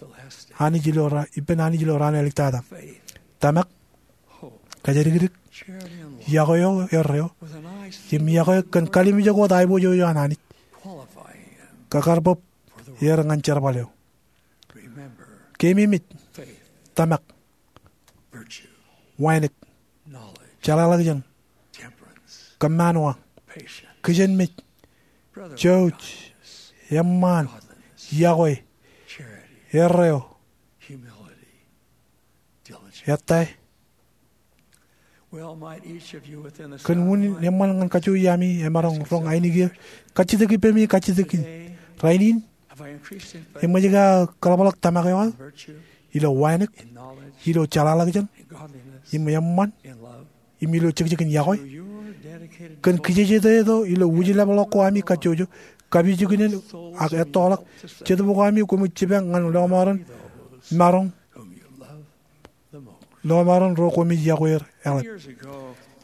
Anij ilo ra-, ippān Anij ilo raan āliktata. Tōmak, kōjatdikdik, iọkwe eo erreo, im iọkwe kōn kalimjek wōt aiboojoj eo an Anij, kōkarbōb er ñan jerbal eo. Keememej, tōmak, wānōk, jeḷāḷọkjeṇ, kōmmaanwa, kijenmej, jouj, eṃṃaan, iọkwe, erreo, ettā. Kōn unin eṃṃan ñan kajjojo ami emaroñ roñ ainikien kajjitōk ippemi kajjitōkin rainin. Eṃōj ke aō kōḷapḷọk tōmak eo aō ilo wānōk, ilo jeḷāḷọkjeṇ, im eṃṃan, im ilo jekjekin iọkwe? Kōn kijejeteto ilo wūjlepḷọk ko ami kajjojo, kapijuknen, ak ettoḷọk jetōb ko ami, koṃij jipañ ñan lọmọọren maroñ, lọmọọren ro koṃij iọkwe er eḷap.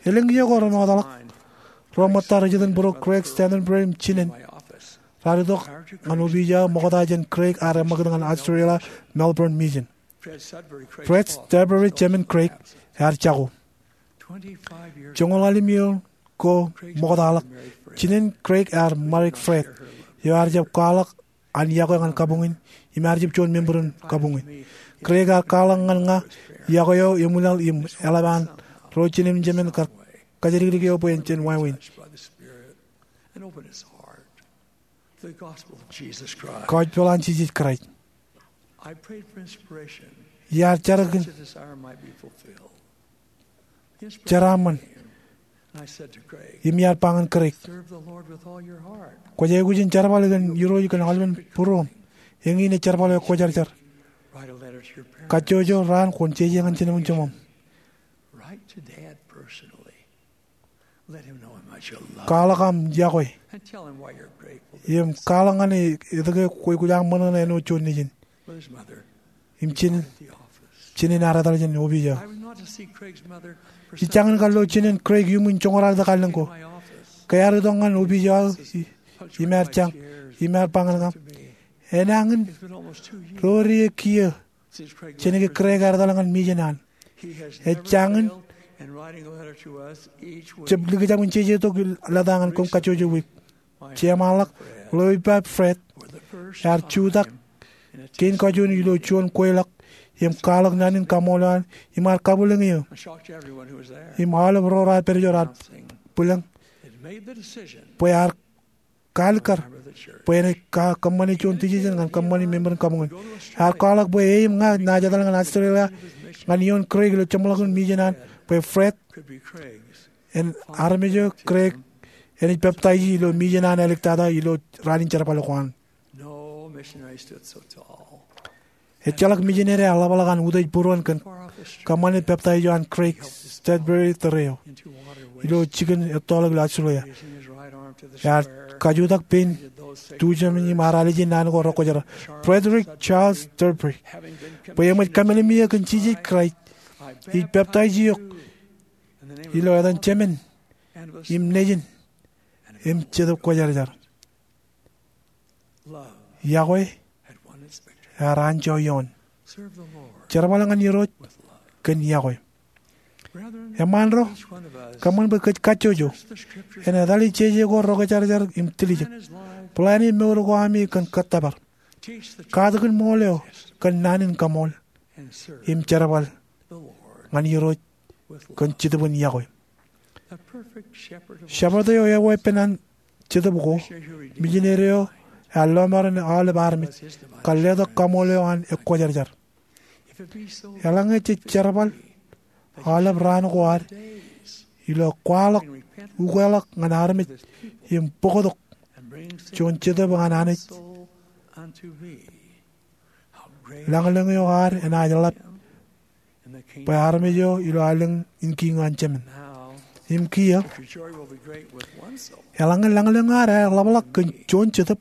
Elōñ iiō ko remootḷọk, ro ṃōtta rej iten būruō Craig Stapleton im jinen raar itok ñan opiij eo ṃokta jān Craig ear eṃṃakūt ñan Australia Melbourne Mission. Fred Sudbury, jemān Craig, ear jako. Joñoul ḷalem iiō ko ṃoktaḷọk, jinen Craig ear ṃadik Fred, eo ear jab kwaḷọk an iọkwe ñan kabuñ in, im ear jab juon member in kabuñ in. Craig ear kwaḷọk ñan ña iọkwe eo eṃwilaḷ im eḷap an ro jinen im jemān kar kōjatdikdik eo bwe en jen wāween. Kọjpeḷ an Jisōs Kraist. Iar jar kōn jeraaṃṃan, im iar ba ñan Craig, kwōj aikuj in jerbal kōn Irooj kōn aolepen būruōṃ. Eñin ej jerbal eo ekwōjarjar. Kajjojo raan kwōn jeje ñan jinem im jeṃṃaṃ. Kwaḷọk aṃ iọkwe im kwaḷọk ñan e etke kwōj kwōj aṃ ṃōṇōṇō āinwōt juon nejin. Im jinen, jinen ear etal jān opiij eo. Ij jañin kar lo jinen Craig iuṃwin joñoul raar itok allōñ ko. Ke ear itok ñan opiij eo aō, im ear jañ, im ear ba ñan kōm, enañin ro ri kiiō jān ke Craig ear etal ñan mission an. Ej jañin jab likjab in jejetok lōta ñan koṃ kajjojo wiik. Jeṃaanḷọk ḷeo ippa Fred ear jutak kein kajoor ilo juon kweilọk im kwaḷọk naan in kaṃool eo an im ear kabwilōñ eō. Im aolep ro raar pād ijo raar bwilōñ bwe ear kalikkar bwe enaaj kōṃṃane juon decision ñan kōṃṃani member in kabuñ in. Ear kwaḷọk bwe e im ña naaj etal ñan Australia ñan ioon Craig ilo jeṃḷọkin mission an bwe Fred en armej eo Craig enaaj peptaij ilo mission an āliktata ilo raan in jerbal ko an. Ejjeḷọk misineri ear ḷapḷọk an utiej būruon kōn kōṃṃane peptaij eo an Craig Sudbury tōre eo ilo jikin ettoḷọk ilo Australia. Ear kajutak pein tujamin im ear ālije naan ko rekwōjarjar. Frederick Charles Sudbury, bwe eṃōj kameḷeḷe eō kōn Jisōs Kraist, ij peptaij eok ilo etan Jemān im Nejin im Jetōb Kwōjarjar. Iọkwe ear anjọ ioon. Jerbal ñan Irooj kōn iọkwe. Eṃṃaan ro, kōṃṃan bwe kōj kajjojo en etale jeje ko rekwōjarjar im tiljek. Plan e mour ko ami kōn kōttōpar. Katakin ṃool eo kōn naan in kaṃool im jerbal ñan Irooj kōn jetōb in iọkwe. Shepherd eo eweeppān an Jetōb ko, misineri eo ear lọmọọren aolep armej kar letok kaṃool eo an ekwōjarjar. Eḷaññe jej jerbal aolep raan ko ad ilo kwaḷọk, ukeḷọk ñan armej im bōktok juon jetōb ñan Anij, lañlōñ eo ad enaaj ḷap bwe armej eo ilo aelōñ in kiiñ eo an Jemān. Im kiiō, eḷaññe lañlōñ eo ad eḷapḷọk kōn juon jetōb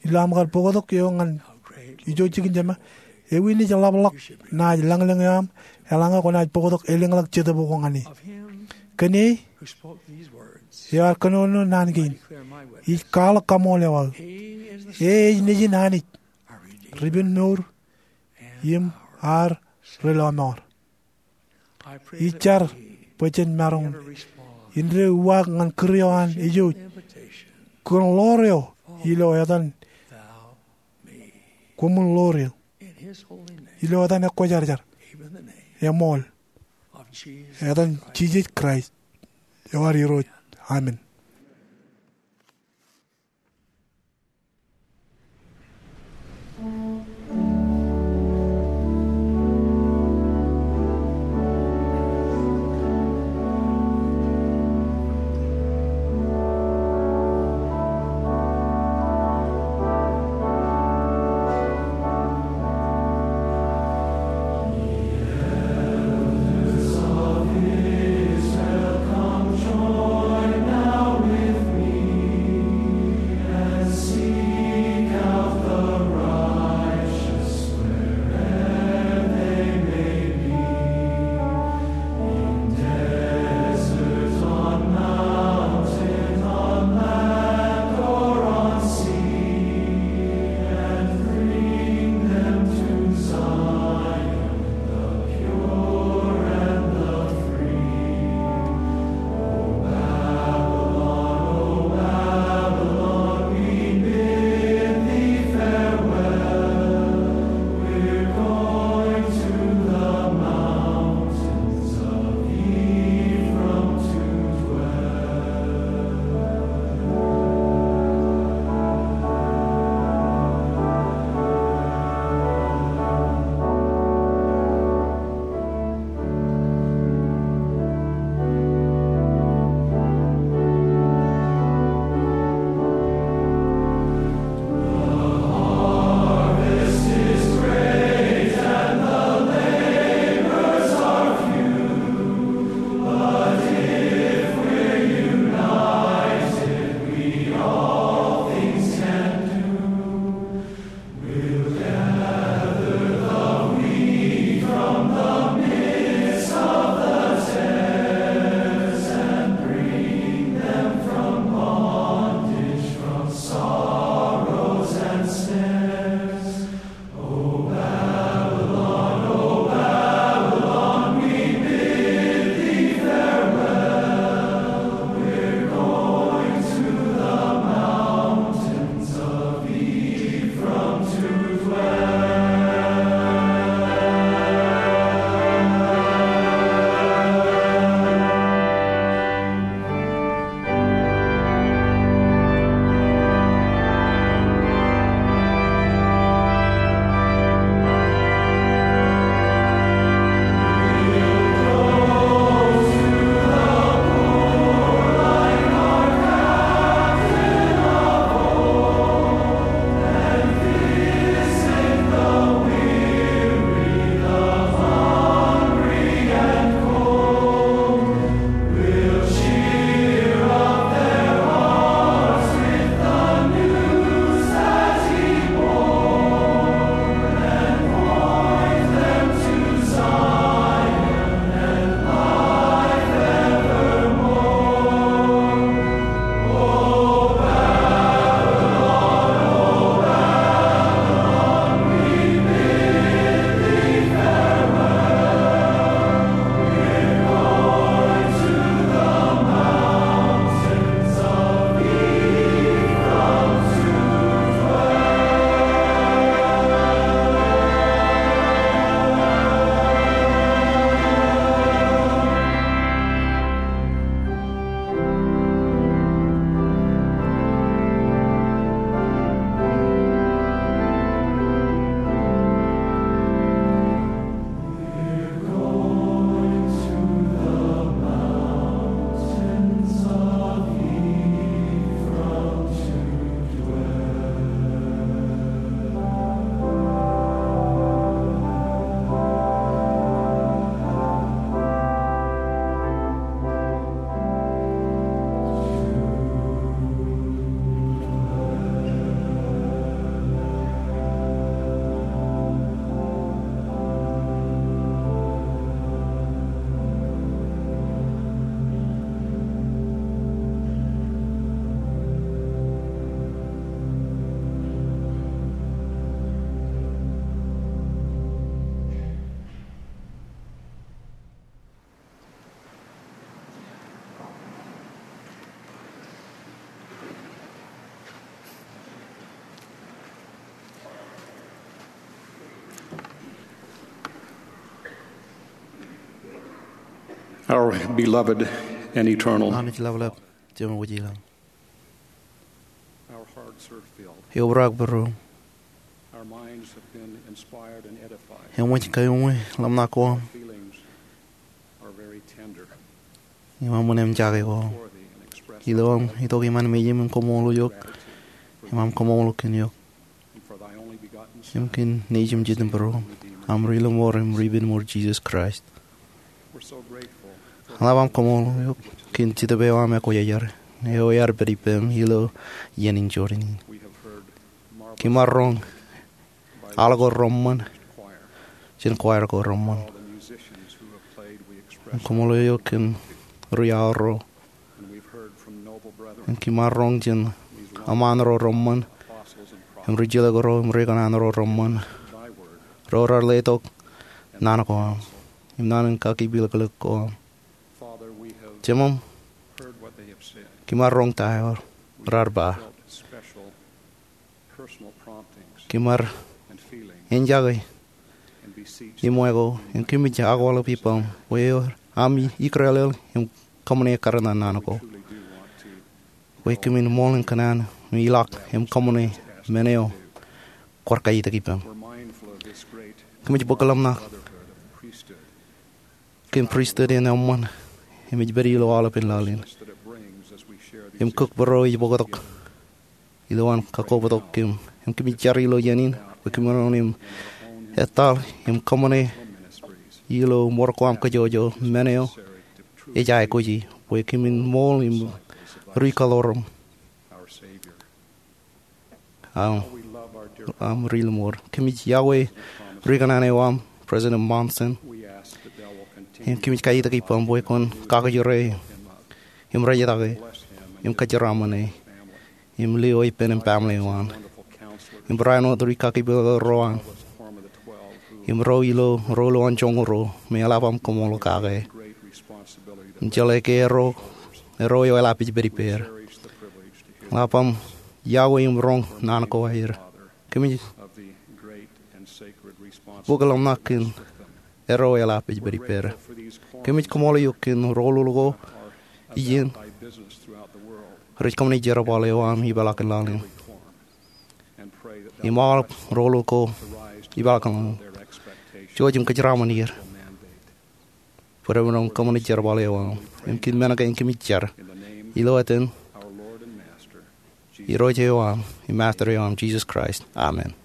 ilo aṃ kar bōktok eo ñan ijo jikin Jemān, ewi naaj ḷapḷọk naaj lañlōñ eo aṃ eḷaññe kwōnaaj bōktok elōñḷọk jetōb ko ñan e? Kōn e eo ear kōnono naan kein, ij kwaḷọk kaṃool eo aō. E ej Nejin Anij ri-ippān mour im ad ri-lọmọọr. Ij jar bwe jen maroñ in deo uwaak ñan kūr eo an ej ej, kōn ḷoor eo ilo etan, koṃwin ḷoor eō. Ilo etan ekwōjarjar, eṃool, etan Jisōs Kraist eo ad Irooj. Amen. Our beloved and eternal. Anij Lapalap, Jemem wōj ilañ. Our hearts are filled. Eobrak būruōm. Our minds have been inspired and edified. Eṃōj kaiuṃwin ḷōmṇak ko aṃ. Feelings are very tender. Im aṃ ṃōṇōṇō im jake ko aṃ. Ilo aṃ itok iṃaan mejaṃ im koṃṃool eok, im aṃ koṃṃool kōn eok. Im kōn Nejūṃ Jitōnbōro, aṃ Ri-Lọmọọr im Ri-Penmour Jisōs Kraist. Eḷap aṃ koṃṃool eok kōn Jetōb eo aṃ ekwōjarjar, eo ear pād ippām ilo iien in Jordan in. Kōm ar roñ al ko reṃṃan jān choir ko reṃṃan. Im koṃṃool eok kōn ri-aor ro. Im kōm ar roñ jān eṃṃaan ro reṃṃan, im ri-jilkinḷọk ro, im ri-kōṇaan ro reṃṃan, ro raar letok naan ko aṃ im naan in kakipilōklōk ko aṃ. Jemem, kōm ar roñ ta eo raar ba. Kōm ar enjake im wāween, im kōmij akwāḷọk ippaṃ bwe eo aṃ ikrelel im kōṃṃane kar naan ko, bwe kōmin ṃool in kōṇaan im ilọk im kōṃṃane men eo kwaar kaitik ippaṃ. Kōmij bōk ḷōmṇak kōn pristut in eṃṃan im ej pād ilo aolepān laḷ in, im kōkbōro ej bōktok ilowaan kakkobtok kōm. Im kōmij jar ilo iien in bwe kōmin wōn im etal im kōṃṃane ilo mour ko aṃ kōjwōjwōj men eo ej aikuji bwe kōmin ṃool im ri-kaḷoor aṃ, aṃ Ri-Lọmọọr. Kōmij iọkwe ri-kōṇaan eo aṃ, President Monson, im kōmij kaitik ippaṃ bwe kwōn kakijure im rejtake im kōjeraaṃṃan e im lio ippān im family eo an, im barāinwōt ri-kakipilōk ro an, im ro ilo ro ilowaan joñoul ruo me eḷap aṃ koṃṃool kake im jeḷā ke erro, erro eo eḷap ej pād ippāer. Eḷap aṃ iọkwe im roñ naan ko aer. Kōmij bōk ḷōmṇak kōn erro eḷap ej pād ippāer. Kōmij koṃṃool eok kōn roñoul ko iien rej kōṃṃane jerbal eo aṃ ipeḷaakin laḷ in. Im aolep roñoul ko ipeḷaakin laḷ in, jouj im kōjeraaṃṃan er bwe ren kōṃṃane jerbal eo aṃ. Im kōn men kein kōmij jar ilo etan Irooj eo aṃ im Master eo aṃ, Jisōs Kraist. Amen.